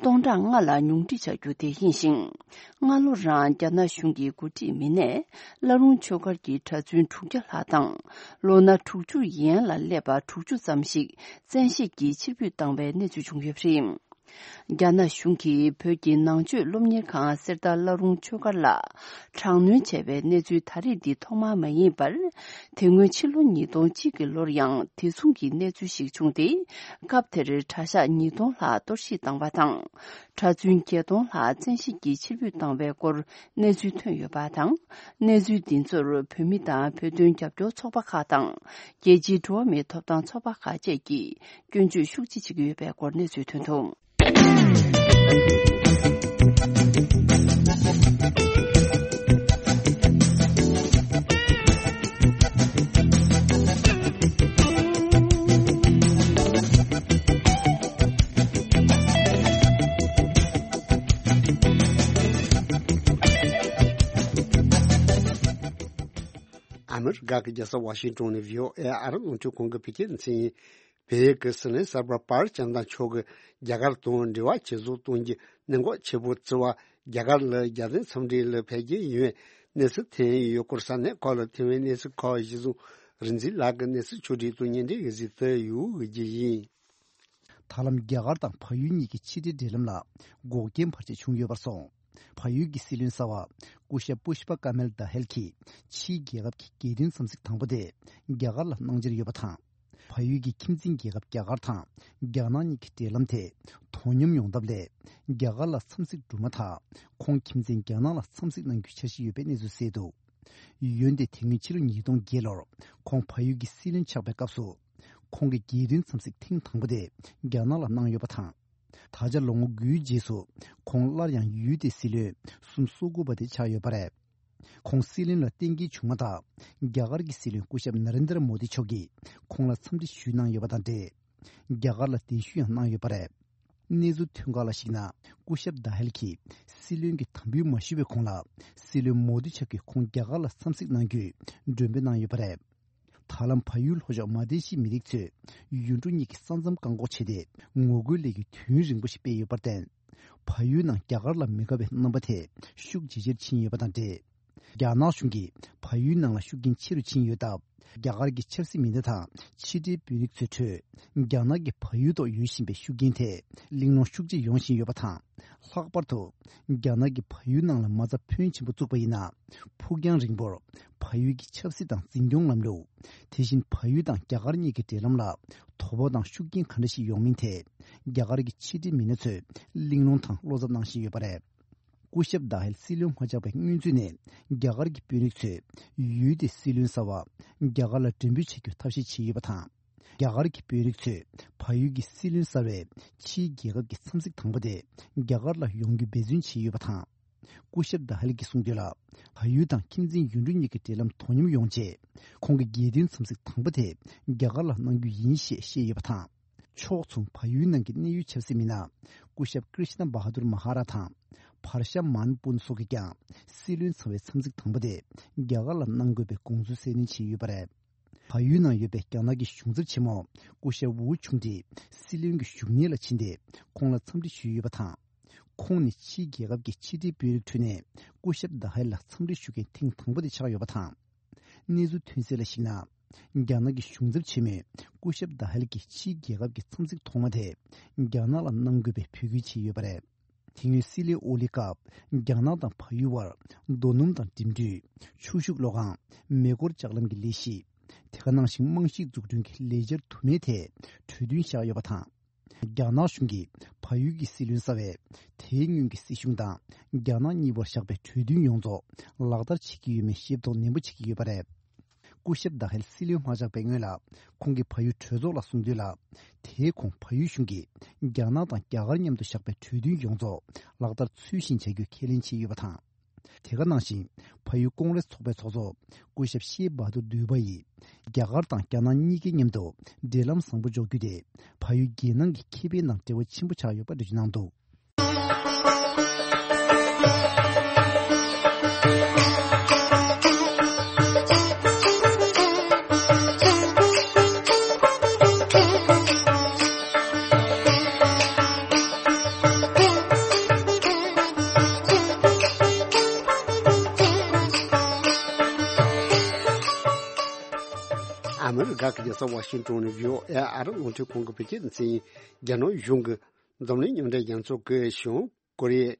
སྟོང་ཕྲག་ལྔ་ལ་ཉུང་འཕྲི་བྱ་རྒྱུ་དེ་ཡིན་ཞིང་། སྔ་ལོ་རང་རྒྱ་ནག་གཞུང་གི་འགོ་ཁྲིད་མི་སྣས་བླ་རུང་ཆོས་སྒར་གྱི་གྲྭ་བཙུན་དྲུག་བརྒྱ་ལྷག་དང་། ལོ་ན་དྲུག་ཅུ་ཡན་ལ་སླེབས་པ་དྲུག་ཅུ་ཙམ་ཞིག་བཙན་ཤེད་ཀྱིས་ཕྱིར་འབུད་བཏང་བའི་གནས་ཚུལ་བྱུང་ཡོད་པ་རེད། རྒྱ་ནག་གཞུང་གིས་བོད་ཀྱི་ནང་ཆོས་སློབ་གཉེར་ཁང་གསེར་རྟ་བླ་རུང་ཆོས་སྒར་ལ་དྲག་གནོན་བྱས་པའི་གནས་ཚུལ་ད་རེས་འདི་ཐོག་མ་མ་ཡིན་པར། དེ་སྔོན་ཕྱི་ལོ་ཉིས་སྟོང་གཅིག་གི་ལོར་ཡང་དེ་མཚུངས་ཀྱི་གནས་ཚུལ་ཞིག་བྱུང་སྟེ། སྐབས་དེར་གྲྭ་ཤག་ཉིས་སྟོང་ལྷག་གཏོར་བཤིག་བཏང་བ་དང་། གྲྭ་བཙུན་བརྒྱད་སྟོང་ལྷག་བཙན་ཤེད་ཀྱིས་ཕྱིར་འབུད་བཏང་བའི་སྐོར་གནས་ཚུལ་ཐོན་ཡོད་པ་དང་། གནས་ཚུལ་འདི་ཚོར་བོད་མི་དང་བོད་དོན་རྒྱབ་སྐྱོར་ཚོགས་པ་ཁག་དང་། རྒྱལ་སྤྱིའི་འགྲོ་བ་མིའི་ཐོབ་ཐང་ཚོགས་པ་ཁག་བཅས་ཀྱིས་སྐྱོན་བརྗོད་ཤུགས་ཆེ་བྱེད་ཀྱི་ཡོད་པའི་སྐོར་གནས་ཚུལ་ཐོན་འདུག་ཨ་མི་རི་ཀ་གི་རྒྱལ་ས་ཝ་ཤིང་ཏོན་ནས་བྷི་ཨོ་ཨེ་ཨ་རི་རླུང་འཕྲིན་ཁང་གི་བོད་སྐད་སྡེ་ཚན་ཡིན། བལ་ཡུལ་གྱི་སྲིད་བློན་གསར་པ་པར་ཅང་ཏང་མཆོག་གིས་རྒྱ་གར་དང་འབྲེལ་བ་ཇེ་བཟང་གཏོང་རྒྱུའི་གནད་འགག་ཆེ་པོ་བརྩི་བ། རྒྱ་གར་ལ་རྒྱལ་བསྟན་འཚམས་འདྲི་ལ་འཕེལ་རྒྱས་ཡོང་བའི་གནས་ཚུལ་ཐོན་ཡོད་སྐོར་ས་གནས་ཁག་ལ་ཐོན་པའི་གནས་ཚུལ་ཁག་གཞི་བཟུང་རིག་འཛིན་ལགས་ཀྱིས་གནས་ཚུལ་ཕྱོགས་སྒྲིག་དང་སྙན་སྒྲོན་གྱི་གཟིགས་ཏེ་ཡོད་ཀྱི་ཡིན། ད་ལམ་རྒྱ་གར་དང་བལ་ཡུལ་གཉིས་ཀྱི་ཕྱི་འབྲེལ་འབྲེལ་ལམ་ལ་འགོག་རྐྱེན་བར་ཆད་བྱུང་ཡོད་པར་སོང་། བལ་ཡུལ་གྱི་སྲིད་བློན་གསར་པ་སྐུ་ཞབས་པུཤ་པ་ཀ་མལ་ད་ཧེལ་གྱིས་ཕྱིའི་རྒྱལ་ཁབ་ཀྱི་རྒྱལ་དོན་འཚམས་གཟིགས་དང་པོ་དེ་རྒྱ་གར་ལ་གནང་འཆར་ཡོད་པ་དང་། བལ་ཡུལ་གྱི་ཁྱིམ་མཚེས་རྒྱལ་ཁབ་རྒྱ་གར་དང་རྒྱ་ནག་གཉིས་ཀྱི་འབྲེལ་ལམ་དེ་དོ་མཉམ་ཡོང་ཐབས་ལས་རྒྱ་གར་ལ་འཚམས་གཟིགས་གྲུབ་མ་ཐག་ཁོང་ཁྱིམ་མཚེས་རྒྱ་ནག་ལ་འཚམས་གཟིགས་གནང་རྒྱུའི་འཆར་གཞི་ཡོད་པའི་གནས་ཚུལ་གསལ་འདུག། འོན་ཏེ་དེ་སྔོན་ཕྱི་ལོ་ཉིས་སྟོང་བརྒྱད་ལོར་ཁོང་བལ་ཡུལ་གྱི་སྲིད་བློན་ཆགས་པའི་སྐབས་སུ། ཁོང་གིས་རྒྱལ་དོན་འཚམས་གཟིགས་ཐེངས་དང་པོ་དེ་རྒྱ་ནག་ལ་གནང་ཡོད་པ་དང་། ད་ཆ་ལོ་ངོ་དགུའི་རྗེས་སུ་ཁོང་སླར་ཡང་ཡུལ་དེའི་སྲིད་བློན་སུམ་སོ་དགུ་པ་དེ་ཆགས་ཡོད་པ་རེད། ཁོང་སྲིད་བློན་ལ་གཏན་འཁེལ་བྱུང་མ་ཐག་རྒྱ་གར་གྱི་སྲིད་བློན་སྐུ་ཞབས་ན་རེན་དྲ་མོ་དི་མཆོག་གིས་ཁོང་ལ་འཚམས་འདྲི་ཞུས་གནང་ཡོད་པ་དང་འབྲེལ། རྒྱ་གར་ལ་གདན་ཞུ་ཡང་གནང་ཡོད་པ་རེད། གནས་ཚུལ་ཐོན་ཁག་ལ་གཞིགས་ན། སྐུ་ཞབས་ད་ཧེལ་གྱིས་སྲིད་བློན་གྱི་དམ་འབུལ་མ་ཞུ་བའི་གོང་ལ། སྲིད་བློན་མོ་དི་མཆོག་གིས་ཁོང་རྒྱ་གར་ལ་འཚམས་གཟིགས་གནང་རྒྱུའི་མགྲོན་འབོད་གནང་ཡོད་པ་རེད། ད་ལམ་བལ་ཡུལ་ལྷོ་ཕྱོགས་མ་ལེ་ཤི་མི་རིགས་ཚོས་ཡུལ་གྲུ་གཉིས་ཀྱི་ས་མཚམས་བཀག་འགོག་བྱས་ཏེ། ངོ་རྒོལ་ལས་འགུལ་དུས་ཡུན་རིང་པོ་ཞིག་སྤེལ་ཡོད་པར་བརྟེན། བལ་ཡུལ་ནང་རྒྱ་གར་ལ་མི་དགའ་བའི་རྣམ་པ་དེ་ཤུགས་ཇེ་ཆེར་ཕྱིན་ཡོད་པ་དང་འབྲེལ། རྒྱ་ནག་གཞུང་གིས་བལ་ཡུལ་ནང་ལ་ཤུགས་རྐྱེན་ཆེ་རུ་ཕྱིན་ཡོད་སྟབས། རྒྱ་གར་གྱི་ཆབ་སྲིད་མི་སྣ་དང་ཕྱི་འབྲེལ་དཔོན་རིགས་ཚོའི་ཁྲོད། རྒྱ་ནག་གིས་བལ་ཡུལ་ཐོག་ཡོད་བཞིན་པའི་ཤུགས་རྐྱེན་དེ་གླེང་སློང་ཤུགས་ཆེ་ཡོང་བཞིན་ཡོད་པ་དང་། ལྷག་པར་དུ། རྒྱ་ནག་གིས་བལ་ཡུལ་ནང་ལ་མ་རྩ་ཕོན་ཆེན་པོ་བཙུགས་པ་ཡིན་ན། ཕུགས་རྒྱང་རིང་པོར་བལ་ཡུལ་གྱི་ཆབ་སྲིད་དང་འཛིན་སྐྱོང་ལམ་ལུགས། དེ་བཞིན་བལ་ཡུལ་དང་རྒྱ་གར་གཉིས་ཀྱི་འབྲེལ་ལམ་ལ་དོ་ཕོག་དང་ཤུགས་རྐྱེན་ག་འདྲ་ཞིག་ཡོང་མིན་ཐད། རྒྱ་གར་གྱི་ཕྱི་འབྲེལ་མི་སྣ་ཚོས་གླེང་སློང་དང་བློ་འཚབ་གནང་བཞིན་ཡོད་པ་རེད། སྐུ་ཞབས་ད་ཧེལ་སྲིད་བློན་མ་ཆགས་པའི་སྔོན་ཚུད་ནས་རྒྱ་གར་གྱི་དཔོན་རིགས་ཚོས་ཡུལ་དེའི་སྲིད་བློན་གསར་པ་རྒྱ་གར་ལ་མགྲོན་འབོད་བྱ་རྒྱུའི་ཐབས་ཤེས་བྱས་ཡོད་པ་དང་། རྒྱ་གར་གྱི་དཔོན་རིགས་ཚོས་བལ་ཡུལ་གྱི་སྲིད་བློན་གསར་པའི་ཕྱིའི་རྒྱལ་ཁབ་ཀྱི་འཚམས་གཟིགས་དང་པོ་དེ་རྒྱ་གར་ལ་ཡོང་རྒྱུ་འབད་བརྩོན་བྱས་ཡོད་པ་དང་། སྐུ་ཞབས་ད་ཧེལ་གྱིས་གསུངས་དོན་ལ། བལ་ཡུལ་དང་ཁྱིམ་མཚེས་ཡུལ་གྲུ་གཉིས་ཀྱི་འབྲེལ་ལམ་དོ་མཉམ་ཡོང་ཆེད། ཁོང་གིས་རྒྱལ་དོན་འཚམས་གཟིགས་དང་པོ་དེ་རྒྱ་གར་ལ་གནང་རྒྱུ་ཡིན་ཞེས་བཤད་ཡོད་པ་དང་། ཕྱོགས་མཚུངས་བལ་ཡུལ་ནང་གི་གནད་ཡོད་ཆབ་སྲིད་མི་སྣ་སྐུ་ཞབས་ཀྲི་ཤི་ན་བྷ་ཧ་དུར་མ་ཧ་ར་དང་བྷར་ཤ་མཱན་པུན་སོགས་ཀྱིས་ཀྱང་སྲིད་བློན་ཚབ་པའི་འཚམས་གཟིགས་དང་པོ་དེ་རྒྱ་གར་ལ་གནང་དགོས་པའི་དགོངས་ཚུལ་གསལ་སྟོན་བྱས་ཡོད་པ་རེད། བལ་ཡུལ་ནང་ཡོད་པའི་རྒྱ་ནག་གི་གཞུང་ཚབ་ཆེན་མོ་སྐུ་ཞབས་ཝུའུ་ཆུང་ཀྲིས་སྲིད་བློན་གྱི་བཞུགས་གནས་ལ་ཕྱིན་ཏེ་ཁོང་ལ་འཚམས་འདྲི་ཞུས་ཡོད་པ་དང་། ཁོང་ནི་ཕྱིའི་རྒྱལ་ཁབ་ཀྱི་ཕྱི་འབྲེལ་དཔོན་རིགས་ཁྲོད་ནས་སྐུ་ཞབས་ད་ཧེལ་ལ་འཚམས་འདྲི་ཞུ་མཁན་ཐེངས་དང་པོ་དེ་ཆགས་ཡོད་པ་དང་། གནས་ཚུལ་ཐོན་གསལ་ལ་གཞིགས་ན། རྒྱ་ནག་གི་གཞུང་ཚབ་ཆེན་མོས་སྐུ་ཞབས་ད་ཧེལ་གྱི་ཕྱིའི་རྒྱལ་ཁབ་ཀྱི་འཚམས་གཟིགས་ཐོག་མ་དེ་རྒྱ་ནག་ལ་གནང་དགོས་པའི་འབོད་སྐུལ་བྱས་ཡོད་པ་རེད། དེ་སྔོན་སྲིད་བློན་ཨོ་ལི་སྐབས་རྒྱ་ནག་དང་བལ་ཡུལ་བར་རྡོ་སྣུམ་དང་འགྲིམ་འགྲུལ། ཆུ་ཤུགས་གློག་ཁང་། མེ་འཁོར་ལྕགས་ལམ་གྱི་ལས་གཞི། དེ་ག་ནང་བཞིན་རྨང་གཞིའི་འཛུགས་སྐྲུན་གྱི་ལས་འཆར་དུ་མའི་ཐད་གྲོས་མཐུན་བཞག་ཡོད་པ་དང་། རྒྱ་ནག་གཞུང་གིས་བལ་ཡུལ་གྱི་སྲིད་བློན་གསར་པས་དེའི་སྔོན་གྱི་སྲིད་གཞུང་དང་རྒྱ་ནག་གཉིས་བར་བཞག་པའི་གྲོས་མཐུན་ཡོངས་རྫོགས་ལག་བསྟར་བྱེད་ཀྱི་ཡོད་མེད་ཤེས་རྟོགས་ནན་པོ་བྱེད་ཀྱི་ཡོད་པ་རེད། སྐུ་ཞབས་ད་ཧེལ་སྲིད་བློན་མ་ཆགས་པའི་སྔོན་ལ་ཁོང་གིས་བལ་ཡུལ་གྲོས་ཚོགས་ལ་གསུངས་དོན་ལ། དེའི་གོང་བལ་ཡུལ་གཞུང་གིས་རྒྱ་ནག་དང་རྒྱ་གར་མཉམ་དུ་བཞག་པའི་གྲོས་མཐུན་ཡོངས་རྫོགས་ལག་བསྟར་ཚུལ་བཞིན་བྱ་རྒྱུ་ཁས་ལེན་བྱས་ཡོད་པ་དང་། དེ་ག་ནང་བཞིན་བལ་ཡུལ་ཀོང་རེས་ཚོགས་པའི་ཚོགས་གཙོ་སྐུ་ཞབས་ཤེ་བྷ་དུར་དུས་པ་ཡིས་རྒྱ་གར་དང་རྒྱ་ནག་གཉིས་ཀའི་མཉམ་དུ་འབྲེལ་ལམ་བཟང་པོ་འཇོག་རྒྱུ་དེ་བལ་ཡུལ་རྒྱལ་ནང་གི་ཁེ་ཕན་དང་འབྲེལ་བ་ཆེན་པོ་ཆགས་ཡོད་པ་འགྲེལ་བརྗོད་གནང་འདུག། ཨ་མི་རི་ཀ་གི་རྒྱལ་ས་ཝ་ཤིང་ཏོན་ནས་བྷི་ཨོ་ཨེ་ཨ་རི་རླུང་འཕྲིན་ཁང་གི་བོད་སྐད་སྡེ་ཚན་ཡིན། རྒྱ་ནག་གཞུང་གི་འཛམ་གླིང་མཉམ་འབྲེལ་རྒྱལ་ཚོགས་ཀྱི་བྱང་ཀོ་རི་ཡའི་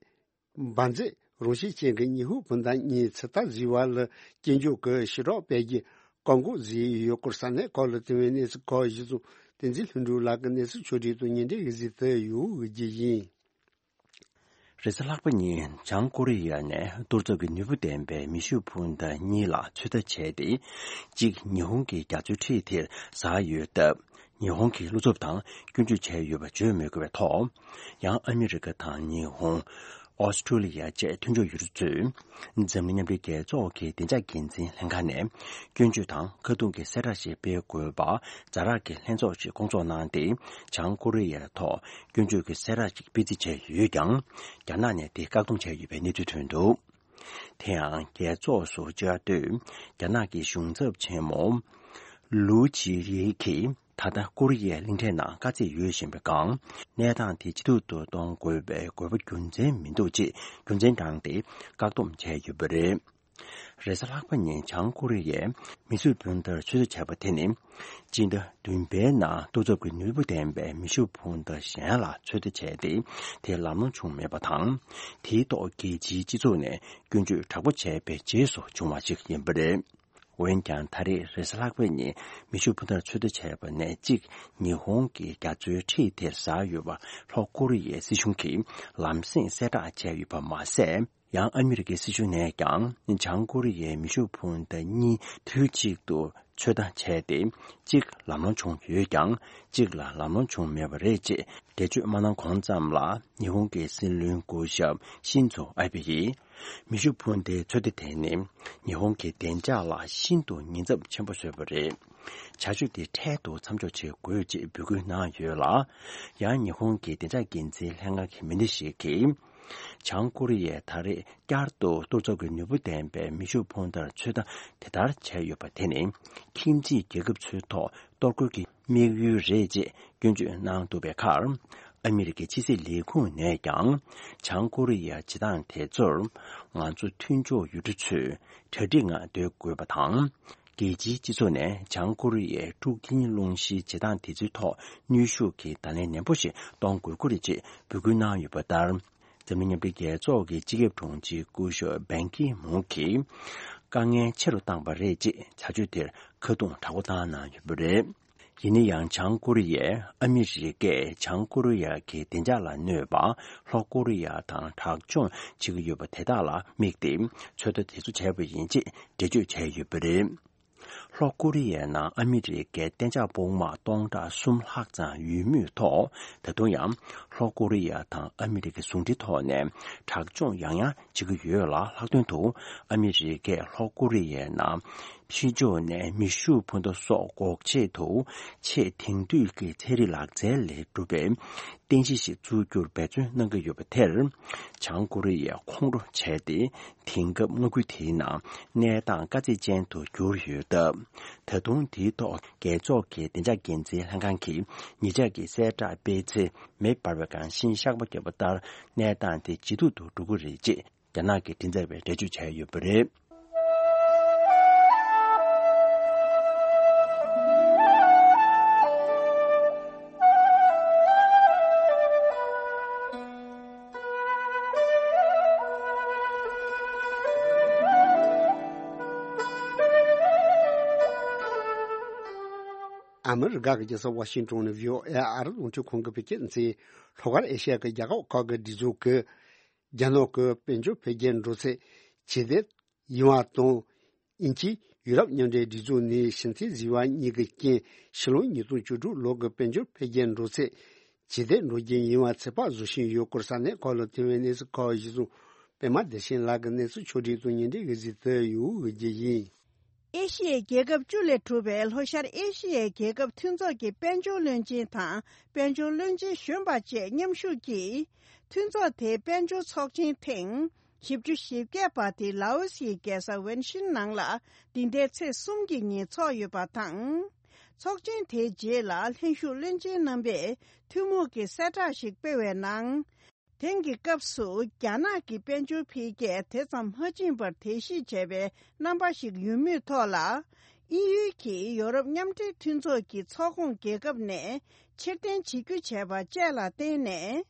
འབར་རྫས་རང་བཞིན་ཅན་གྱི་ཉི་ཧོང་སྤུན་ཟླ་གཉིས་ཚོད་ལྟ་བཟོ་བ་ལ་སྐྱོན་བརྗོད་ཀྱི་ཞི་དྲག་སྤེལ་རྒྱུའི་བཀག་འགོག་བཟོས་ཡོད་སྐོར་ས་གནས་ཁག་ལ་ཐོན་པའི་གནས་ཚུལ་ཁག་གཞིར་བཟུང་བསྟན་འཛིན་ལྷུན་གྲུབ་ལགས་ཀྱིས་གནས་ཚུལ་ཕྱོགས་སྒྲིག་དང་སྙན་སྒྲོན་ཡི་གཟིགས་དུ་ཡོད་རྒྱུ་ཡིན། རེས་གཟའ་ལྷག་པ་ཉིན་བྱང་ཀོ་རི་ཡ་ནས་གཏོར་ཚབ་ཀྱི་ནུས་པ་ལྡན་པའི་མེ་ཤུགས་འཕུར་མདའ་གཉིས་ལ་ཚོད་ལྟ་བྱས་ཏེ། གཅིག་ཉི་ཧོང་གི་རྒྱ་མཚོའི་འཁྲིས་དེར་ཟགས་ཡོད་སྟབས། ཉི་ཧོང་གི་བློ་འཚབ་དང་སྐྱོན་བརྗོད་བྱས་ཡོད་པ་བརྗོད་མི་དགོས་པའི་ཐོག་ཡང་ཨ་མི་རི་ཀ་དང་ཉི་ཧོང་། ཨོ་སི་ཁྲུ་ལི་ཡ་བཅས་མཐུན་ཕྱོགས་ཡུལ་གྲུ་ཚོས་འཛམ་གླིང་མཉམ་འབྲེལ་རྒྱལ་ཚོགས་ཀྱི་བདེ་འཇགས་འགན་འཛིན་ལྷན་ཁང་ནས་སྐྱོན་བརྗོད་དང་ཁ་རྡུང་གི་གསལ་བསྒྲགས་ཤིག་སྤེལ་དགོས་པ་ཛ་དྲག་གི་ལྷན་ཚོགས་ཤིག་བསྐོང་ཚོགས་གནང་སྟེ། བྱང་ཀོ་རི་ཡའི་ཐོག་སྐྱོན་བརྗོད་ཀྱི་གསལ་བསྒྲགས་ཤིག་སྤེལ་རྩིས་བྱས་ཡོད་ཀྱང་། རྒྱ་ནག་ནས་དེ་བཀག་སྡོམ་བྱས་ཡོད་པའི་གནས་ཚུལ་ཐོན་འདུག་དེ་ཡང་རྒྱལ་ཚོགས་སུ་བཅར་དུས་རྒྱ་ནག་གི་གཞུང་ཚབ་ཆེན་མོ་ལུའུ་ཅི་ཡི་གིས་ད་ལྟ་ཀོ་རི་ཡའི་གླིང་ཕྲན་ནང་དཀའ་ཚེགས་ཡོད་བཞིན་པའི་སྒང་གནས་སྟངས་དེ་ཇེ་སྡུག་ཏུ་གཏོང་དགོས་པའི་དགོས་པ་རྒྱུ་མཚན་མི་འདུག་ཅེས་རྒྱུ་མཚན་བགྲངས་ཏེ་བཀག་སྡོམ་བྱས་ཡོད་པ་རེད། རེས་གཟའ་ལྷག་པ་ཉིན་བྱང་ཀོ་རི་ཡས་མེ་ཤུགས་འཕུར་མདའ་ཚོད་ལྟ་བྱས་པ་དེ་ནི། སྤྱི་ཟླ་བདུན་པའི་ནང་གཏོར་ཚབ་ཀྱི་ནུས་པ་ལྡན་པའི་མེ་ཤུགས་འཕུར་མདའ་གཞན་ལ་ཚོད་ལྟ་བྱས་ཏེ། དེ་ལམ་ལྷོང་བྱུང་མེད་པ་དང་། དེའི་ཐོག་རྒྱལ་སྤྱིའི་སྤྱི་ཚོགས་ནས་སྐྱོན་བརྗོད་དྲག་པོ་བྱས་པའི་རྗེས་སུ་བྱུང་བ་ཞིག་ཡིན་པ་རེད། འོན་ཀྱང་ད་རེས་རེས་གཟའ་ལྷག་པའི་ཉིན་མེ་ཤུགས་འཕུར་མདའ་ཚོད་ལྟ་བྱས་པ་ནས་གཅིག་ཉི་ཧོང་གི་རྒྱ་མཚོའི་འཁྲིས་དེར་ཟགས་ཡོད་པ་ལྷོ་ཀོ་རི་ཡའི་སྲིད་གཞུང་གིས་ལམ་སེང་གསལ་བསྒྲགས་བྱས་ཡོད་པ་མ་ཟད། ཡང་ཨ་མི་རི་ཀའི་སྲིད་གཞུང་ནས་ཀྱང་བྱང་ཀོ་རི་ཡའི་མེ་ཤུགས་འཕུར་མདའ་གཉིས་དུས་གཅིག་ཏུ་ཚོད་ལྟ་བྱས་ཏེ། གཅིག་ལམ་ལྷོང་བྱུང་ཡོད་ཀྱང་། གཅིག་ལ་ལམ་ལྷོང་བྱུང་མེད་པ་རེད་ཅེས་འགྲེལ་བརྗོད་མ་གནང་གོང་ཙམ་ལ། ཉི་ཧོང་གི་སྲིད་བློན་སྐུ་ཞབས་ཤིན་ཛོ་ཨ་བྷེ་ཡིས། མེ་ཤུགས་འཕུར་མདའི་ཚོད་ལྟ་དེ་ནི་ཉི་ཧོང་གི་བདེ་འཇགས་ལ་ཤིན་ཏུ་ཉེན་ཚབས་ཆེན་པོ་བཟོས་པ་རེད། བྱ་སྤྱོད་དེ་འཕྲལ་དུ་མཚམས་འཇོག་བྱེད་དགོས་ཅེས་འབོད་སྐུལ་གནང་ཡོད་ལ། ཡང་ཉི་ཧོང་གི་བདེ་འཇགས་འགན་འཛིན་ལྷན་ཁང་གི་མི་སྣ་ཞིག་གིས། བྱང་ཀོ་རི་ཡས་ད་རེས་བསྐྱར་དུ་གཏོར་ཚོགས་ཀྱི་ནུས་པ་ལྡན་པའི་མེ་ཤུགས་འཕུར་མདའ་ཚོད་ལྟ་དེ་ལྟར་བྱས་ཡོད་པ་དེ་ནི། ཁྱིམ་མཚེས་རྒྱལ་ཁབ་ཚོའི་ཐོག་གཏོར་རྒོལ་གྱི་དམིགས་ཡུལ་རེད་ཅེས་སྐྱོན་བརྗོད་གནང་འདུག་པའི་ཁར། ཨ་མི་རི་ཀའི་ཕྱི་སྲིད་ལས་ཁུངས་ནས་ཀྱང་། བྱང་ཀོ་རི་ཡའི་བྱེད་སྟངས་དེ་ཚོར། ང་ཚོ་མཐུན་ཕྱོགས་ཡུལ་གྲུ་ཚོས་གྲ་སྒྲིག་ངང་སྡོད་དགོས་པ་དང་། རྒྱལ་སྤྱིའི་སྤྱི་ཚོགས་ནས་བྱང་ཀོ་རི་ཡའི་འཁྲུག་རྐྱེན་སློང་གཞིའི་བྱེད་སྟངས་དེ་ཚོའི་ཐོག་ནུས་ཤུགས་ཀྱིས་བརྡ་ལན་ནན་པོ་ཞིག་གཏོང་དགོས་ཀྱི་རེད་ཅེས་འབོད་སྐུལ་གནང་ཡོད་པ་ལྟར། འཛམ་གླིང་མཉམ་འབྲེལ་རྒྱལ་ཚོགས་ཀྱི་སྤྱི་ཁྱབ་དྲུང་ཆེ་སྐུ་ཞབས་བན་ཀི་མུན་གྱིས། དཀའ་ངལ་ཆེ་རུ་བཏང་པ་རེད་ཅེས་བྱ་སྤྱོད་དེར་ཁ་རྡུང་དྲག་པོ་བཏང་གནང་ཡོད་པ་རེད། ཡིན་ན་ཡང་། བྱང་ཀོ་རི་ཡས་ཨ་མི་རི་ཀས་བྱང་ཀོ་རི་ཡ་གི་བདེ་འཇགས་ལ་གནོད་པ་ལྷོ་ཀོ་རི་ཡ་དང་དྲག་སྦྱོང་བྱེད་ཀྱི་ཡོད་པ་དེ་དག་ལ་དམིགས་ཏེ་ཚོད་ལྟ་དེ་ཚོ་བྱས་པ་ཡིན་ཅེས་འགྲེལ་བརྗོད་བྱས་ཡོད་པ་རེད། ལྷོ་ཀོ་རི་ཡའི་ནང་ཨ་མི་རི་ཀའི་གཏན་འཇགས་དཔུང་དམག་སྟོང་ཕྲག་གསུམ་ལྷག་ཙམ་ཡོད་མུས་ཐོག་ད་དུང་ཡང་ལྷོ་ཀོ་རི་ཡ་དང་ཨ་མི་རི་ཀའི་ཟུང་འབྲེལ་ཐོག་ནས་དྲག་སྦྱོང་ཡང་ཡང་བྱེད་ཀྱི་ཡོད་ལ། ལྷག་དོན་དུ་ཨ་མི་རི་ཀས་ལྷོ་ཀོ་རི་ཡའི་ནང་ཕྱི་ཕྱོགས་ནས་མེ་ཤུགས་འཕུར་མདའ་སོགས་འགོག་ཆེད་དུ་ཆེས་དེང་དུས་ཀྱི་ཚན་རིག་ལག་རྩལ་ལས་གྲུབ་པའི་རྟེན་གཞི་ཞིག་འཛུགས་རྒྱུར་འབད་བརྩོན་གནང་གི་ཡོད་པ་དེར། བྱང་ཀོ་རི་ཡས་ཁོང་ཁྲོ་བྱས་ཏེ། དེང་སྐབས་མངའ་ཁུལ་དེའི་ནང་གནས་སྟངས་དཀའ་ཚེགས་ཅན་དུ་གྱུར་ཡོད་སྟབས། ད་དུང་དེའི་ཐོག་རྒྱལ་ཚོགས་ཀྱི་བདེ་འཇགས་འགན་འཛིན་ལྷན་ཁང་གིས་ཉེ་ཆར་གྱི་གསལ་བསྒྲགས་སྤེལ་ཚེ། མེ་འབར་བའི་སྒང་ཤིང་གཤགས་པ་བརྒྱབ་པ་ལྟར། གནས་སྟངས་དེ་ཇེ་སྡུག་ཏུ་འགྲོ་གི་རེད་ཅེས་རྒྱ་ནག་གི་མགྲིན་ཚབ་པས་འགྲེལ་བརྗོད་བྱས་ཡོད་པ་རེད། ཨ་མི་རི་ཀ་གི་རྒྱལ་ས་ཝ་ཤིང་ཏོན་ནས་བྷི་ཨོ་ཨེ་ཨ་རི་རླུང་འཕྲིན་ཁང་གིས་བོད་སྐད་སྡེ་ཚན། ལྷོ་ཤར་ཨེ་ཤ་ཡ་གི་རྒྱལ་ཁབ་ཁག་གི་སྒྲིག་འཛུགས་ཀྱིས། རྒྱ་ནག་གི་དཔལ་འབྱོར་འཕེལ་རྒྱས་འགྲོ་ཚད་ཇེ་བདེ་ཡོང་བ་དང་། དབྱིན་ཇིས་ཡུ་རོབ་མཉམ་འབྲེལ་སྒྲིག་འཛུགས་ནས་ཕྱི་འཐེན་བཟོས་པ་གཉིས་ཀྱི་རྐྱེན། ཕྱི་ལོ་ཉིས་སྟོང་བཅུ་དྲུག་ལོ་གི་དཔལ་འབྱོར་འཕེལ་རྒྱས་འགྲོ་ཚད་ཇེ་བདེ་འགྲོ་རྒྱུ་ཡིན་པ་ཚོད་དཔག་བཟོ་བཞིན་ཡོད་སྐོར་ས་གནས་ཁག་ལ་ཐོན་པའི་གནས་ཚུལ་ཁག་གཞིར་བཟུང་། པད་མ་བདེ་ཆེན་ལགས་ཀྱིས་གནས་ཚུལ་ཕྱོགས་སྒྲིག་དང་སྙན་སྒྲོན་ཞུ་གཟིགས་དུ་ཡོད་རྒྱུ་ཡིན། ཨེ་ཤི་ཡའི་རྒྱལ་ཁབ་བཅུ་ལས་གྲུབ་པའི་ལྷོ་ཤར་ཨེ་ཤི་ཡའི་རྒྱལ་ཁབ་མཐུན་ཚོགས་ཀྱི་དཔལ་འབྱོར་བློན་ཆེན་དང་དཔལ་འབྱོར་བློན་ཆེན་གཞོན་པ་བཅས་མཉམ་ཞུགས་ཀྱིས། མཐུན་ཚོགས་དེའི་དཔལ་འབྱོར་ཚོགས་ཆེན་ཐེངས་བཞི་བཅུ་ཞེ་བརྒྱད་པ་དེ་ལའོ་སིའི་རྒྱལ་ས་ཝན་ཤིན་ནང་ལ་འདི་ཟླའི་ཚེས་གསུམ་གྱི་ཉིན་ཚོགས་ཡོད་པ་དང་། ཚོགས་ཆེན་དེའི་རྗེས་ལ་ལྷན་ཞུགས་བློན་ཆེན་རྣམ་པས་ཐུན་མོང་གི་གསལ་བསྒྲགས་ཤིག་སྤེལ་བའི་ནང་། དེང་གི་སྐབས་སུ་རྒྱ་ནག་གི་དཔལ་འབྱོར་འཕེལ་རྒྱས་དེ་ཙམ་མ་ཕྱིན་པར་དེ་བཞིན་བྱས་པའི་རྣམ་པ་ཞིག་ཡོད་མུས་ཐོག་ལ། དབྱིན་ཡུལ་གྱིས་ཡོ་རོབ་མཉམ་འབྲེལ་མཐུན་ཚོགས་ཀྱི་ཚོགས་ཁོངས་རྒྱལ་ཁབ་ནས་ཕྱིར་འཐེན་བྱེད་རྒྱུ་བྱས་པ་བཅས་ལ་བརྟེན་ནས།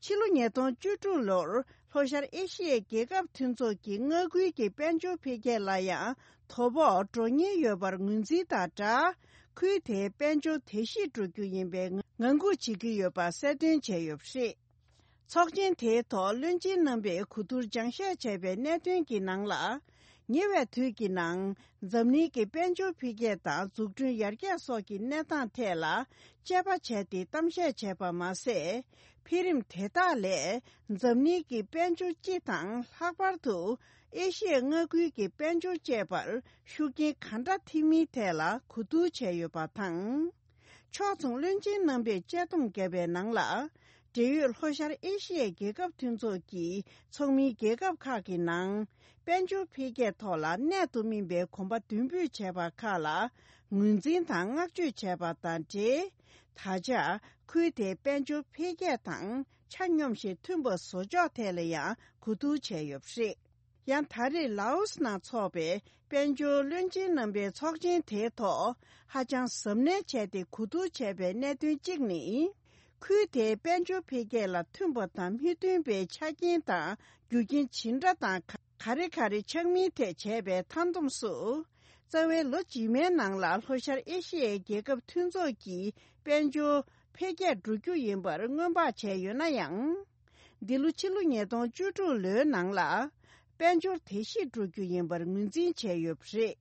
ཕྱི་ལོ་ཉིས་སྟོང་བཅུ་དྲུག་ལོར་ལྷོ་ཤར་ཨེ་ཤི་ཡའི་རྒྱལ་ཁབ་མཐུན་ཚོགས་ཀྱི་མངའ་ཁུལ་གྱི་དཔལ་འབྱོར་འཕེལ་རྒྱས་ལ་ཡང་དོ་ཕོག་འགྲོ་ཉེན་ཡོད་པར་ངོས་འཛིན་དང་སྦྲགས། ཁུལ་དེའི་དཔལ་འབྱོར་བརྡལ་བཤིག་འགྲོ་རྒྱུ་ཡིན་པའི་ངང་སྒུག་བྱེད་ཀྱི་ཡོད་པ་གསལ་སྟོན་བྱས་ཡོད་པ་རེད། ཚོགས་ཆེན་དེའི་ཐོག་བློན་ཆེན་རྣམ་པས་གོ་བསྡུར་སྦྱང་བཤད་བྱས་པའི་གནད་དོན་གྱི་ནང་ལ། ཉེ་བའི་དུས་ཀྱི་ནང་འཛམ་གླིང་གི་དཔལ་འབྱོར་འཕེལ་རྒྱས་དང་འཛུགས་སྐྲུན་ཡར་རྒྱས་སོགས་ཀྱི་གནས་སྟངས་ཐད་ལ་དཔྱད་པ་བྱས་ཏེ་གཏམ་བཤད་བྱས་པ་མ་ཟད། འཕེལ་རིམ་དེ་དག་ལས་འཛམ་གླིང་གི་དཔལ་འབྱོར་སྤྱི་དང་ལྷག་པར་དུ་ཨེ་ཤི་ཡའི་མངའ་ཁུལ་གྱི་དཔལ་འབྱོར་བཅས་པར་ཤུགས་རྐྱེན་ག་འདྲ་ཐེབས་མིན་ཐད་ལ་གོ་བསྡུར་བྱས་ཡོད་པ་དང་། ཕྱོགས་མཚུངས་བློན་ཆེན་རྣམ་པས་དཔྱད་སྡོམ་བརྒྱབ་པའི་ནང་ལ། འབྲེལ་ཡོད་ལྷོ་ཤར་ཨེ་ཤི་ཡའི་རྒྱལ་ཁབ་མཐུན་ཚོགས་ཀྱི་ཚོགས་མིའི་རྒྱལ་ཁབ་ཁག་གི་ནང་། དཔལ་འབྱོར་འཕེལ་རྒྱས་ཐོག་ལ་གནད་དུ་སྨིན་པའི་གོམ་པ་མདུན་སྤོས་བྱས་པ་ཁག་ལ་ངོས་འཛིན་དང་བསྔགས་བརྗོད་བྱས་པ་དང་འབྲེལ། ད་ཆ་ཁུལ་དེའི་དཔལ་འབྱོར་འཕེལ་རྒྱས་དང་ཆ་སྙོམས་ཤིང་མཐུན་པ་བཟོ་ཕྱོགས་ཐད་ལ་ཡང་གོ་བསྡུར་བྱས་ཡོད་པ་རེད། ཡང་ད་རེས་ལའོ་སི་ནང་འཚོགས་པའི་དཔལ་འབྱོར་བློན་ཆེན་རྣམ་པའི་ཚོགས་ཆེན་དེའི་ཐོག་ཧ་ཅང་གཟབ་ནན་བྱས་ཏེ་གོ་བསྡུར་བྱས་པའི་གནད་དོན་གཅིག་ནི། ཁུལ་དེའི་དཔལ་འབྱོར་འཕེལ་རྒྱས་ལ་མཐུན་པ་དང་མི་མཐུན་པའི་ཆ་རྐྱེན་དང་རྒྱུ་རྐྱེན་ཇི་འདྲ་དང་ག་རེ་ག་རེ་ཆགས་མིན་ཐད་བྱས་པའི་མཐའ་བསྡོམས་སུ། རྩ་བའི་ལོ་རྗེས་མའི་ནང་ལ་ལྷོ་ཤར་ཨེ་ཤི་ཡའི་རྒྱལ་ཁབ་མཐུན་ཚོགས་ཀྱི་དཔལ་འབྱོར་འཕེལ་རྒྱས་འགྲོ་རྒྱུ་ཡིན་པར་སྔོན་དཔག་བྱས་ཡོད་ན་ཡང་། འདི་ལོ་ཕྱི་ལོ་ཉིས་སྟོང་བཅུ་དྲུག་ལོའི་ནང་ལ་དཔལ་འབྱོར་དེ་བཞིན་འགྲོ་རྒྱུ་ཡིན་པར་ངོས་འཛིན་བྱས་ཡོད་པ་རེད།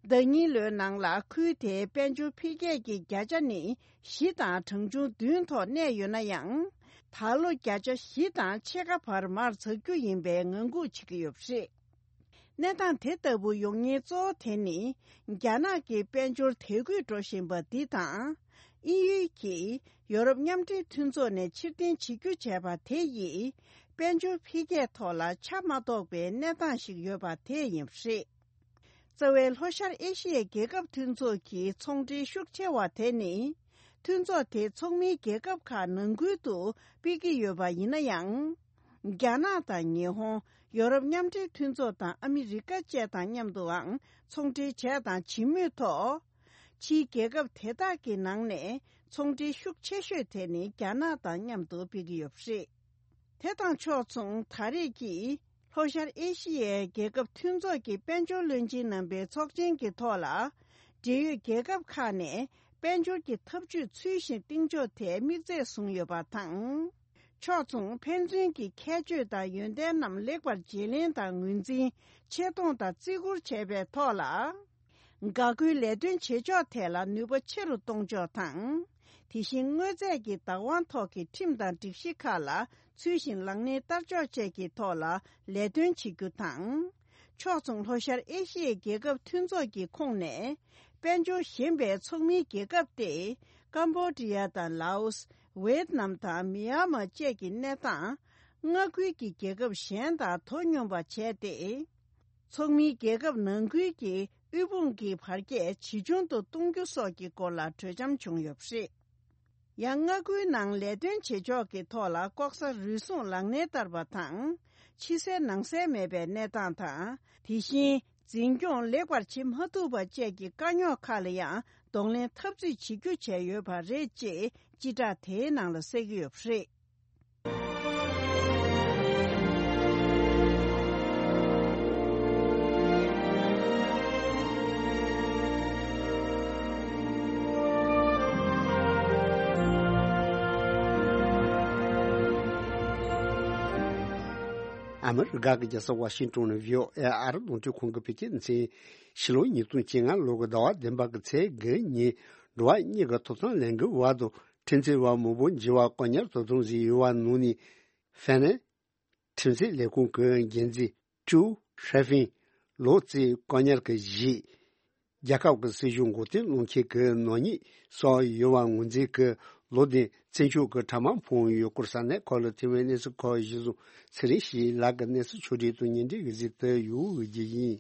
ཟླ་གཉིས་ལོའི་ནང་ལ་ཁུལ་དེའི་དཔལ་འབྱོར་འཕེལ་རྒྱས་ཀྱི་བརྒྱ་ཆ་ནི་བཞི་དང་གྲངས་ཆུང་བདུན་ཐོག་གནས་ཡོད་ན་ཡང་། ད་ལོ་བརྒྱ་ཆ་བཞི་དང་ཕྱེད་ཀ་བར་མར་འཛེག་རྒྱུ་ཡིན་པའི་ངང་སྒུག་བྱེད་ཀྱི་ཡོད་པ་རེད། གནས་སྟངས་དེ་ལྟ་བུ་ཡོང་ཉེན་གཙོ་བོ་དེ་ནི། རྒྱ་ནག་གི་དཔལ་འབྱོར་དལ་རྒུད་འགྲོ་བཞིན་པ་འདི་དང་། དབྱིན་ཡུལ་གྱིས་ཡོ་རོབ་མཉམ་འབྲེལ་མཐུན་ཚོགས་ནས་ཕྱིར་འཐེན་བྱེད་རྒྱུ་བྱས་པ་དེ་ཡིས། དཔལ་འབྱོར་འཕེལ་རྒྱས་ཐོག་ལ་ཆ་མ་གཏོགས་པའི་གནས་སྟངས་ཤིག་ཡོད་པ་དེ་ཡིན་པ་རེད། རྩ་བའི་ལྷོ་ཤར་ཨེ་ཤི་ཡའི་རྒྱལ་ཁབ་མཐུན་ཚོགས་ཀྱི་ཚོང་འབྲེལ་ཤུགས་ཆེ་བ་དེ་ནི། མཐུན་ཚོགས་དེའི་ཚོགས་མིའི་རྒྱལ་ཁབ་ཁག་ནང་ཁུལ་དུ་སྤེལ་གྱི་ཡོད་པ་ཡིན་ན་ཡང་། རྒྱ་ནག་དང་ཉི་ཧོང་། ཡོ་རོབ་མཉམ་འབྲེལ་མཐུན་ཚོགས་དང་ཨ་མི་རི་ཀ་བཅས་དང་མཉམ་དུའང་ཚོང་འབྲེལ་བྱས་དང་བྱེད་མུས་ཐོག་ཕྱིའི་རྒྱལ་ཁབ་དེ་དག་གི་ནང་ནས་ཚོང་འབྲེལ་ཤུགས་ཆེ་ཤོས་དེ་ནི་རྒྱ་ནག་དང་མཉམ་དུ་སྤེལ་གྱི་ཡོད་པ་རེད། དེ་དང་ཕྱོགས་མཚུངས་ད་རེས་ཀྱི་ལྷོ་ཤར་ཨེ་ཤི་ཡའི་རྒྱལ་ཁབ་མཐུན་ཚོགས་ཀྱི་དཔལ་འབྱོར་བློན་ཆེན་རྣམ་པའི་ཚོགས་ཆེན་གྱི་ཐོག་ལ། འབྲེལ་ཡོད་རྒྱལ་ཁབ་ཁག་ནས་དཔལ་འབྱོར་གྱི་འཐབ་ཇུས་ཚུལ་བཞིན་གཏིང་ཕྱོགས་ཐད་དམིགས་ཚད་བཟུང་ཡོད་པ་དང་། ཕྱོགས་མཚུངས་ཕན་ཚུན་གྱི་ཁྱད་ཆོས་དང་ཡོན་ཏན་རྣམས་ལེགས་པར་བརྗེ་ལེན་དང་ངོས་འཛིན། ཆེ་མཐོང་དང་བརྩི་བཀུར་བྱེད་པའི་ཐོག་ལ། འགག་སྒོའི་ལས་དོན་བྱེད་ཕྱོགས་ཐད་ལ་ནུས་པ་ཆེ་རུ་གཏོང་ཕྱོགས་དང་། དེ་བཞིན་དངོས་རྫས་ཀྱི་བདག་དབང་ཐོག་གི་ཁྲིམས་དང་སྒྲིག་གཞི་ཁག་ལ་ཚུལ་བཞིན་ལག་ལེན་བསྟར་ཕྱོགས་བཅས་ཀྱི་ཐོག་ལ་ལས་དོན་བྱེད་རྒྱུ་དང་། ཕྱོགས་མཚུངས་ལྷོ་ཤར་ཨེ་ཤི་ཡའི་རྒྱལ་ཁབ་མཐུན་ཚོགས་ཀྱི་ཁོངས་ནས། དཔལ་འབྱོར་ཞན་པའི་ཚོགས་མིའི་རྒྱལ་ཁབ་སྟེ། ཀམ་བོ་ཌི་ཡ་དང་ལའོ་སི། ཝེ་ཏི་ནམ་དང་མི་ཡན་མ་བཅས་ཀྱི་གནས་སྟངས། མངའ་ཁུལ་གྱི་རྒྱལ་ཁབ་གཞན་དང་དོ་སྙོམས་པ་བྱས་ཏེ། ཚོགས་མིའི་རྒྱལ་ཁབ་ནང་ཁུལ་གྱི་དབུལ་ཕོངས་ཀྱི་བར་ཁྱད་ཇེ་ཆུང་དུ་གཏོང་རྒྱུ་སོགས་ཀྱི་སྐོར་ལ་གྲོས་འཆམ་བྱུང་ཡོད་པ་རེད། ཡང་མངའ་ཁུལ་ནང་ལས་དོན་བྱེད་ཕྱོགས་ཀྱི་ཐོག་ལ་ལྐོག་ཟ་རུལ་སུངས་ལག་ལེན་བསྟར་བ་དང་། ཕྱི་གསལ་ནང་གསལ་མེད་པའི་གནས་སྟངས་དང་། དེ་བཞིན་འཛིན་སྐྱོང་ལེགས་པར་བྱེད་མ་ཐུབ་པ་བཅས་ཀྱི་དཀའ་རྙོག་ཁག་ལ་ཡང་གདོང་ལེན་འཐབ་རྩོད་བྱེད་རྒྱུ་བྱས་ཡོད་པ་རེད་ཅེས་སྤྱི་བསྒྲགས་དེའི་ནང་ལ་གསལ་གྱི་ཡོད་པ་རེད། ཨ་མི་རི་ཀ་གི་རྒྱལ་ས་ཝ་ཤིང་ཏོན་ནས་བྷི་ཨོ་ཨེ་ཨ་རི་རླུང་འཕྲིན་ཁང་གི་བོད་སྐད་སྡེ་ཚན། ཕྱི་ལོ་ཉིས་སྟོང་བཅོ་ལྔ་ལོ་གི་ཟླ་བ་བདུན་པ་གི་ཚེས་དགུ་ཉིན་འགྲོ་བ་མིའི་ཐོབ་ཐང་ལས་འགུལ་བར་དུ་ཁྲིམས་རྩོད་པ་མང་པོ་འཇིགས་པ་བཀག་ཉར་དུ་བཏང་ཟིན་ཡོད་པ་ནང་ནས། ཧྥེ་ནན་ཁྲིམས་རྩོད་ལས་ཁུངས་ཀྱི་འགན་འཛིན་ཀྲུའུ་ཧྲེ་ཧྥིན། ལོ་གཅིག་བཀག་ཉར་གྱི་རྗེས། རྒྱལ་ཁབ་ཀྱི་སྲིད་གཞུང་མགོ་རྟིང་སློག་མཁན་གྱི་ནག་ཉེས་སོགས་ཡོད་པ་ངོས་འཛིན་གྱིས་ལོ་བདུན་བཙོན་འཇུག་གི་ཕྲ་མ་ཕོག་ཡོད་སྐོར་ས་གནས་ཁག་ལ་ཐོན་པའི་གནས་ཚུལ་ཁག་གཞིར་བཟུང་ཚེ་རིང་ཞིག་ལགས་ཀྱི་གནས་ཚུལ་ཕྱོགས་བསྒྲིགས་དང་སྙན་སྒྲོན་གྱིས་གཟིགས་ཏེ་ཡོང་བའི་རྒྱུ་ཡིན།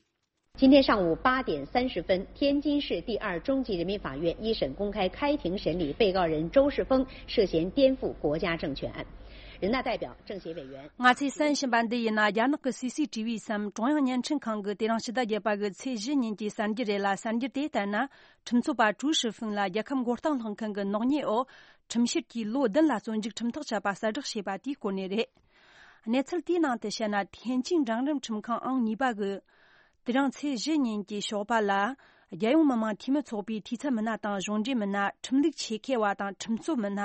今天上午八点三十分，天津市第二中级人民法院一审公开开庭审理被告人周世峰涉嫌颠覆国家政权案。人大代表、政协委员。 ང་ཚོས་གསན་བཞིན་པ་འདི་ཡིན་ན། རྒྱ་ནག་གི་སི་སི་ཊི་བི་སམ། ཀྲུང་དབྱང་བརྙན་འཕྲིན་ཁང་གི་དེ་རིང་ཕྱི་ཟླ་བརྒྱད་པ་གི་ཚེས་བཞི་ཉིན་གྱི་གསར་འགྱུར་རེད་ལ། གསར་འགྱུར་དེ་ལྟར་ན། ཁྲིམས་རྩོད་པ་ཀྲུའུ་ཧྲི་ཧྥིན་ལ་རྒྱལ་ཁམས་མགོ་རྟིང་སློག་མཁན་གྱི་ནག་ཉེས་འོག་ཁྲིམས་ཞིབ་ཀྱིས་ལོ་བདུན་ལ་བཙོན་འཇུག་ཁྲིམས་ཐག་བཅད་པ་གསལ་བསྒྲགས་བྱས་པ་དེའི་སྐོར་ནས་རེད། གནས་ཚུལ་དེའི་ནང་དུ་བཤད་ན། ཐེན་ཅིང་འབྲིང་རིམ་ཁྲིམས་ཁང་ཨང་གཉིས་པ་གི་དེ་རིང་ཚེས་བཞི་ཉིན་གྱི་ཞོགས་པ་ལ། རྒྱལ་ཡོངས་མི་དམངས་འཐུས་མི་ཚོགས་པའི་འཐུས་ཚབ་མི་སྣ་དང་གཞུང་འབྲེལ་མི་སྣ། ཁྲིམས་ལུགས་ཆེད་མཁས་པ་དང་ཁྲིམས་རྩོད་མི་སྣ།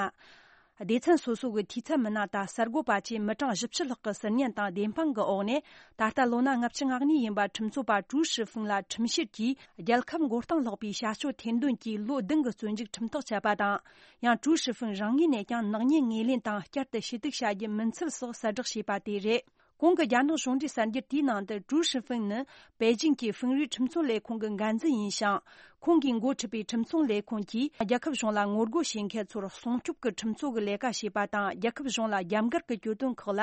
སྡེ་ཚན་སོ་སོ་གི་འཐུས་ཚབ་མི་སྣ་དང་གསར་འགོད་པ་བཅས་མི་གྲངས་བཞི་བཅུ་ལྷག་གི་ཟུར་ཉན་དང་བདེན་དཔང་གི་འོག་ནས། ད་ལྟ་ལོ་ན་ལྔ་བཅུ་ང་གཉིས་ཡིན་པ་ཁྲིམས་རྩོད་པ་ཀྲུའུ་ཧྲི་ཧྥིང་ལ་ཁྲིམས་བཤེར་གྱིས་རྒྱལ་ཁབ་མགོ་རྟིང་སློག་པའི་བྱ་སྤྱོད་ཐེར་འདོན་གྱིས་ལོ་བདུན་གྱི་བཙོན་འཇུག་ཁྲིམས་ཐག་བཅད་པ་དང་། ཡང་ཀྲུའུ་ཧྲི་ཧྥིང་རང་ངོས་ནས་ཀྱང་ནག་ཉེས་ངོས་ལེན་དང་བསྐྱར་དུ་ཞུ་གཏུག་བྱ་རྒྱུ་མིན་ཚུལ་སོགས་གསལ་བསྒྲགས་བྱས་པ་དེ་རེད། གོང་གི་རྒྱ་ནག་གཞུང་འབྲེལ་གསར་འགྱུར་དེའི་ནང་དུ་ཀྲུའུ་ཧྲི་ཧྥིང་ནི་པེ་ཅིང་གི་ཧྥིང་རུའི་ཁྲིམས་རྩོད་ལས་ཁུངས་ཀྱི་འགན་འཛིན་ཡིན་ཞིང་། ཁོང་གིས་འགོ་ཁྲིད་པའི་ཁྲིམས་སྲུང་ལས་ཁུངས་ཀྱིས་རྒྱལ་ཁབ་གཞུང་ལ་ངོ་རྒོལ་བྱེད་མཁན་ཚོར་སྲུང་སྐྱོབ་ཀྱི་ཁྲིམས་རྩོད་ཀྱི་ལས་ཀ་བྱས་པ་དང་། རྒྱལ་ཁབ་གཞུང་ལ་རྒྱབ་འགལ་གྱི་གྱོད་དོན་ཁག་ལ་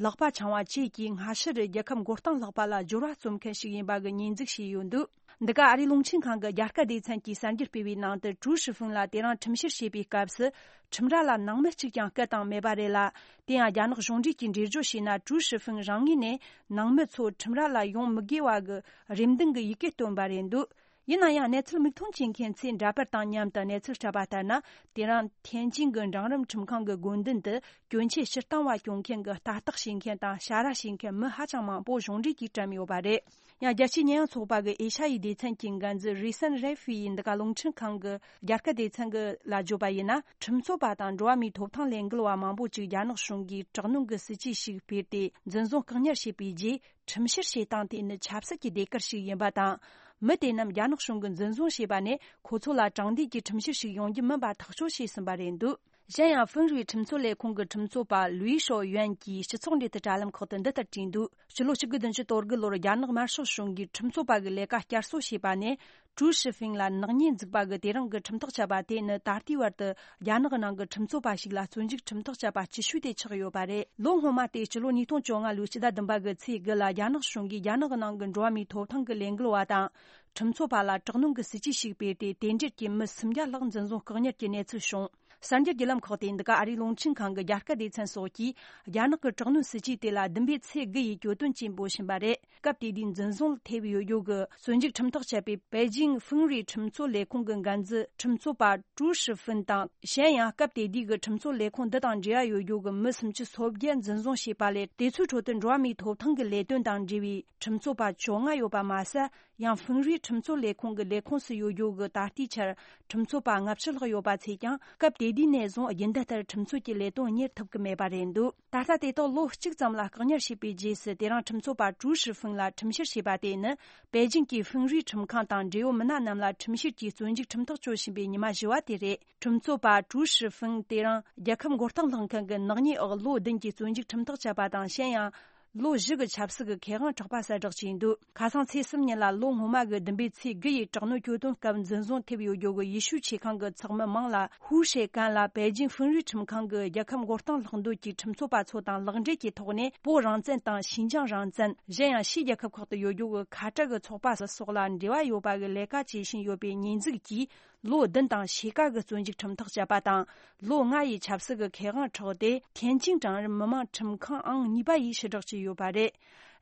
ལག་པ་འཆང་བ་བཅས་ཀྱིས་སྔ་ཕྱི་རུ་རྒྱལ་ཁབ་མགོ་རྟིང་སློག་པ་ལ་སྦྱོར་བ་རྩོམ་མཁན་ཞིག་ཡིན་པ་གི་ཉེས་འཛུགས་བྱས་ཡོད་འདུག་འདི་ག་ཨ་རིའི་རླུང་འཕྲིན་ཁང་གི་རྒྱ་སྐད་སྡེ་ཚན་གྱིས་གསར་འགྱུར་སྤེལ་བའི་ནང་དུ། ཀྲུའུ་ཧྲི་ཧྥིང་ལ་དེ་རིང་ཁྲིམས་བཤེར་བྱེད་པའི་སྐབས་སུ། ཁྲིམས་ར་ལ་ནང་མི་གཅིག་ཀྱང་སྐད་བཏང་མེད་པ་རེད་ལ། དེ་ཡང་རྒྱ་ནག་གཞུང་འབྲེལ་གྱིས་འགྲེལ་བརྗོད་བྱས་ན། ཀྲུའུ་ཧྲི་ཧྥིང་རང་ངོས་ནས་ནང་མི་ཚོ་ཁྲིམས་ར་ལ་ཡོང་མི་དགོས་པ་གི་རེ་འདུན་གྱི་ཡི་གེ་བཏོན་པ་རེད་འདུག་ཡིན་ན་ཡང་། གནས་ཚུལ་མིག་མཐོང་བྱེད་མཁན་ཚོས་འདྲ་པར་དང་མཉམ་དུ་གནས་ཚུལ་སྤྲད་པ་ལྟར་ན། དེ་རིང་ཐེན་ཅིང་གི་འབྲིང་རིམ་ཁྲིམས་ཁང་གི་སྒོ་མདུན་དུ། གྱོན་ཆས་ཕྱིར་བཏང་བ་སྐྱོན་མཁན་གྱི་ལྟ་རྟོག་བྱེད་མཁན་དང་བྱ་ར་བྱེད་མཁན་མི་ཧ་ཅང་མང་པོ་གཞུང་འབྲེལ་གྱིས་བཀྲམ་ཡོད་པ་རེད། ཡང་། རྒྱལ་སྤྱིའི་ཉེས་ཡངས་ཚོགས་པ་གི་ཨེ་ཤ་ཡའི་སྡེ་ཚན་གྱི་འགན་འཛིན་རི་སན་རེ་ཧྥི་ཡིས་འདི་ག་རླུང་འཕྲིན་ཁང་གི་རྒྱ་སྐད་སྡེ་ཚན་གྱི་ལ་བརྗོད་པ་ཡིན་ན། ཁྲིམས་རྩོད་པ་དང་འགྲོ་བ་མིའི་ཐོབ་ཐང་ལས་འགུལ་བ་མང་པོ་ཅིག་རྒྱ་ནག་གཞུང་གིས་དྲག་གནོན་གྱི་སྲིད་ཇུས་ཤིག་སྤེལ་ཏེ། འཛིན་བཟུང་བཀག་ཉར་བྱས་པའི་རྗེས། ཁྲིམས་བཤེར་བྱེད་སྟངས་དེ་ནི་ཆབ་སྲིད་ཀྱི་ཟློས་གར་ཞིག་ཡིན་པ་དང་། མི་དེ་རྣམས་རྒྱ་ནག་གཞུང་གིས་འཛིན་བཟུང་བྱས་པ་ནས། ཁོ་ཚོ་ལ་དྲང་བདེན་གྱི་ཁྲིམས་བཤེར་ཞིག་ཡོང་རྒྱུ་མིན་པ་ཐག་གཅོད་བྱས་ཟིན་པ་རེད་འདུག་གཞན་ཡང་། ཧྥིན་རུའི་ཁྲིམས་རྩོད་ལས་ཁུངས་ཀྱི་ཁྲིམས་རྩོད་པ་ལུའི་ཤོ་ཡོན་གྱིས་སྤྱི་ཚོགས་འབྲེལ་མཐུད་དྲ་ལམ་ཁག་ཏུ་འདི་ལྟར་བྲིས་འདུག་སྤྱི་ལོ་ཆིག་སྟོང་དགུ་བརྒྱ་བདུན་ཅུ་དོན་དགུ་ལོར་རྒྱ་ནག་དམར་ཤོག་གཞུང་གིས་ཁྲིམས་རྩོད་པ་གི་ལས་ཀ་བསྐྱར་གསོ་བྱས་པ་ནས། ཀྲུའུ་ཧྲི་ཧྥིང་ལ་ནག་ཉེས་འཛུགས་པ་གི་དེ་རིང་གི་ཁྲིམས་ཐག་བཅད་པ་དེ་ནི། ད་ལྟའི་བར་དུ་རྒྱ་ནག་ནང་གི་ཁྲིམས་རྩོད་པ་ཞིག་ལ་བཙོན་འཇུག་ཁྲིམས་ཐག་བཅད་པ་ལྕི་ཤོས་དེ་ཆགས་ཡོད་པ་རེད། ལོ་སྔོན་མ་སྟེ། སྤྱི་ལོ་ཉིས་སྟོང་བཅོ་ལྔ་ལོའི་ཕྱི་ཟླ་བདུན་པ་གི་ཚེས་དགུ་ལ། རྒྱ་ནག་གཞུང་གིས་རྒྱ་ནག་ནང་གི་འགྲོ་བ་མིའི་ཐོབ་ཐང་གི་ལས་འགུལ་བ་དང་། ཁྲིམས་རྩོད་པ་ལ་དྲག་གནོན་གྱི་སྲིད་ཇུས་ཤིག་སྤེལ་ཏེ། དེ་འབྲེལ་གྱི་མི་སུམ་བརྒྱ་ལྷག་འཛིན་བཟུང་བཀག་ཉར་གྱི་གནས་ཚུལ་བྱུང་། གསར་འགྱུར་བརྒྱུད་ལམ་ཁག་སྟེ། འདི་ག་ཨ་རིའི་རླུང་འཕྲིན་ཁང་གི་རྒྱ་སྐད་སྡེ་ཚན་སོགས་ཀྱིས། རྒྱ་ནག་གི་དྲག་གནོན་སྲིད་ཇུས་དེ་ལ་བདུན་པའི་ཚེས་དགུ་ཡི་གྱོད་དོན་ཅེས་འབོད་བཞིན་པ་རེད། སྐབས་དེ་དུས་འཛིན་བཟུང་ཐེབས་ཡོད་རྒྱུ་གི་བཙོན་འཇུག་ཁྲིམས་ཐག་བཅད་པའི་པེ་ཅིང་ཧྥིང་རུའི་ཁྲིམས་རྩོད་ལས་ཁུངས་ཀྱི་འགན་འཛིན་ཁྲིམས་རྩོད་པ་ཀྲུའུ་ཧྲི་ཧྥིན་དང་། གཞན་ཡང་། སྐབས་དེ་དུས་ཀྱི་ཁྲིམས་རྩོད་ལས་ཁུངས་འདི་དང་འབྲེལ་བ་ཡོད་རྒྱུ་གི་མི་སུམ་ཅུ་སོ་བརྒྱད་འཛིན་བཟུང་བྱས་པ་ལས། དེ་ཚོའི་ཁྲོད་དུ་འགྲོ་བ་མིའི་ཐོབ་ཐང་གི་ལས་དོན་དང་འབྲེལ་བའི་ཁྲིམས་རྩོད་པ་བཅོ་ལྔ་ཡོད་པ་མ་ཟད། ཡང་། ཧྥིང་རུའི་ཁྲིམས་རྩོད་ལས་ཁུངས་ཀྱི་ལས་ཁུངས་སུ་ཡོད་རྒྱུ་གི་ད་ལྟའི་ཆར་ཁྲིམས་རྩོད་པ་ལྔ་བཅུ་ལྷག་ཡོད་པ་ཚོས་ཀྱང་། སྐབས་དེ་དུས་ནས་བཟུང་རྒྱུན་ལྡན་ལྟར་ཁྲིམས་རྩོད་ཀྱི་ལས་དོན་གཉེར་ཐུབ་ཀྱི་མེད་པ་རེད་འདུག་ད་ལྟ་དེ་དག་ལོ་གཅིག་ཙམ་ལ་བཀག་ཉར་བྱས་པའི་རྗེས་སུ། དེ་རིང་ཁྲིམས་རྩོད་པ་ཀྲུའུ་ཧྲི་ཧྥིང་ལ་ཁྲིམས་བཤེར་བྱས་པ་དེ་ནི། པེ་ཅིང་གི་ཧྥིང་རུའི་ཁྲིམས་ཁང་དང་འབྲེལ་ཡོད་མི་སྣ་རྣམས་ལ་ཁྲིམས་བཤེར་གྱིས་བཙོན་འཇུག་ཁྲིམས་ཐག་གཅོད་བཞིན་པའི་ཉི་མ་བཞི་བ་དེ་རེད། ཁྲིམས་རྩོད་པ་ཀྲུའུ་ཧྲི་ཧྥིང་དེ་རིང་རྒྱལ་ཁབ་མགོ་རྟིང་བསླངས་མཁན་གྱི་ནག་ཉེས་འོག་ལོ་བདུན་གྱི་བཙོན་འཇུག་ཁྲིམས་ཐག་བཅད་པ་དང་། གཞན་ཡང་། ལོ་བཞི་གི་ཆབ་སྲིད་ཀྱི་ཁེ་དབང་འཕྲོག་པ་གསལ་བསྒྲགས་བྱས་འདུག་ཁ་སང་ཚེས་གསུམ་ཉིན་ལ། ལོ་སྔོན་མ་གི་བདུན་པའི་ཚེས་དགུ་ཡི་དྲག་གནོན་གྱོད་དོན་སྐབས་འཛིན་བཟུང་ཐེབས་ཡོད་རྒྱུ་གི་ཡེ་ཤུའི་ཆེ་ཁང་གི་ཚོགས་མི་མང་ལ། ཧུའུ་ཧྲེ་ཀན་ལ་པེ་ཅིང་ཧྥིན་རུའི་ཁྲིམས་ཁང་གི་རྒྱལ་ཁབ་མགོ་རྟིང་བསློགས་འདོད་ཀྱི་ཁྲིམས་རྩོད་པ་ཚོ་དང་ལག་འབྲེལ་གྱི་ཐོག་ནས། པོ་རང་བཙན་དང་ཤིན་ཅང་རང་བཙན། གཞན་ཡང་། ཕྱིའི་རྒྱལ་ཁབ་ཁག་ཏུ་ཡོད་རྒྱུ་གི་ཁ་བྲལ་གྱི་ཚོགས་པ་སོགས་ལ་འབྲེལ་བ་ཡོད་པ་གི་ལས་ཀ་བྱེད་བཞིན་ཡོད་པའི་ཉེས་འཛུགས་ཀྱིས། ལོ་བདུན་དང་ཕྱེད་ཀ་གི་བཙོན་འཇུག་ཁྲིམས་ཐག་བཅད་པ་དང་། ལོ་ལྔ་ཡི་ཆབ་སྲིད་ཀྱི་ཁེ་དབང་འཕྲོག་སྟེ། ཐེན་ཅིང་གྲལ་རིམ་མི་དམངས་ཁྲིམས་ཁང་ཨང་གཉིས་པ་ཡིས་ཕྱིར་བསྒྲགས་བྱས་ཡོད་པ་རེད།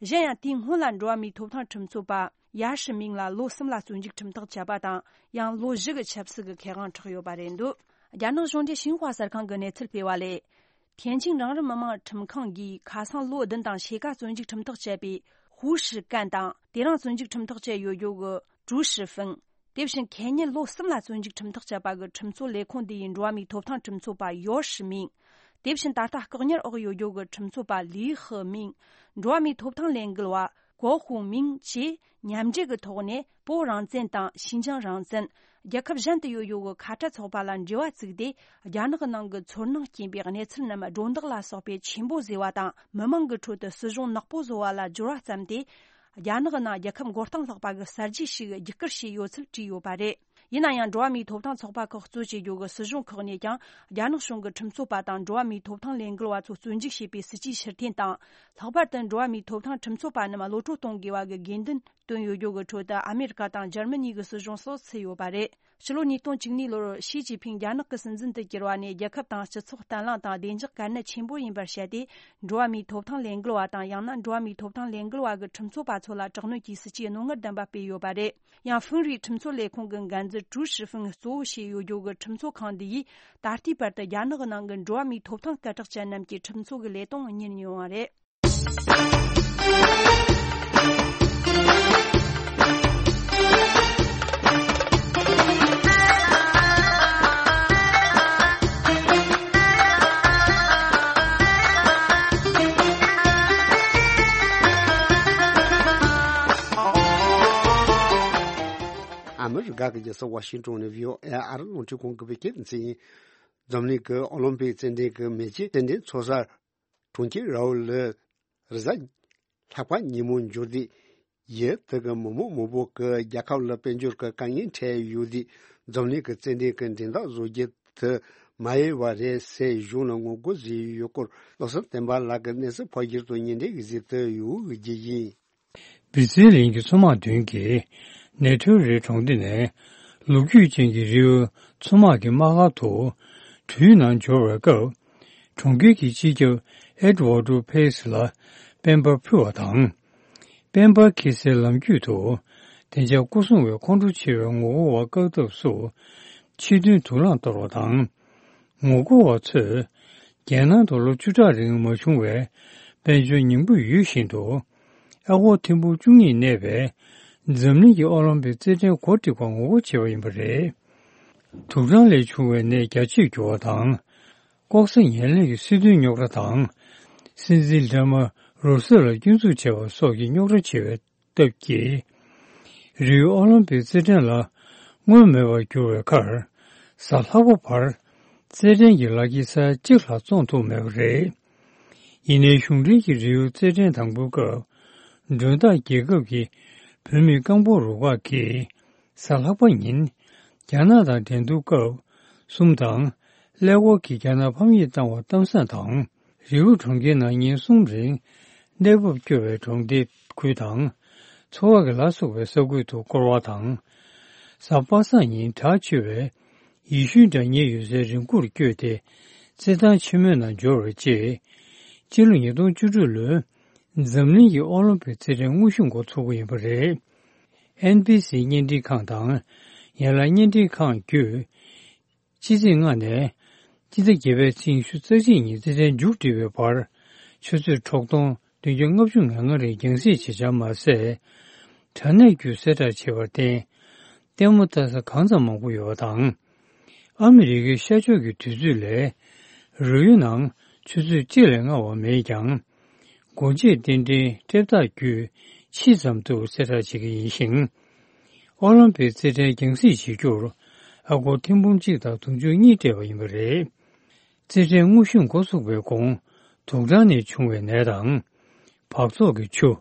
གཞན་ཡང་། དེའི་སྔོན་ལ་འགྲོ་བ་མིའི་ཐོབ་ཐང་ཁྲིམས་རྩོད་པ་ཡཱ་ཧྲི་མིང་ལ་ལོ་གསུམ་ལ་བཙོན་འཇུག་ཁྲིམས་ཐག་བཅད་པ་དང་། ཡང་ལོ་བཞི་གི་ཆབ་སྲིད་ཀྱི་ཁེ་དབང་འཕྲོག་ཡོད་པ་རེད་འདུག་རྒྱ་ནག་གཞུང་འབྲེལ་ཤིན་ཧྭ་གསར་ཁང་གིས་གནས་ཚུལ་སྤེལ་བ་ལས། ཐེན་ཅིང་གྲལ་རིམ་མི་དམངས་ཁྲིམས་ཁང་གིས་ཁ་སང་ལོ་བདུན་དང་ཕྱེད་ཀ་བཙོན་འཇུག་ཁྲིམས་ཐག་བཅད་པའི་ཧུའུ་ཧྲི་ཀན་དང་། དེ་རིང་བཙོན་འཇུག་ཁྲིམས་ཐག་བཅད་ཡོད་རྒྱུ་གི་ཀྲུའུ་ཧྲི་ཧྥིང་། དེ་བཞིན་ཁེ་ཉིན་ལོ་གསུམ་ལ་བཙོན་འཇུག་ཁྲིམས་ཐག་བཅད་པ་གི་ཁྲིམས་རྩོད་ལས་ཁུངས་འདི་ཡི་འགྲོ་བ་མིའི་ཐོབ་ཐང་ཁྲིམས་རྩོད་པ་ཡོ་ཧྲི་མིང་། དེ་བཞིན་ད་ལྟ་བཀག་ཉར་འོག་ཡོད་རྒྱུ་གི་ཁྲིམས་རྩོད་པ་ལི་ཧི་མིང་། འགྲོ་བ་མིའི་ཐོབ་ཐང་ལས་འགུལ་བ་གོ་ཧུང་མིང་བཅས་མཉམ་འབྲེལ་གྱི་ཐོག་ནས། པོ་རང་བཙན་དང་ཤིན་ཅང་རང་བཙན། རྒྱལ་ཁབ་གཞན་དུ་ཡོད་ཡོད་ཀྱི་ཁ་བྲལ་ཚོགས་པ་ལ་འབྲེལ་བ་བཙུགས་ཏེ། རྒྱ་ནག་གི་ནང་གི་ཚོར་སྣང་སྐྱེན་པའི་གནས་ཚུལ་རྣམས་སྒྲོ་འདོགས་ལ་སོགས་པའི་ཆེན་པོ་བཟོས་པ་དང་། མི་མང་གི་ཁྲོད་དུ་སྲིད་གཞུང་ནག་པོ་བཟོ་བ་ལ་སྦྱོར་བ་བརྩམས་ཏེ། རྒྱ་ནག་གི་ནང་རྒྱལ་ཁབ་མགོ་རྟིང་སློག་པ་གི་གསར་བརྗེ་ཞིག་རྒྱུད་བསྐུལ་བྱས་ཡོད་ཚུལ་བྲིས་ཡོད་པ་རེད། ཡིན་ན་ཡང་། འགྲོ་བ་མིའི་ཐོབ་ཐང་ཚོགས་པ་ཁག་གཙོ་བྱེད་རྒྱུ་གི་སྲིད་གཞུང་ཁག་ནས་ཀྱང་། རྒྱ་ནག་གཞུང་གི་ཁྲིམས་རྩོད་པ་དང་འགྲོ་བ་མིའི་ཐོབ་ཐང་ལས་འགུལ་བ་ཚོ་བཙོན་འཇུག་བྱས་པའི་སྲིད་ཇུས་ཕྱིར་འཐེན་དང་། ལྷག་པར་དུ་འགྲོ་བ་མིའི་ཐོབ་ཐང་ཁྲིམས་རྩོད་པ་རྣམས་གློད་གྲོལ་གཏོང་དགོས་པ་གི་དགོས་འདུན་བཏོན་ཡོད་རྒྱུ་གི་ཁྲོད་དུ། ཨ་མེ་རི་ཀ་དང་འཇར་མ་ནི་གི་སྲིད་གཞུང་སོགས་ཚུད་ཡོད་པ་རེད། ཕྱི་ལོ་ཉིས་སྟོང་བཅུ་གཉིས་ལོར་ཞི་ཅིན་ཕིང་རྒྱ་ནག་གི་སྲིད་འཛིན་དུ་གྱུར་བ་ནས། རྒྱལ་ཁབ་དང་སྤྱི་ཚོགས་བརྟན་ལྷིང་དང་བདེ་འཇགས་གལ་གནད་ཆེན་པོ་ཡིན་པར་བཤད་དེ། འགྲོ་བ་མིའི་ཐོབ་ཐང་ལས་འགུལ་བ་དང་། ཡང་ན་འགྲོ་བ་མིའི་ཐོབ་ཐང་ལས་འགུལ་བ་གི་ཁྲིམས་རྩོད་པ་ཚོ་ལ་དྲག་གནོན་གྱི་སྲིད་ཇུས་རྣོ་ངར་ལྡན་པ་སྤེལ་ཡོད་པ་རེད། ཡང་། ཧྥིན་རུའི་ཁྲིམས་རྩོད་ལས་ཁུངས་ཀྱི་འགན་འཛིན་ཀྲུའུ་ཧྲི་ཧྥིང་གཙོ་བོ་བྱས་ཡོད་རྒྱུ་གི་ཁྲིམས་རྩོད་ཁང་འདི་ཡིས། ད་ལྟའི་བར་དུ་རྒྱ་ནག་གི་ནང་གི་འགྲོ་བ་མིའི་ཐོབ་ཐང་སྐད་གྲགས་ཅན་རྣམས་ཀྱི་ཁྲིམས་རྩོད་ཀྱི་ལས་དོན་གཉེར་མྱོང་བ་རེད། རི་ག་གི་རྒྱལ་ས་ཝ་ཤིང་ཊོན་ནས་བྷི་ཨོ་ཨེ་ཨར་རླུང་འཕྲིན་ཁང་གི་བོད་སྐད་སྡེ་ཚན་ཡིན། འཛམ་གླིང་གི་ཨོ་ལིམ་པིག་རྩེད་འགྲན་གྱི་མེ་ལྕེ་རྩེད་འགྲན་ཚོགས་ས་གྲོང་ཁྱེར་ར་ཨུལ་ལ་རེས་གཟའ་ལྷག་པ་ཉིན་མོ་འབྱོར་ཏེ། ཡུལ་དེ་གི་མི་མང་མང་པོ་གིས་རྒྱལ་ཁབ་ལ་དཔལ་འབྱོར་གྱི་དཀའ་ངལ་འཕྲད་ཡོད་དུས། འཛམ་གླིང་གི་རྩེད་འགྲན་གྱི་འགྲན་ཟླ་བཟོ་རྒྱུ་དེ་མ་ཡལ་བ་རེད་ཟེར་གཞུང་ལ་ངོ་རྒོལ་བཟོས་ཡོད་སྐོར། བློ་བཟང་བསྟན་པ་ལགས་ཀྱིས་གནས་ཚུལ་ཕབ་སྒྱུར་དང་སྙན་སྒྲོན་གྱིས་གཟིགས་ཏེ་ཡོད་ཀྱི་ཡིན། བི་ཛི་ལིང་གི་མཚོ་དམག་མདུན་གྱི་ནེ་ཐོ་རི་གྲོང་སྡེ་ནས་ལོ་རྒྱུས་ཅན་གྱི་རི་བོའི་མཚོ་དམག་གི་དམག་སྒར་དུ་གྲུའི་ནང་འབྱོར་བའི་སྐབས། གྲོང་ཁྱེར་གྱི་སྤྱི་ཁྱབ་ཨེ་ཌི་ཝར་ཌོ་ཕེ་སི་ལ་དཔལ་འབར་ཕུལ་བ་དང་། དཔལ་འབར་འཁྱེར་སའི་ལམ་རྒྱུད་དུ་བདེ་འཇགས་སྐོར་སྲུང་བས་ཁོང་ཁྲོ་ཆེ་བའི་ངོ་རྒོལ་བ་བཀག་ཐབས་སུ་ཕྱི་དོན་དུག་རླངས་གཏོར་བ་དང་། ངོ་རྒོལ་བ་ཚོས་རྒྱལ་ནང་དུ་ལོ་བཅུ་ཕྲག་རིང་མ་བྱུང་བའི་དཔལ་འབྱོར་ཉིང་པོ་ཡོད་བཞིན་དུ། ཨ་སྒོར་ཐེར་འབུམ་བཅུ་གཉིས་གནས་པའི་འཛམ་གླིང་གི་ཨོ་ལིམ་པིག་རྩེད་འགྲན་གོ་སྒྲིག་པར་ངོ་རྒོལ་བྱས་པ་ཡིན་པ་རེད། དུག་སྦྲང་ལས་བྱུང་བའི་ནད་རྒྱ་ཆེར་འགྱུར་བ་དང་། ལྐོག་ཟ་ངན་ལྷད་ཀྱི་སྲིད་དོན་རྙོག་དྲ་དང་། སྲིད་འཛིན་སྒྲོལ་མ་རོལ་སྲིད་ལ་སྐྱོན་འཛུགས་བྱས་པ་སོགས་ཀྱི་རྙོག་དྲ་ཆེ་བའི་སྟབས་ཀྱིས། རིའུ་ཨོ་ལིམ་པིག་རྩེད་འགྲན་ལ་སྔོན་མེད་པར་གྱུར་བའི་ཁར། གཟའ་ལྷག་པ་བར་རྩེད་འགྲན་གྱི་ལག་འཁྱེར་ས་ཡ་གཅིག་ལྷག་བཙོང་ཐུབ་མེད་པ་རེད། ཡིན་ནའི་གཞུང་འབྲེལ་གྱི་རིའུ་རྩེད་འགྲན་དང་པོའི་སྐབས། མགྲོན་བདག་རྒྱལ་ཁབ་ཀྱི་བུད་མེད་རྐང་སྤོལ་རུ་ཁག་གིས་གཟའ་ལྷག་པ་ཉིན་རྒྱ་ནག་དང་འགྲན་བསྡུར་སྐབས་གསུམ་དང་། ཀླད་ཀོར་གྱིས་རྒྱ་ནག་ཕམ་ཉེས་བཏང་བ་གཏམ་བཟང་དང་། རི་བོ་གྲོང་ཁྱེར་ནང་ཉིན་གསུམ་རིང་གནས་བབ་སྐྱོ་བའི་གྲོང་སྡེ་ཁུལ་དང་། འཚོ་བ་གི་ལ་སོགས་པའི་ས་ཁུལ་དུ་བསྐོར་བ་དང་། གཟའ་པ་སངས་ཉིན་གྲགས་ཆེ་བའི་ཡེ་ཤུའི་སྒྲ་སྙན་ཡོད་སའི་རི་མགོར་བསྐྱོད་དེ། རྩེད་ཐང་ཆེན་མོའི་ནང་འབྱོར་བའི་རྗེས། སྤྱི་ལོ་ཉིས་སྟོང་བཅུ་དྲུག་ལོའི་འཛམ་གླིང་གི་ཨོ་ལིམ་པིག་རྩེད་འགྲན་དངོས་གཞི་འགོ་ཚུགས་པ་ཡིན་པ་རེད། ཨེན་བི་སི་བརྙན་འཕྲིན་ཁང་དང་། ཡན་ལག་བརྙན་འཕྲིན་ཁང་བརྒྱུད། ཕྱི་ཚེས་ལྔ་ནས་སྤྱི་ཟླ་བརྒྱད་པའི་ཚེས་ཉི་ཤུ་རྩ་གཅིག་ཉིན་རྩེད་འགྲན་མཇུག་སྒྲིལ་བའི་བར། ཆུ་ཚོད་དྲུག་སྟོང་བདུན་བརྒྱ་ལྔ་བཅུ་ང་ལྔ་རིང་རྒྱང་སྲིང་བྱེད་འཆར་མ་ཟད། དྲ་གནས་བརྒྱུད་གསལ་བསྒྲགས་བྱས་པར་བརྟེན། ལྟད་མོ་ལྟ་ས་གང་ཙམ་མང་པོ་ཡོད་པ་དང་། ཨ་མི་རི་ཀའི་ཤར་ཕྱོགས་ཀྱི་དུས་ཚོད་ལས་རོལ་དབྱངས་ནང་ཆུ་ཚོད་གཅིག་ལས་སྔ་བ་མེད་ཀྱང་། སྒོ་འབྱེད་རྟེན་འབྲེལ་སྤྲད་རྟགས་བརྒྱུད་ཕྱིས་ཙམ་དུ་གསལ་བསྒྲགས་བྱེད་ཀྱི་ཡིན་ཞིང་། ཨོ་ལིམ་པིག་རྩེད་འགྲན་རྒྱང་སྲིང་བྱེད་རྒྱུར་ཨ་སྒོར་ཐེར་འབུམ་གཅིག་དང་དུང་ཕྱུར་གཉིས་སྤྲད་པ་ཡིན་པ་རེད། རྩེད་འགྲན་དངོས་གཞི་འགོ་ཚུགས་པའི་གོང་དུག་སྦྲང་ནས་བྱུང་བའི་ནད་དང་། འབག་བཙོག་གི་ཆུ།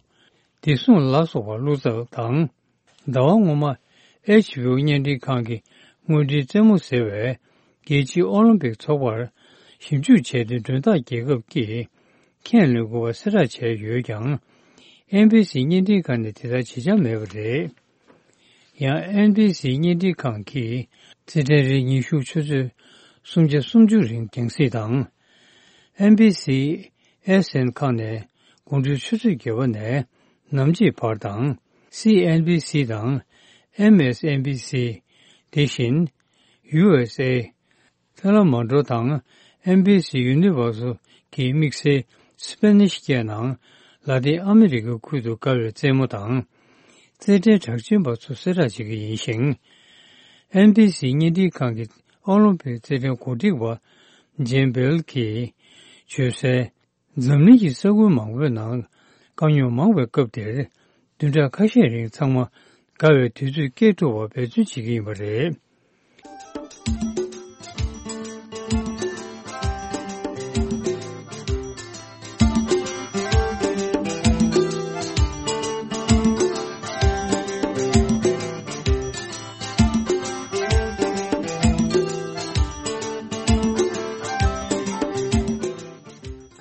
བདེ་སྲུང་ལ་སོགས་པ་བླུགས་ཚར་དང་། ཟླ་བ་སྔོན་མ་ཨེཆ་བི་ཨོ་བརྙན་འཕྲིན་ཁང་གི་དངོས་འབྲེལ་རྩེད་མོ་ཟེར་བས་རྒྱལ་སྤྱིའི་ཨོ་ལིམ་པིག་ཚོགས་པར་ཞིབ་འཇུག་བྱས་ཏེ་མགྲོན་བདག་རྒྱལ་ཁབ་ཀྱིས་ཁས་ལེན་དགོས་པ་གསལ་བསྒྲགས་བྱས་ཡོད་ཀྱང་། ཨེན་བི་སི་བརྙན་འཕྲིན་ཁང་ནས་དེ་ལྟར་བྱེད་འཆར་མེད་པ་རེད། ཡང་ཨེན་བི་སི་བརྙན་འཕྲིན་ཁང་གིས་རྩེད་འགྲན་རིང་ཉིན་ཤུགས་ཆུ་ཚོད་སུམ་བརྒྱ་སུམ་ཅུ་རིང་རྒྱང་སྲིང་དང་། ཨེན་བི་སི་ཨེས་ཨེན་ཁང་ནས་དགོང་དྲོའི་ཆུ་ཚོད་བརྒྱད་པ་ནས་ནམ་ཕྱེད་བར་དང་། སི་ཨེན་བི་སི་དང་ཨེམ་ཨེས་ཨེན་བི་སི། དེ་བཞིན་ཡུ་ཨེས་ཨེ། ཐེ་ལ་མ་ཌོ་དང་ཨེན་བི་སི་ཡུ་ནི་ཝར་སལ་གྱི་དམིགས་བསལ་སི་པེ་ནིཤ་སྐད་ནང་ལ་ཏིན་ཨ་མི་རི་ཀའི་ཁུལ་དུ་དགའ་བའི་རྩེད་མོ་དང་། རྩེད་འགྲན་གྲགས་ཅན་པ་ཚོ་གསལ་བསྒྲགས་བྱེད་ཀྱི་ཡིན་ཞིང་། ཨེན་བི་སི་བརྙན་འཕྲིན་ཁང་གི་ཨོ་ལིམ་པིག་རྩེད་འགྲན་གོ་སྒྲིག་པ་ཇེན་བེལ་གྱིས་བརྗོད་གསལ། འཛམ་གླིང་གི་ས་ཁུལ་མང་པོའི་ནང་དཀའ་རྙོག་མང་བའི་སྐབས་དེར། བདུན་ཕྲག་ཁ་ཤས་རིང་ཚང་མ་དགའ་བའི་དུས་ཚོད་སྐྱེལ་ཐུབ་པར་འབད་བརྩོན་བྱེད་ཀྱི་ཡིན་པ་རེད།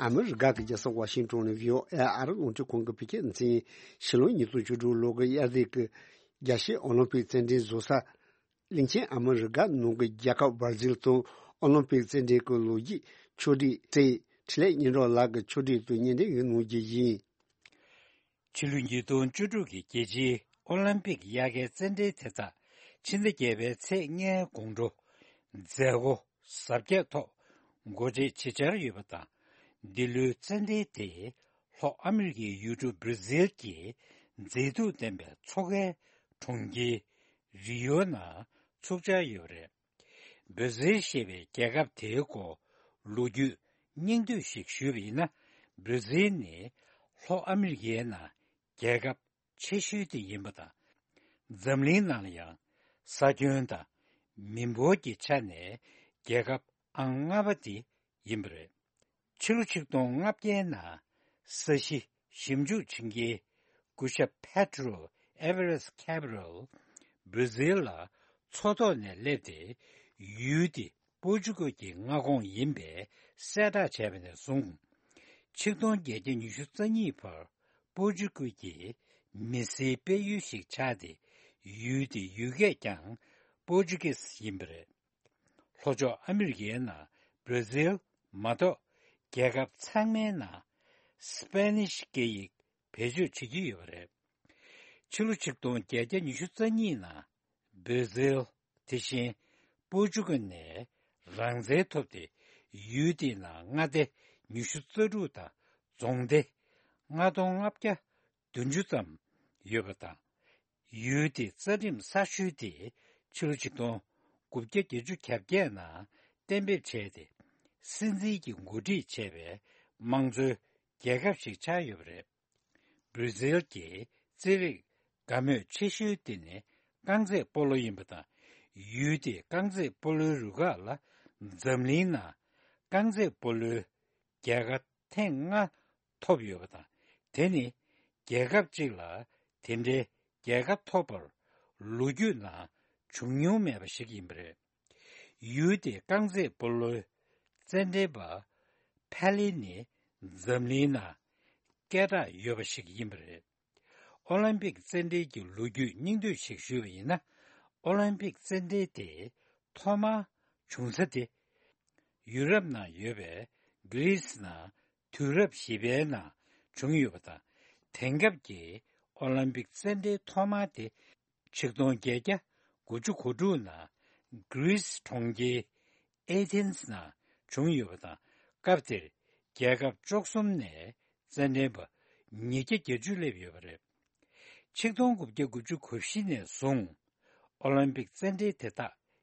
ཨ་མི་རི་ཀ་གི་རྒྱལ་ས་ཝ་ཤིང་ཏོན་ནས་བྷི་ཨོ་ཨེ་ཨ་རི་རླུང་འཕྲིན་ཁང་གི་བོད་སྐད་སྡེ་ཚན་ཡིན། ཕྱི་ལོ་ཉིས་སྟོང་བཅུ་དྲུག་ལོ་གི་དབྱར་ཟླ་གི་རྒྱལ་སྤྱིའི་ཨོ་ལིམ་པིག་རྩེད་འགྲན་བཟོ་ས། གླིང་ཆེན་ཨ་མི་རི་ཀ་ནང་གི་རྒྱལ་ཁབ་བར་ཛིལ་དུ་ཨོ་ལིམ་པིག་རྩེད་འགྲན་གྱི་ལོ་རྒྱུས་ཕྱོགས་སྒྲིག་སྟེ། འཕྲིན་ལས་སྙན་གྲགས་ལགས་ཀྱིས་ཕྱོགས་སྒྲིག་ཏུ་སྙན་སྒྲོན་ཞིག་གནང་རྒྱུ་ཡིན། ཕྱི་ལོ་ཉིས་སྟོང་བཅུ་དྲུག་གི་རྒྱལ་སྤྱིའི་ཨོ་ལིམ་པིག་དབྱར་ཁའི་རྩེད་འགྲན་དེ་དག་ཕྱི་ཟླ་བརྒྱད་པའི་ཚེས་ལྔའི་དགོང་དྲོ་མཛད་སྒོ་གཟབ་རྒྱས་ཐོག་འགོ་ཁྲིད་བྱེད་འཆར་ཡོད་པ་དང་། འདི་ལོའི་རྩེད་འགྲན་དེ་ལྷོ་ཨ་མི་རི་ཀའི་ཡུལ་གྲུ་བྷར་ཛིལ་གྱི་མཛེས་སྡུག་ལྡན་པའི་མཚོ་ཁའི་གྲོང་ཁྱེར་རི་ཡོ་ནང་ཚུགས་འཆར་ཡོད་པ་རེད། བྷར་ཛིལ་ཞེས་པའི་རྒྱལ་ཁབ་དེའི་སྐོར་ལོ་རྒྱུས་སྙིང་བསྡུས་ཤིག་ཞུས་པ་ཡིན་ན། བྷར་ཛིལ་ནི་ལྷོ་ཨ་མི་རི་ཀའི་ནང་རྒྱལ་ཁབ་ཆེ་ཤོས་དེ་ཡིན་པ་དང་། འཛམ་གླིང་ནང་ལ་ཡང་ ས་ཁྱོན་དང་མི་འབོར་གྱི་ཆ་ནས་རྒྱལ་ཁབ་ཨང་ལྔ་པ་དེ་ཡིན་པ་རེད། ཕྱི་ལོ་ཆིག་སྟོང་ལྔ་བརྒྱའི་ནང་ས་གཞི་ཞིབ་འཇུག་བྱེད་མཁན་སྐུ་ཞབས་Pedro Álvares Cabral བྷར་ཛིལ་ལ་མཚོ་ཐོག་ནས་སླེབས་ཏེ། ཡུལ་དེ་པོར་ཅུ་གལ་གྱི་མངའ་ཁོངས་ཡིན་པའི་གསལ་བསྒྲགས་བྱས་པ་ནས་བཟུང་། ཆིག་སྟོང་བརྒྱད་བརྒྱ་ཉི་ཤུ་རྩ་གཉིས་བར་པོར་ཅུ་གལ་གྱི་མི་སེར་སྤེལ་ཡུལ་ཞིག་ཆགས་ཏེ། ཡུལ་དེའི་ཡུལ་སྐད་ཀྱང་པོར་ཅུ་གིས་ཡིན་པ་རེད། ལྷོ་ཕྱོགས་ཨ་མི་རི་ཀའི་ནང་བྷར་ཛིལ་མ་གཏོགས་རྒྱལ་ཁབ་ཚང་མའི་ནང་སི་པེ་ནིཤ་སྐད་ཡིག་བེད་སྤྱོད་བྱེད་ཀྱི་ཡོད་པ་རེད། ཕྱི་ལོ་ཆིག་སྟོང་བརྒྱད་བརྒྱ་ཉི་ཤུ་རྩ་གཉིས་ནང་བྷར་ཛིལ་དེ་བཞིན་པོར་ཅུ་གལ་ནས་རང་བཙན་ཐོབ་སྟེ། ཡུལ་དེའི་ནང་མངའ་སྡེ་ཉི་ཤུ་རྩ་དྲུག་དང་རྫོང་སྡེ་ལྔ་སྟོང་ལྔ་བརྒྱ་བདུན་ཅུ་ཙམ་ཡོད་པ་དང་། ཡུལ་དེའི་རྩ་ཁྲིམས་གསར་ཤོས་དེ་ཕྱི་ལོ་ཆིག་སྟོང་དགུ་བརྒྱ་བརྒྱད་ཅུ་གྱ་བརྒྱད་ནང་གཏན་འབེབས་བྱས་ཏེ། སྲིད་འཛིན་གྱིས་འགོ་ཁྲིད་བྱས་པའི་དམངས་གཙོའི་རྒྱལ་ཁབ་ཞིག་ཆགས་ཡོད་པ་རེད། བྷར་ཛིལ་གྱི་རྩིས་རིག་དགའ་མོས་ཆེ་ཤོས་དེ་ནི་རྐང་རྩེད་སྤོ་ལོ་ཡིན་པ་དང་། ཡུལ་དེའི་རྐང་རྩེད་སྤོ་ལོའི་རུ་ཁག་ལ་འཛམ་གླིང་ནང་རྐང་རྩེད་སྤོ་ལོའི་རྒྱལ་ཁ་ཐེངས་ལྔ་ཐོབ་ཡོད་པ་དང་། དེ་ནི་རྒྱལ་ཁབ་ཅིག་ལ་དེ་འདྲའི་རྒྱལ་ཁ་ཐོབ་པར་ལོ་རྒྱུས་ནང་བྱུང་མྱོང་མེད་པ་ཞིག་ཡིན་པ་རེད། ཡུལ་དེའི་རྐང་རྩེད་སྤོ་ལོའི་རྩེད་འགྲན་པ་ཕེ་ལེ་ནི་འཛམ་གླིང་ནང་སྐད་གྲགས་ཡོད་པ་ཞིག་ཡིན་པ་རེད། ཨོ་ལིམ་པིག་རྩེད་འགྲན་གྱི་ལོ་རྒྱུས་སྙིང་བསྡུས་ཤིག་ཞུས་པ་ཡིན་ན། ཨོ་ལིམ་པིག་རྩེད་འགྲན་དེ་ཐོག་མར་བྱུང་ས་དེ་ཡུ་རོབ་ནང་ཡོད་པའི་གྷི་རིས་ནང་དུས་རབས་བཞི་པའི་ནང་བྱུང་ཡོད་པ་དང་། དེང་སྐབས་ཀྱི་ཨོ་ལིམ་པིག་རྩེད་འགྲན་ཐོག་མ་དེ་ཆིག་སྟོང་བརྒྱད་བརྒྱ་དགུ་བཅུ་གོ་དྲུག་ནང་གྷི་རིས་གྲོང་ཁྱེར་ཨེ་ཐེན་སི་ནང་བྱུང་ཡོད་པ་དང་། སྐབས་དེར་རྒྱལ་ཁབ་བཅུ་གསུམ་ནས་རྩེད་འགྲན་པ་ཉིས་བརྒྱ་བརྒྱད་ཅུ་སླེབས་ཡོད་པ་རེད། ཆིག་སྟོང་དགུ་བརྒྱ་དགུ་བཅུ་གོ་བཞི་ནས་བཟུང་ཨོ་ལིམ་པིག་རྩེད་འགྲན་དེ་དག་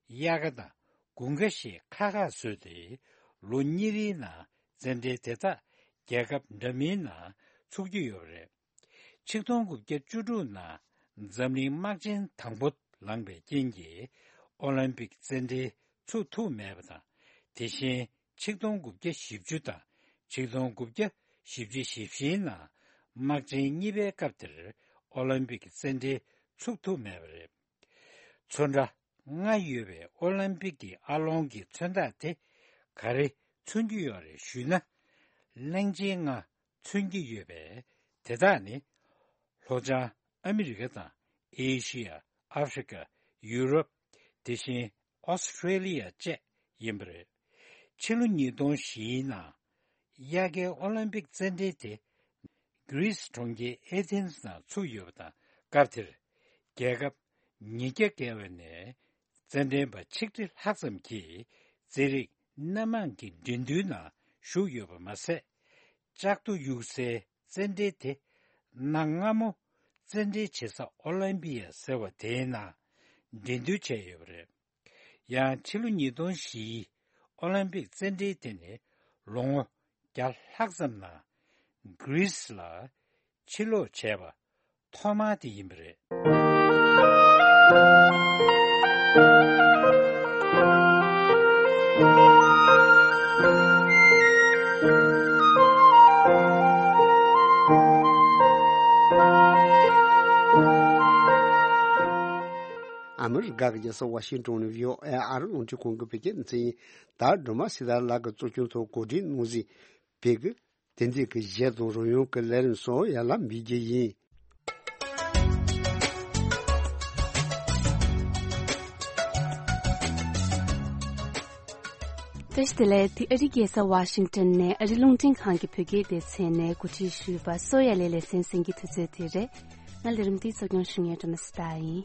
དབྱར་ཁ་དང་དགུན་ཁ་ཞེས་ཁག་ཁག་བཟོས་ཏེ། ལོ་གཉིས་རེའི་ནང་རྩེད་འགྲན་དེ་དག་རྒྱལ་ཁབ་འདྲ་མིན་ནང་ཚུགས་ཀྱི་ཡོད་པ་རེད། ཆིག་སྟོང་དགུ་བརྒྱ་བཅུ་དྲུག་ནང་འཛམ་གླིང་དམག་ཆེན་དང་པོ་ལངས་པའི་རྐྱེན་གྱིས་ཨོ་ལིམ་པིག་རྩེད་འགྲན་ཚུགས་ཐུབ་མེད་པ་དང་། དེ་བཞིན་ཆིག་སྟོང་དགུ་བརྒྱ་བཞི་བཅུ་དང་ཆིག་སྟོང་དགུ་བརྒྱ་བཞི་བཅུ་ཞེ་བཞིའི་ནང་དམག་ཆེན་གཉིས་པའི་སྐབས་དེར་ཨོ་ལིམ་པིག་རྩེད་འགྲན་ཚུགས་ཐུབ་མེད་པ་རེད། ཚོན་ཁྲ་ལྔ་ཡོད་པའི་ཨོ་ལིམ་པིག་གི་ཨ་ལོང་གི་མཚོན་རྟགས་དེ་ག་རེ་མཚོན་གྱི་ཡོད་རེད་ཞུས་ན། གླང་ཆེན་ལྔ་མཚོན་གྱི་ཡོད་པས། དེ་དག་ནི་ལྷོ་བྱང་ཨ་མི་རི་ཀ་དང་ཨེ་ཤི་ཡ། ཨ་ཧྥེ་རི་ཀ། ཡུ་རོབ། དེ་བཞིན་ཨོ་སི་ཁྲེ་ལི་ཡ་བཅས་ཡིན་པ་རེད། ཕྱི་ལོ་ཉིས་སྟོང་བཞིའི་ནང་དབྱར་ཁའི་ཨོ་ལིམ་པིག་རྩེད་འགྲན་དེ་གྷི་རིས་གྲོང་ཁྱེར་ཨེ་ཐེན་སི་ནང་ཚུགས་ཡོད་པ་དང་། སྐབས་དེར་རྒྱལ་ཁབ་ཉིས་བརྒྱ་བརྒལ་བ་ནས་རྩེད་འགྲན་པ་ཆིག་ཁྲི་ལྷག་ཙམ་གྱིས་རྩེད་རིགས་སྣ་མང་གི་འགྲན་བསྡུར་ནང་ཞུགས་ཡོད་པ་མ་ཟད། ལྕགས་རྡོ་གཡུག་སའི་རྩེད་འགྲན་དེ་གནའ་སྔ་མོ་རྩེད་འགྲན་བྱེད་ས་ཨོ་ལིམ་པི་ཡ་ཟེར་བ་དེའི་ནང་འགྲན་བསྡུར་བྱས་ཡོད་པ་རེད། ཡང་ཕྱི་ལོ་ཉིས་སྟོང་བཞིའི་ཨོ་ལིམ་པིག་རྩེད་འགྲན་དེ་ནི་ལོ་ངོ་བརྒྱ་ལྷག་ཙམ་ནང་གྷི་རིས་ལ་ཕྱིར་ལོག་བྱས་པ་ཐོག་མ་དེ་ཡིན་པ་རེད། ཨ་མི་རི་ཀ་གི་རྒྱལ་ས་ཝ་ཤིང་ཊོན་ནས་བྷི་ཨོ་ཨེ་ཨ་རི་རླུང་འཕྲིན་ཁང་གི་བོད་སྐད་སྡེ་ཚན་ཡིན། ད་སྒྲོལ་མ་སྲི་ཐར་ལགས་ཀྱིས་གཙོ་སྐྱོང་ཐོག་གོ་སྒྲིག་གནང་ཟིན་བོད་ཀྱི་དེང་དུས་ཀྱི་གཞས་དང་རོལ་དབྱངས་ཀྱི་ལས་རིམ་སོགས་ཡར་ལ་འབུལ་རྒྱུ་ཡིན། བཀྲ་ཤིས་བདེ་ལེགས། འདི་ཨ་རིའི་རྒྱལ་ས་ཝ་ཤིང་ཊོན་ནས་ཨ་རི་རླུང་འཕྲིན་ཁང་གི་བོད་སྐད་སྡེ་ཚན་ནས་གོ་སྒྲིག་ཞུས་པ་གསོ་ཡ་ལེ་ལེ་ཚན་གསན་གྱི་དུས་ཚོད་དེ་རེད། ང་ལས་རིམ་འདི་གཙོ་སྐྱོང་ཞུ་མཁན་སྒྲོལ་མ་སྲི་ཐར་ཡིན།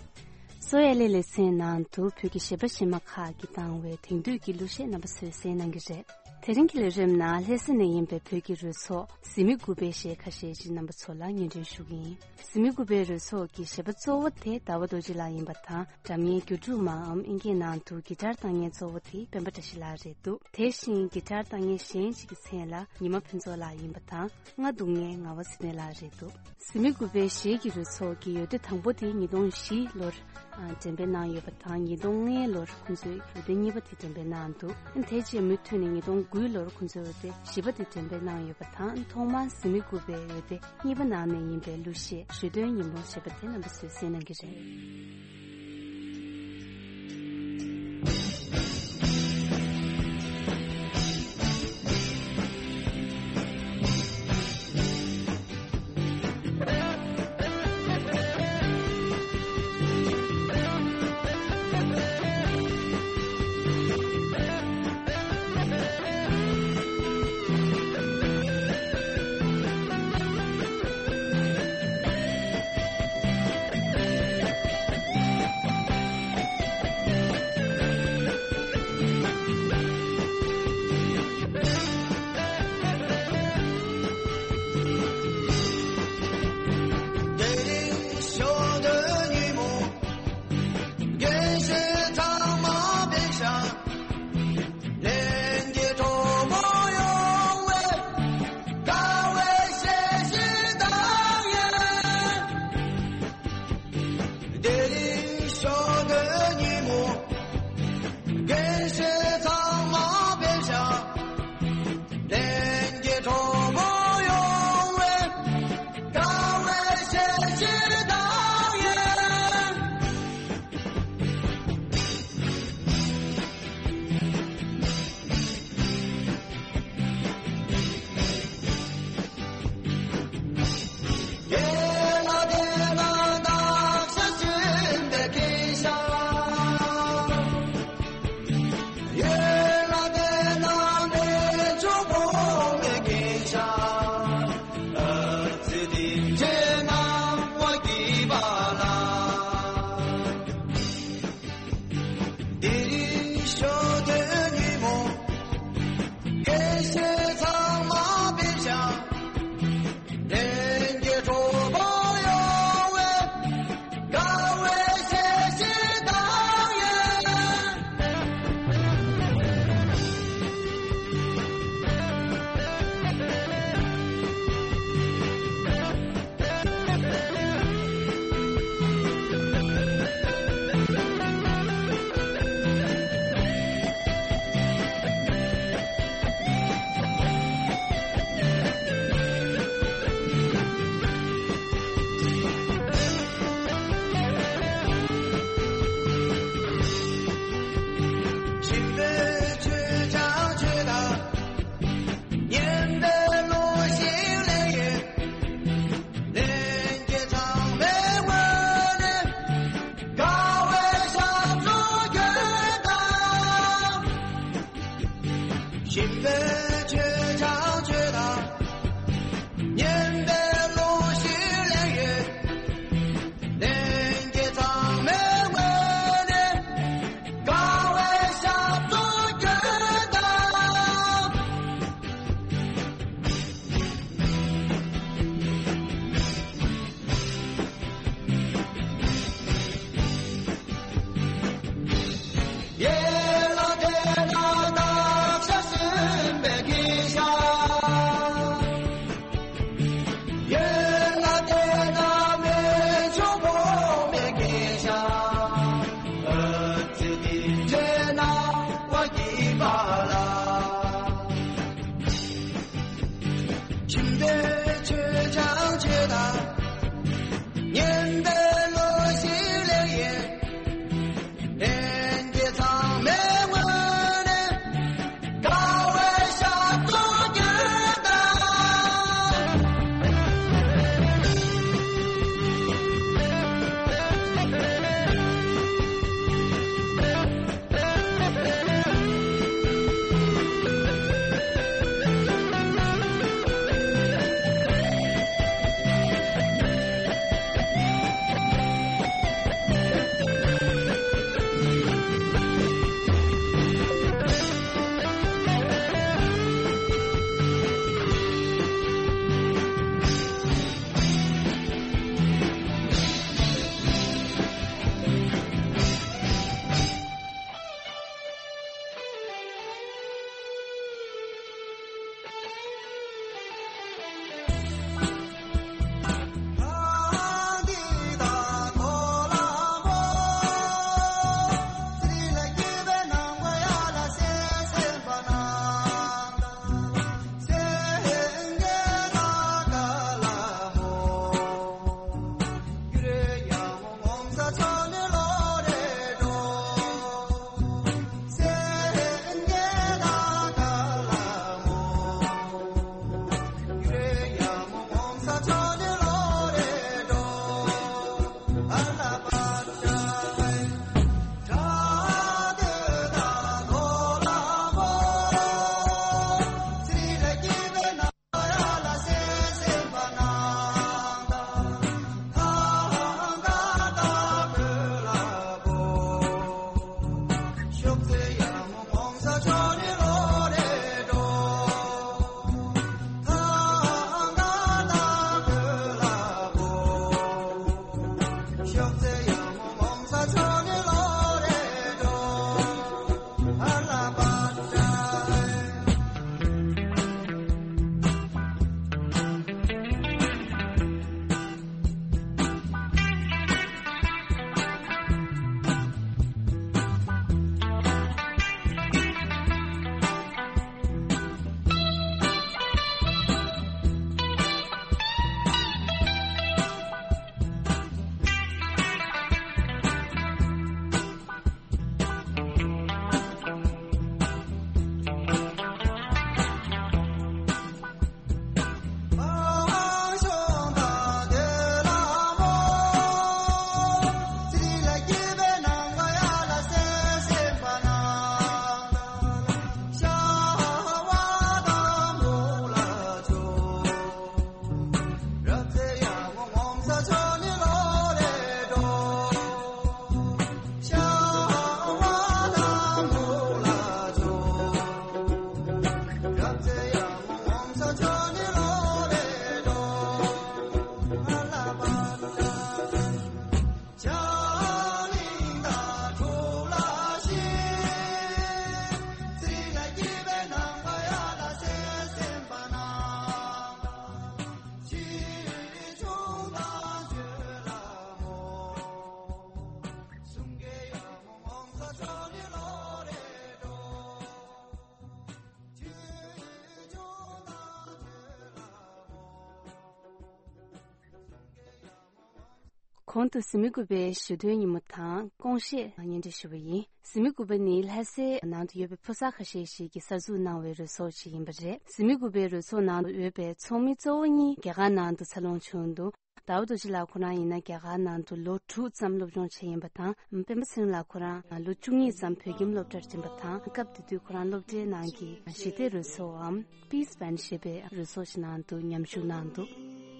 གསོ་ཡ་ལེ་ལེ་ཚན་ནང་དུ་བོད་ཀྱི་གཞས་པ་གཞས་མ་ཁག་གིས་བཏང་བའི་དེང་དུས་ཀྱི་གླུ་གཞས་རྣམ་པ་ཚོས་གསན་གནང་གི་རེད། དེ་རིང་གི་ལས་རིམ་ནང་ལྷ་ས་ནས་ཡིན་པའི་བོད་ཀྱི་རོལ་ཚོགས་གཟི་མིག་དགུ་པའི་གཞས་ཁ་ཤས་ཤིག་རྣམ་པ་ཚོ་ལ་སྙན་སྒྲོན་ཞུ་གི་ཡིན། གཟི་མིག་དགུ་པའི་རོལ་ཚོགས་ཀྱི་གཞས་པ་གཙོ་བོ་དེ་ཟླ་བ་རྡོ་རྗེ་ལགས་ཡིན་པ་དང་། སྒྲ་སྙན་སྒྱུ་འཕྲུལ་མའམ་ཨིན་སྐད་ནང་དུ་གི་ཊར་བཏང་མཁན་གཙོ་བོ་དེ་སྤེན་པ་བཀྲ་ཤིས་ལགས་རེད་འདུག་དེ་བཞིན་གི་ཊར་བཏང་མཁན་གཞན་ཞིག་གི་མཚན་ལ་ཉི་མ་ཕུན་ཚོགས་ལགས་ཡིན་པ་དང་། རྔ་བརྡུང་མཁན་ངག་དབང་འཛིན་གྲྭ་ལགས་རེད་འདུག་གཟི་མིག་དགུ་པའི་གཞས་ཀྱི་རོལ་ཚོགས་ཀྱི་ཡོལ་དུས་དང་པོ་དེ་ཉིས་སྟོང་བཞི་ལོར་ འགྲེམས་སྤེལ་གནང་ཡོད་པ་དང་། ཉིས་སྟོང་ལྔའི་ལོར་ཁོང་ཚོས་འོད་སྡེར་གཉིས་པ་དེ་འགྲེམས་སྤེལ་གནང་འདུག། དེ་རྗེས་མུ་མཐུད་ནས་ཉིས་སྟོང་དགུའི་ལོར་ཁོང་ཚོས་འོད་སྡེར་བཞི་པ་དེ་འགྲེམས་སྤེལ་གནང་ཡོད་པ་དང་། ཐོག་མར་གཟིགས་མི་དགུ་པའི་འོད་སྡེར་གཉིས་པ་ནང་ནས་ཡིན་པའི་གླུ་གཞས་ཞོ་སྟོན་ཉིན་མོ་ཞེས་པ་དེ་རྣམ་པ་ཚོས་གསན་གནང་གི་རེད། དེ་རིང་ཞོ་སྟོན་ཉིན་མོ། རྒན་གཞོན་ཚང་མ་བེ་ཤ། ལྷན་རྒྱས་གྲོགས་མོ་ཡོང་བའི་དགའ་བའི་གསལ་བྱེད་དང་ཡང་། དེ་རིང་ཞོ་སྟོན་ཉིན་མོ། རྒན་གཞོན་ཚང་མ་བེ་ཤ། ལྷན་རྒྱས་གྲོགས་མོ་ཡོང་བའི་དགའ་བའི་གསལ་བྱེད་དང་ཡང་། གོང་དུ་གཟིགས་མོ་རྒྱུ་བའི་ཞུ་དོན་ཉིན་མོ་དང་སྐོང་བཤད་སྙན་སྒྲོན་ཞུ་བ་ཡིན། གཟིགས་མོ་རྒྱུ་བ་ནི་ལྷ་སའི་ནང་དུ་ཡོད་པའི་ཕོ་གསར་ཁ་ཤས་ཤིག་གིས་གསར་འཛུགས་གནང་བའི་རོལ་ཚོགས་ཤིག་ཡིན་པ་རེད། གཟིགས་མོ་རྒྱུ་བའི་རོལ་ཚོགས་ནང་དུ་ཡོད་པའི་ཚོགས་མི་གཙོ་བོ་གཉིས་རྒྱ་གར་ནང་དུ་འཚར་ལོངས་བྱུང་འདུག་ཟླ་བ་རྡོ་རྗེ་ལགས་ཁོ་རང་ཡིན་ན་རྒྱ་གར་ནང་དུ་ལོ་དྲུག་ཙམ་སློབ་སྦྱོང་བྱས་ཡིན་པ་དང་། སྤེན་པ་ཚེ་རིང་ལགས་ཁོ་རང་ལོ་བཅུ་གཉིས་ཙམ་བོད་ཁྱིམ་སློབ་གྲྭར་འགྲིམས་པ་དང་། སྐབས་དེ་དུས་ཁོ་རང་སློབ་གྲྭའི་ནང་གི་ཞི་བདེ་རོལ་ཚོགས་འམ་Peace Band ཞེས་པའི་རོལ་ཚོགས་ཤིག་ནང་དུ་མཉམ་ཞུགས་གནང་འདུག་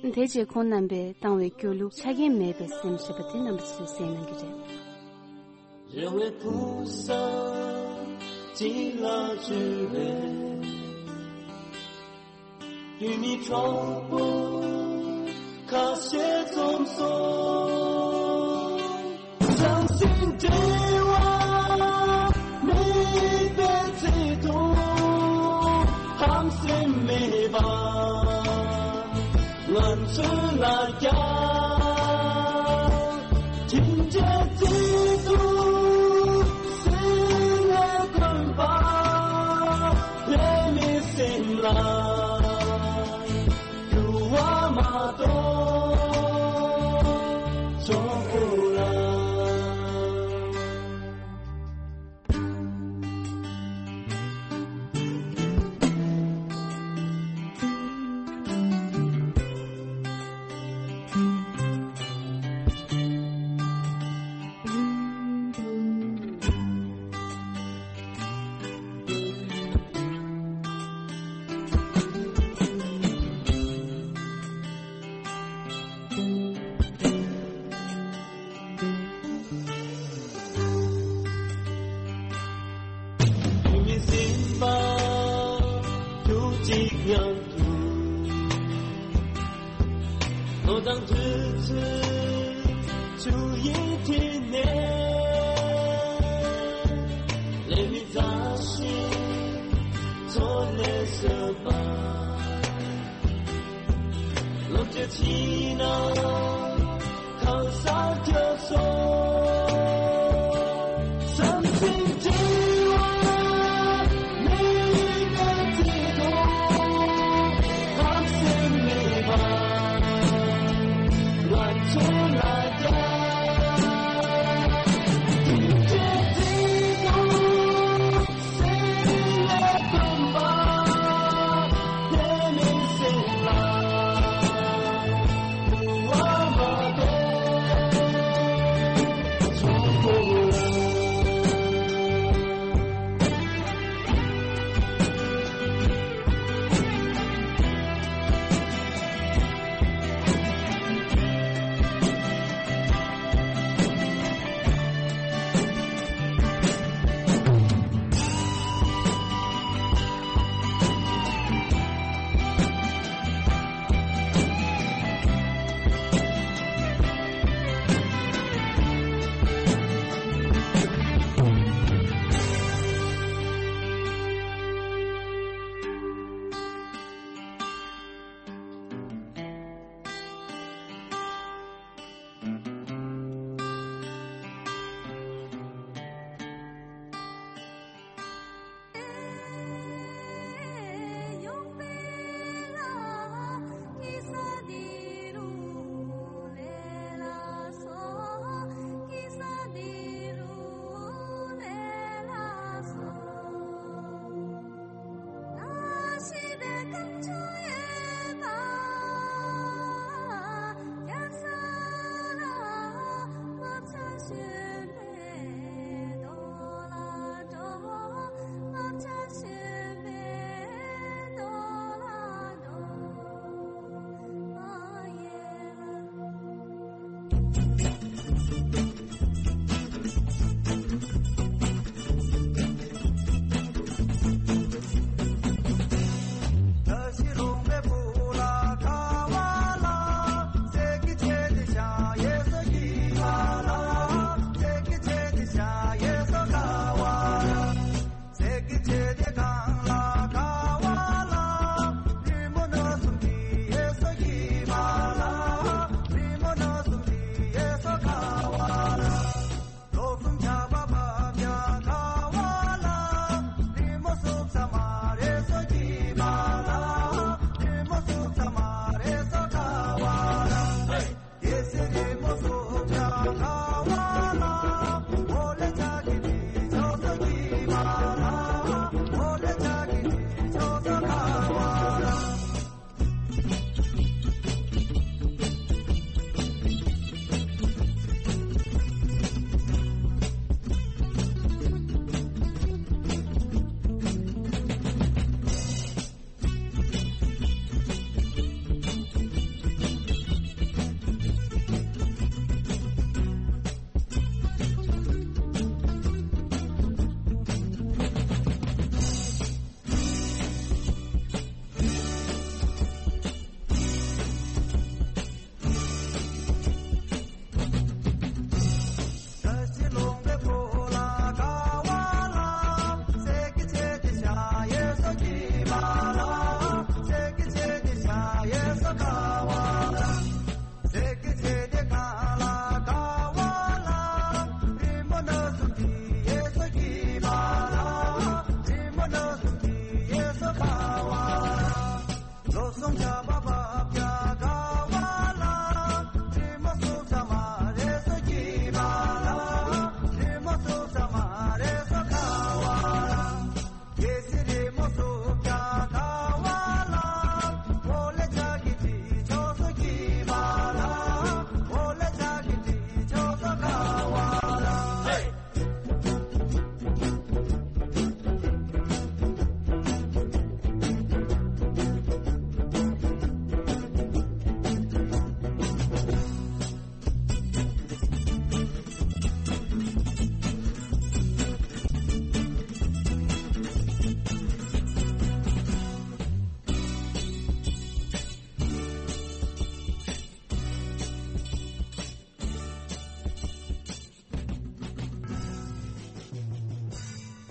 དེ་རྗེས་ཁོང་རྣམ་པས་བཏང་བའི་སྐྱོ་གླུ་ཆ་རྐྱེན་མེད་པའི་སེམས་ཞེས་པ་དེ་རྣམ་པ་ཚོས་གསན་གནང་གི་རེད། རེ་བའི་ཕུགས་བསམ་གཅིག་ལ་བཅོལ་བའི་དུས་མིན་གྲོགས་པོ་ཁ་ཤས་འཛོམས་སོང་། བྱམས་སེམས་འབྲེལ་བ་མེད་པའི་ཚེ་དང་། ཧམ་སེམས་མེད་པ་ང་ཚོ་ལ་རྒྱ་ཁྱིམ་རྒྱལ་རྩེ་དུ་སེམས་ལས་དགོན་པ་ལས་མི་སེམས་ལ་འགྱུར་བ་མ་གཏོགས་ཆོག་གོ་ལ། དུས་མིན་ཟིན་པ་དུས་གཅིག་མཉམ་དུ། ལོ་དང་དུས་ཚོད་ཆུ་ཡི་མཐིལ་ནས། ལས་མི་མཛའ་ཞིང་ཚོ་ལས་བཟོད་པ། ལོ་བཅུ་ཕྱིན་ན་གང་སར་འགྱོ་སོང་། བྱམས་སེམས་འབྲེལ་བ་མེད་པའི་ཚེ་དང་། ཧམ་སེམས་མེད་པ་ང་ཚོ་ལ་རྒྱ་ཁྱིམ་རྒྱལ་རྩེ་དང་།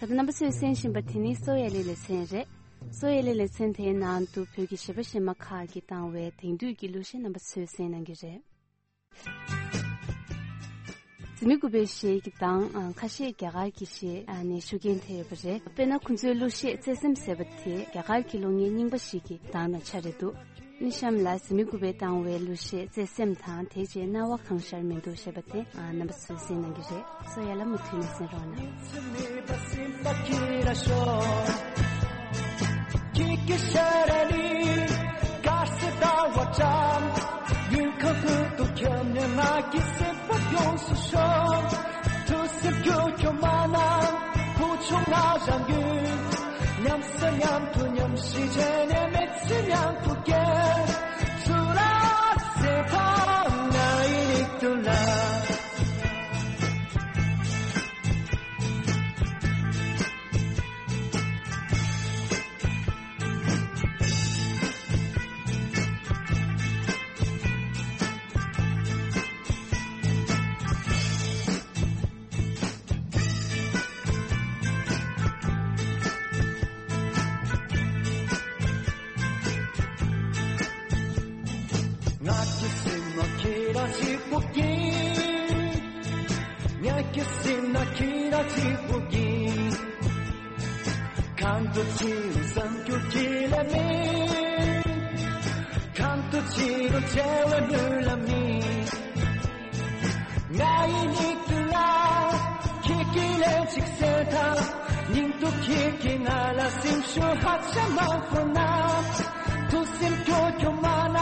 ད་ལྟ་རྣམ་པ་ཚོས་གསན་བཞིན་པ་དེ་ནི་སོ་ཡ་ལི་ལེ་ཚན་རེད། སོ་ཡ་ལི་ལེ་ཚན་དེའི་ནང་དུ་བོད་ཀྱི་གཞས་པ་གཞས་མ་ཁག་གིས་བཏང་བའི་དེང་དུས་ཀྱི་གླུ་གཞས་རྣམ་པ་ཚོས་གསན་གནང་གི་རེད། འཛིན་མའི་སྐུ་པའི་གཞས་ཀྱི་གདངས་ཁ་ཤས་རྒྱ་གར་གྱི་གཞས་ནས་ཤུགས་རྐྱེན་ཐེབས་ཡོད་པ་རེད། དཔེར་ན་ཁོ་ཚོའི་གླུ་གཞས་བརྩེ་སེམས་ཟེར་བ་དེ་རྒྱ་གར་གྱི་གླུ་སྙན་རྙིང་པ་ཞིག་གི་གདངས་དང་ཆ་རེད་འདུག། ནི་གཤམ་ལ་འཛིན་མའི་སྐུ་པས་བཏང་བའི་གླུ་གཞས་བརྩེ་སེམས་དང་དེ་རྗེས་སྣང་བ་གང་ཤར་མི་འདུག་ཞེས་པ་དེ་རྣམ་པ་ཚོས་གསན་གནང་གི་རེད། སོ་ཡ་ལ་མུ་མཐུད་ནས་གསན་རོགས་གནང་། ཐུགས་སེམས་སྐྱོ་སྐྱོ་མ་གནང་། ཁུ་ཆུང་ང་རང་རྒྱུད། མཉམ་ཟ་མཉམ་འཐུང་མཉམ་ཤི་བྱས་ནས་མི་ཚེ་མཉམ་དུ་སྐྱེལ། ཚུར་ལ་ཟེར་ཐོག་ང་ཡི་མིག་ཏུ་ལ། ང་གི་སེམས་ནང་ཁྱེད་རང་གཅིག་པུ་ཡིན། ངེད་ཀྱི་སེམས་ནང་ཁྱེད་རང་གཅིག་པུ་ཡིན། གང་དུ་ཕྱིན་རུང་བསམ་རྒྱུ་ཁྱེད་ལ་མེད། གང་དུ་ཕྱིན་རུང་བརྗེ་བའི་ལུས་ལ་མེད། ང་ཡི་མིག་ཏུ་ལ་ཁྱེད་ཀྱིས་ལན་གཅིག་གསལ་ཐལ། སྙིང་སྡུག་ཁྱེད་ཀྱིས་ང་ལ་སེམས་ཤུགས་ཧ་ཅང་མང་པོ་གནང་། ཐུགས་སེམས་སྐྱོ་སྐྱོ་མ་གནང་།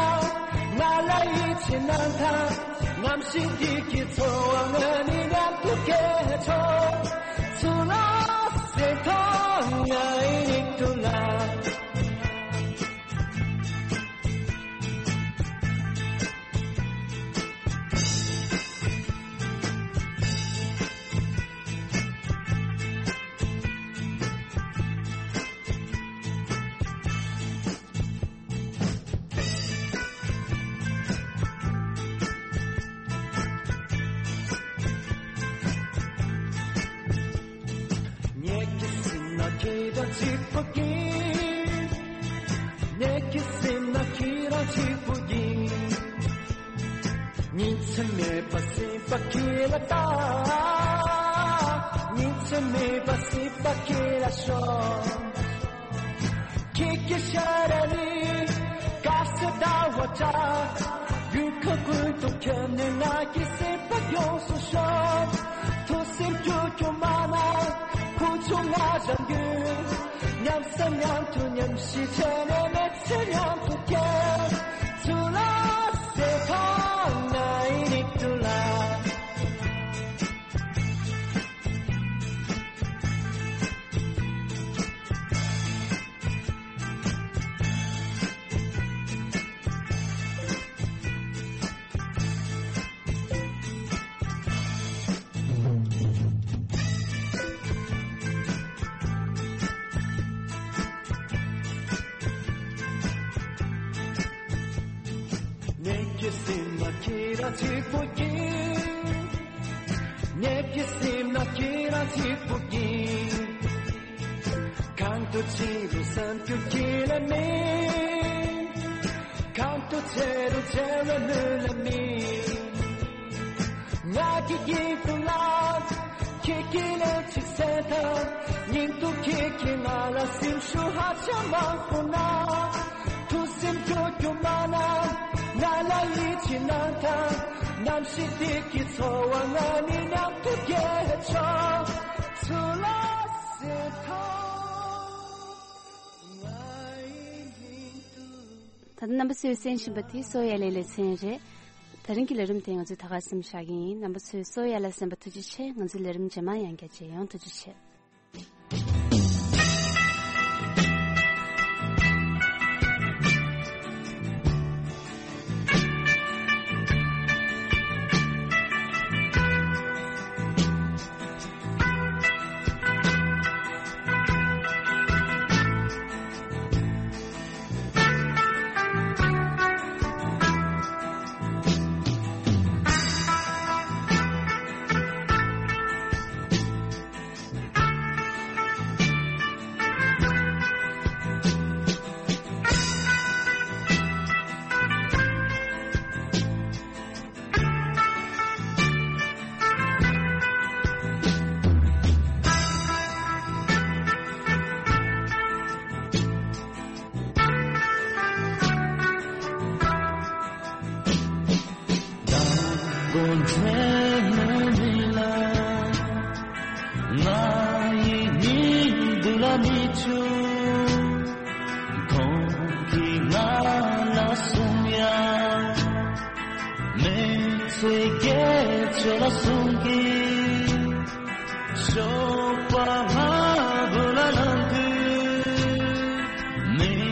ང་ལ་ཡིད་ཆེས་གནང་དང་། རྔམ་ཞིག་འདི་གི་ཚོར་བ་ང་ནི་མཉམ་དུ་སྐྱེལ་ཆོག། ཚུར་ལ་ཟེར་ཐོག་ང་ཡི་མིག་ཏུ་ལ། ངེད་ཀྱི་སེམས་ན་ཁྱེད་རང་གཅིག་པུ་ཡིན། ངེད་ཀྱི་སེམས་ན་ཁྱེད་རང་གཅིག་པུ་ཡིན། ཉིན་མཚན་མེད་པར་སེམས་པ་ཁྱེད་ལ་བལྟ། ཉིན་མཚན་མེད་པར་སེམས་པ་ཁྱེད་ལ་ཤོག། ཁྱེད་ཀྱི་ཤ་ར་ནི་དཀར་སེར་ཟླ་བ་འདྲ། ཡུལ་ཁམས་ཀུན་ཏུ་ཁྱབ་ནས་ང་གི་སེམས་པ་ཡོངས་སུ་ཤོག། ཐུགས་སེམས་སྐྱོ་སྐྱོ་མ་གནང་། ཁུ་ཆུང་ང་རང་རྒྱུད། མཉམ་ཟ་མཉམ་འཐུང་མཉམ་ཤི་བྱས་ནས་མི་ཚེ་མཉམ་དུ་སྐྱེལ། ཚུར་ལ་ཟེར་ཐོག་ང་ཡི་མིག་ཏུ་ལ། ངེད་ཀྱི་སེམས་ན་ཁྱེད་རང་གཅིག་པུ་ཡིན། ངེད་ཀྱི་སེམས་ན་ཁྱེད་རང་གཅིག་པུ་ཡིན། གང་དུ་ཕྱིན་རུང་བསམ་རྒྱུ་ཁྱེད་ལ་མེད། གང་དུ་བྱེད་རུང་བྱེད་ལ་ནུས་ལ་མེད། ང་གི་ཡིད་དུ་ལ་ཁྱེད་ཀྱིས་ལན་གཅིག་གསལ་ཐལ། སྙིང་སྡུག་ཁྱེད་ཀྱིས་ང་ལ་སེམས་ཤུགས་ཧ་ཅང་མང་པོ་གནང་། ཐུགས་སེམས་སྐྱོ་སྐྱོ་མ་གནང་། ང་ལ་ཡིད་ཆེས་གནང་དང་། རྣམ་ཤེས་འདི་གི་ཚོར་བ་ང་ནི་མཉམ་དུ་སྐྱེལ་ཆོག། ཚུར་ལ་ཟེར་ཐོག་ང་ཡི་མིག་ཏུ། ད་ལྟ་རྣམ་པ་ཚོས་གསན་བཞིན་པ་དེ་སོ་ཡ་ལེ་ལེ་ཚན་རེད། ད་རིང་གི་ལས་རིམ་དེ་ང་ཚོས་ད་ག་སེམས་བཞག་གི་ཡིན། རྣམ་པ་ཚོས་སོ་ཡ་ལ་གསན་པ་ཐུགས་རྗེ་ཆེ། ང་ཚོའི་ལས་རིམ་རྗེས་མ་ཡང་བསྐྱར་མཇལ་ཡོང་། ཐུགས་རྗེ་ཆེ། ང་ཡི་སྙིང་སྡུག་ལ་མི་ཆུ། ཁོང་གིས་ང་ལ་གསུང་ཡ། མི་ཚེ་སྐྱེལ་ཆོག་ལ་གསུང་གི། ཞོགས་པ་སྔ་པོ་ལ་ལངས་དུས། མིག་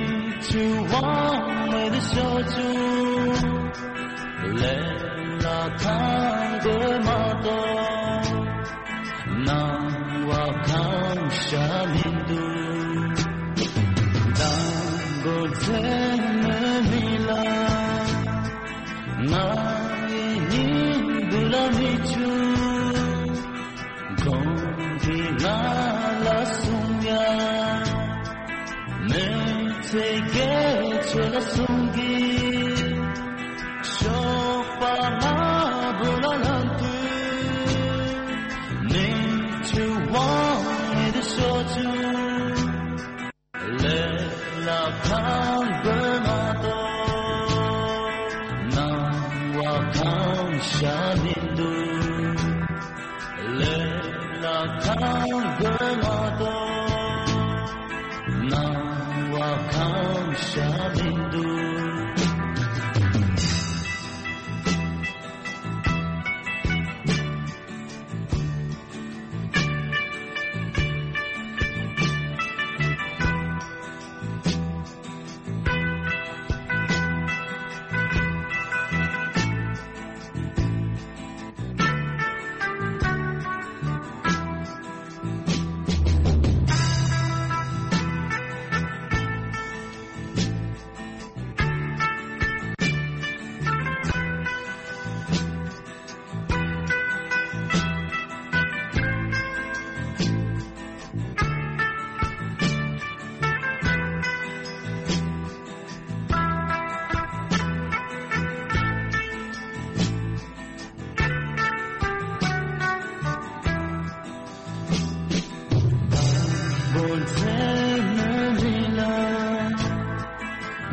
ཆུ་དབང་མེད་དུ་ཤོར་བྱུང་། ལས་ལ་ཁང་དགོས་མ་གཏོགས། སྣང་བ་གང་ཤར་མི་འདུག། དང་པོ་མཚན་མོའི་མི་ལ། ང་ཡི་སྙིང་སྡུག་ལ་མི་ཆུ། ཁོང་གིས་ང་ལ་གསུང་ཡ། མི་ཚེ་སྐྱེལ་ཆོག་ལ་གསུང་གི། ཞོགས་པ་སྔ་པོ་ལ་ལངས་དུས། མིག་ཆུ་དབང་མེད་དུ་ཤོར་བྱུང་། ལས་ལ་ཁང་དགོས་མ་གཏོགས། སྣང་བ་གང་ཤར་མི་འདུག། ལས་ལ་ཁང་དགོས་མ་གཏོགས། སྣང་བ་གང་ཤར་མི་འདུག།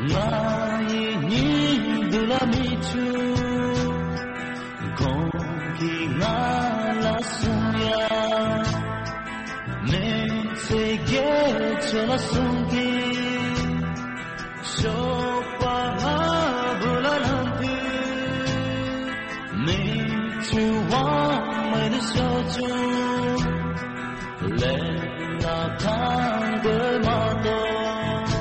ང་ཡི་སྙིང་སྡུག་ལ་མི་ཆུ། ཁོང་གིས་ང་ལ་གསུང་ཡ། མི་ཚེ་སྐྱེལ་ཆོག་ལ་གསུང་གི། ཞོགས་པ་སྔ་པོ་ལ་ལངས་དུས། མིག་ཆུ་དབང་མེད་དུ་ཤོར་བྱུང་། ལས་ལ་ཁང་དགོས་མ་གཏོགས།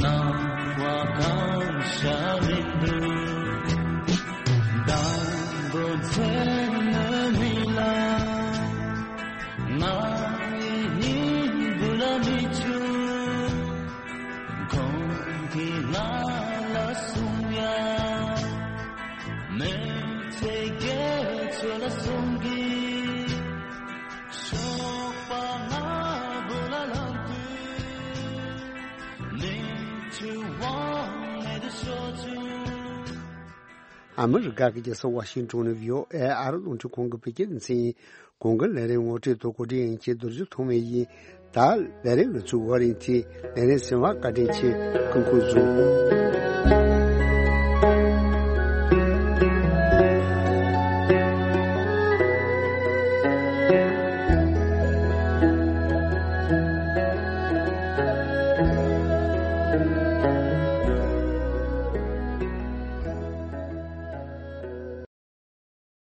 སྣང་བ་གང་ཤར་མི་འདུག། དང་པོ་མཚན་མོའི་མི་ལ། ང་ཡི་སྙིང་སྡུག་ལ་མི་ཆུ། ཁོང་གིས་ང་ལ་གསུང་ཡ། མི་ཚེ་སྐྱེལ་ཆོག་ལ་གསུང་གི། ཞོགས་པ་སྔ་པོ་ལ་ལངས་དུས། མིག་ཆུ་དབང་མེད་དུ་ཤོར་བྱུང་། ཨ་མི་རི་ཀ་གི་རྒྱལ་ས་ཝ་ཤིང་ཊོན་ནས་བྷི་ཨོ་ཨེ་ཨ་རི་རླུང་འཕྲིན་ཁང་གི་བོད་སྐད་སྡེ་ཚན་ཡིན། གོང་གི་ལས་རིམ་ངོ་སྤྲོད་དང་གོ་སྒྲིག་ཡིན་གྱི་རྡོ་རྗེ་ཐོགས་མེད་ཡིན། ད་ལས་རིམ་ལ་ཚུར་བ་རིང་ཐི་ལས་རིམ་གསན་པར་བཀའ་དྲིན་ཆེ། སྐུ་ཁམས་བཟང་།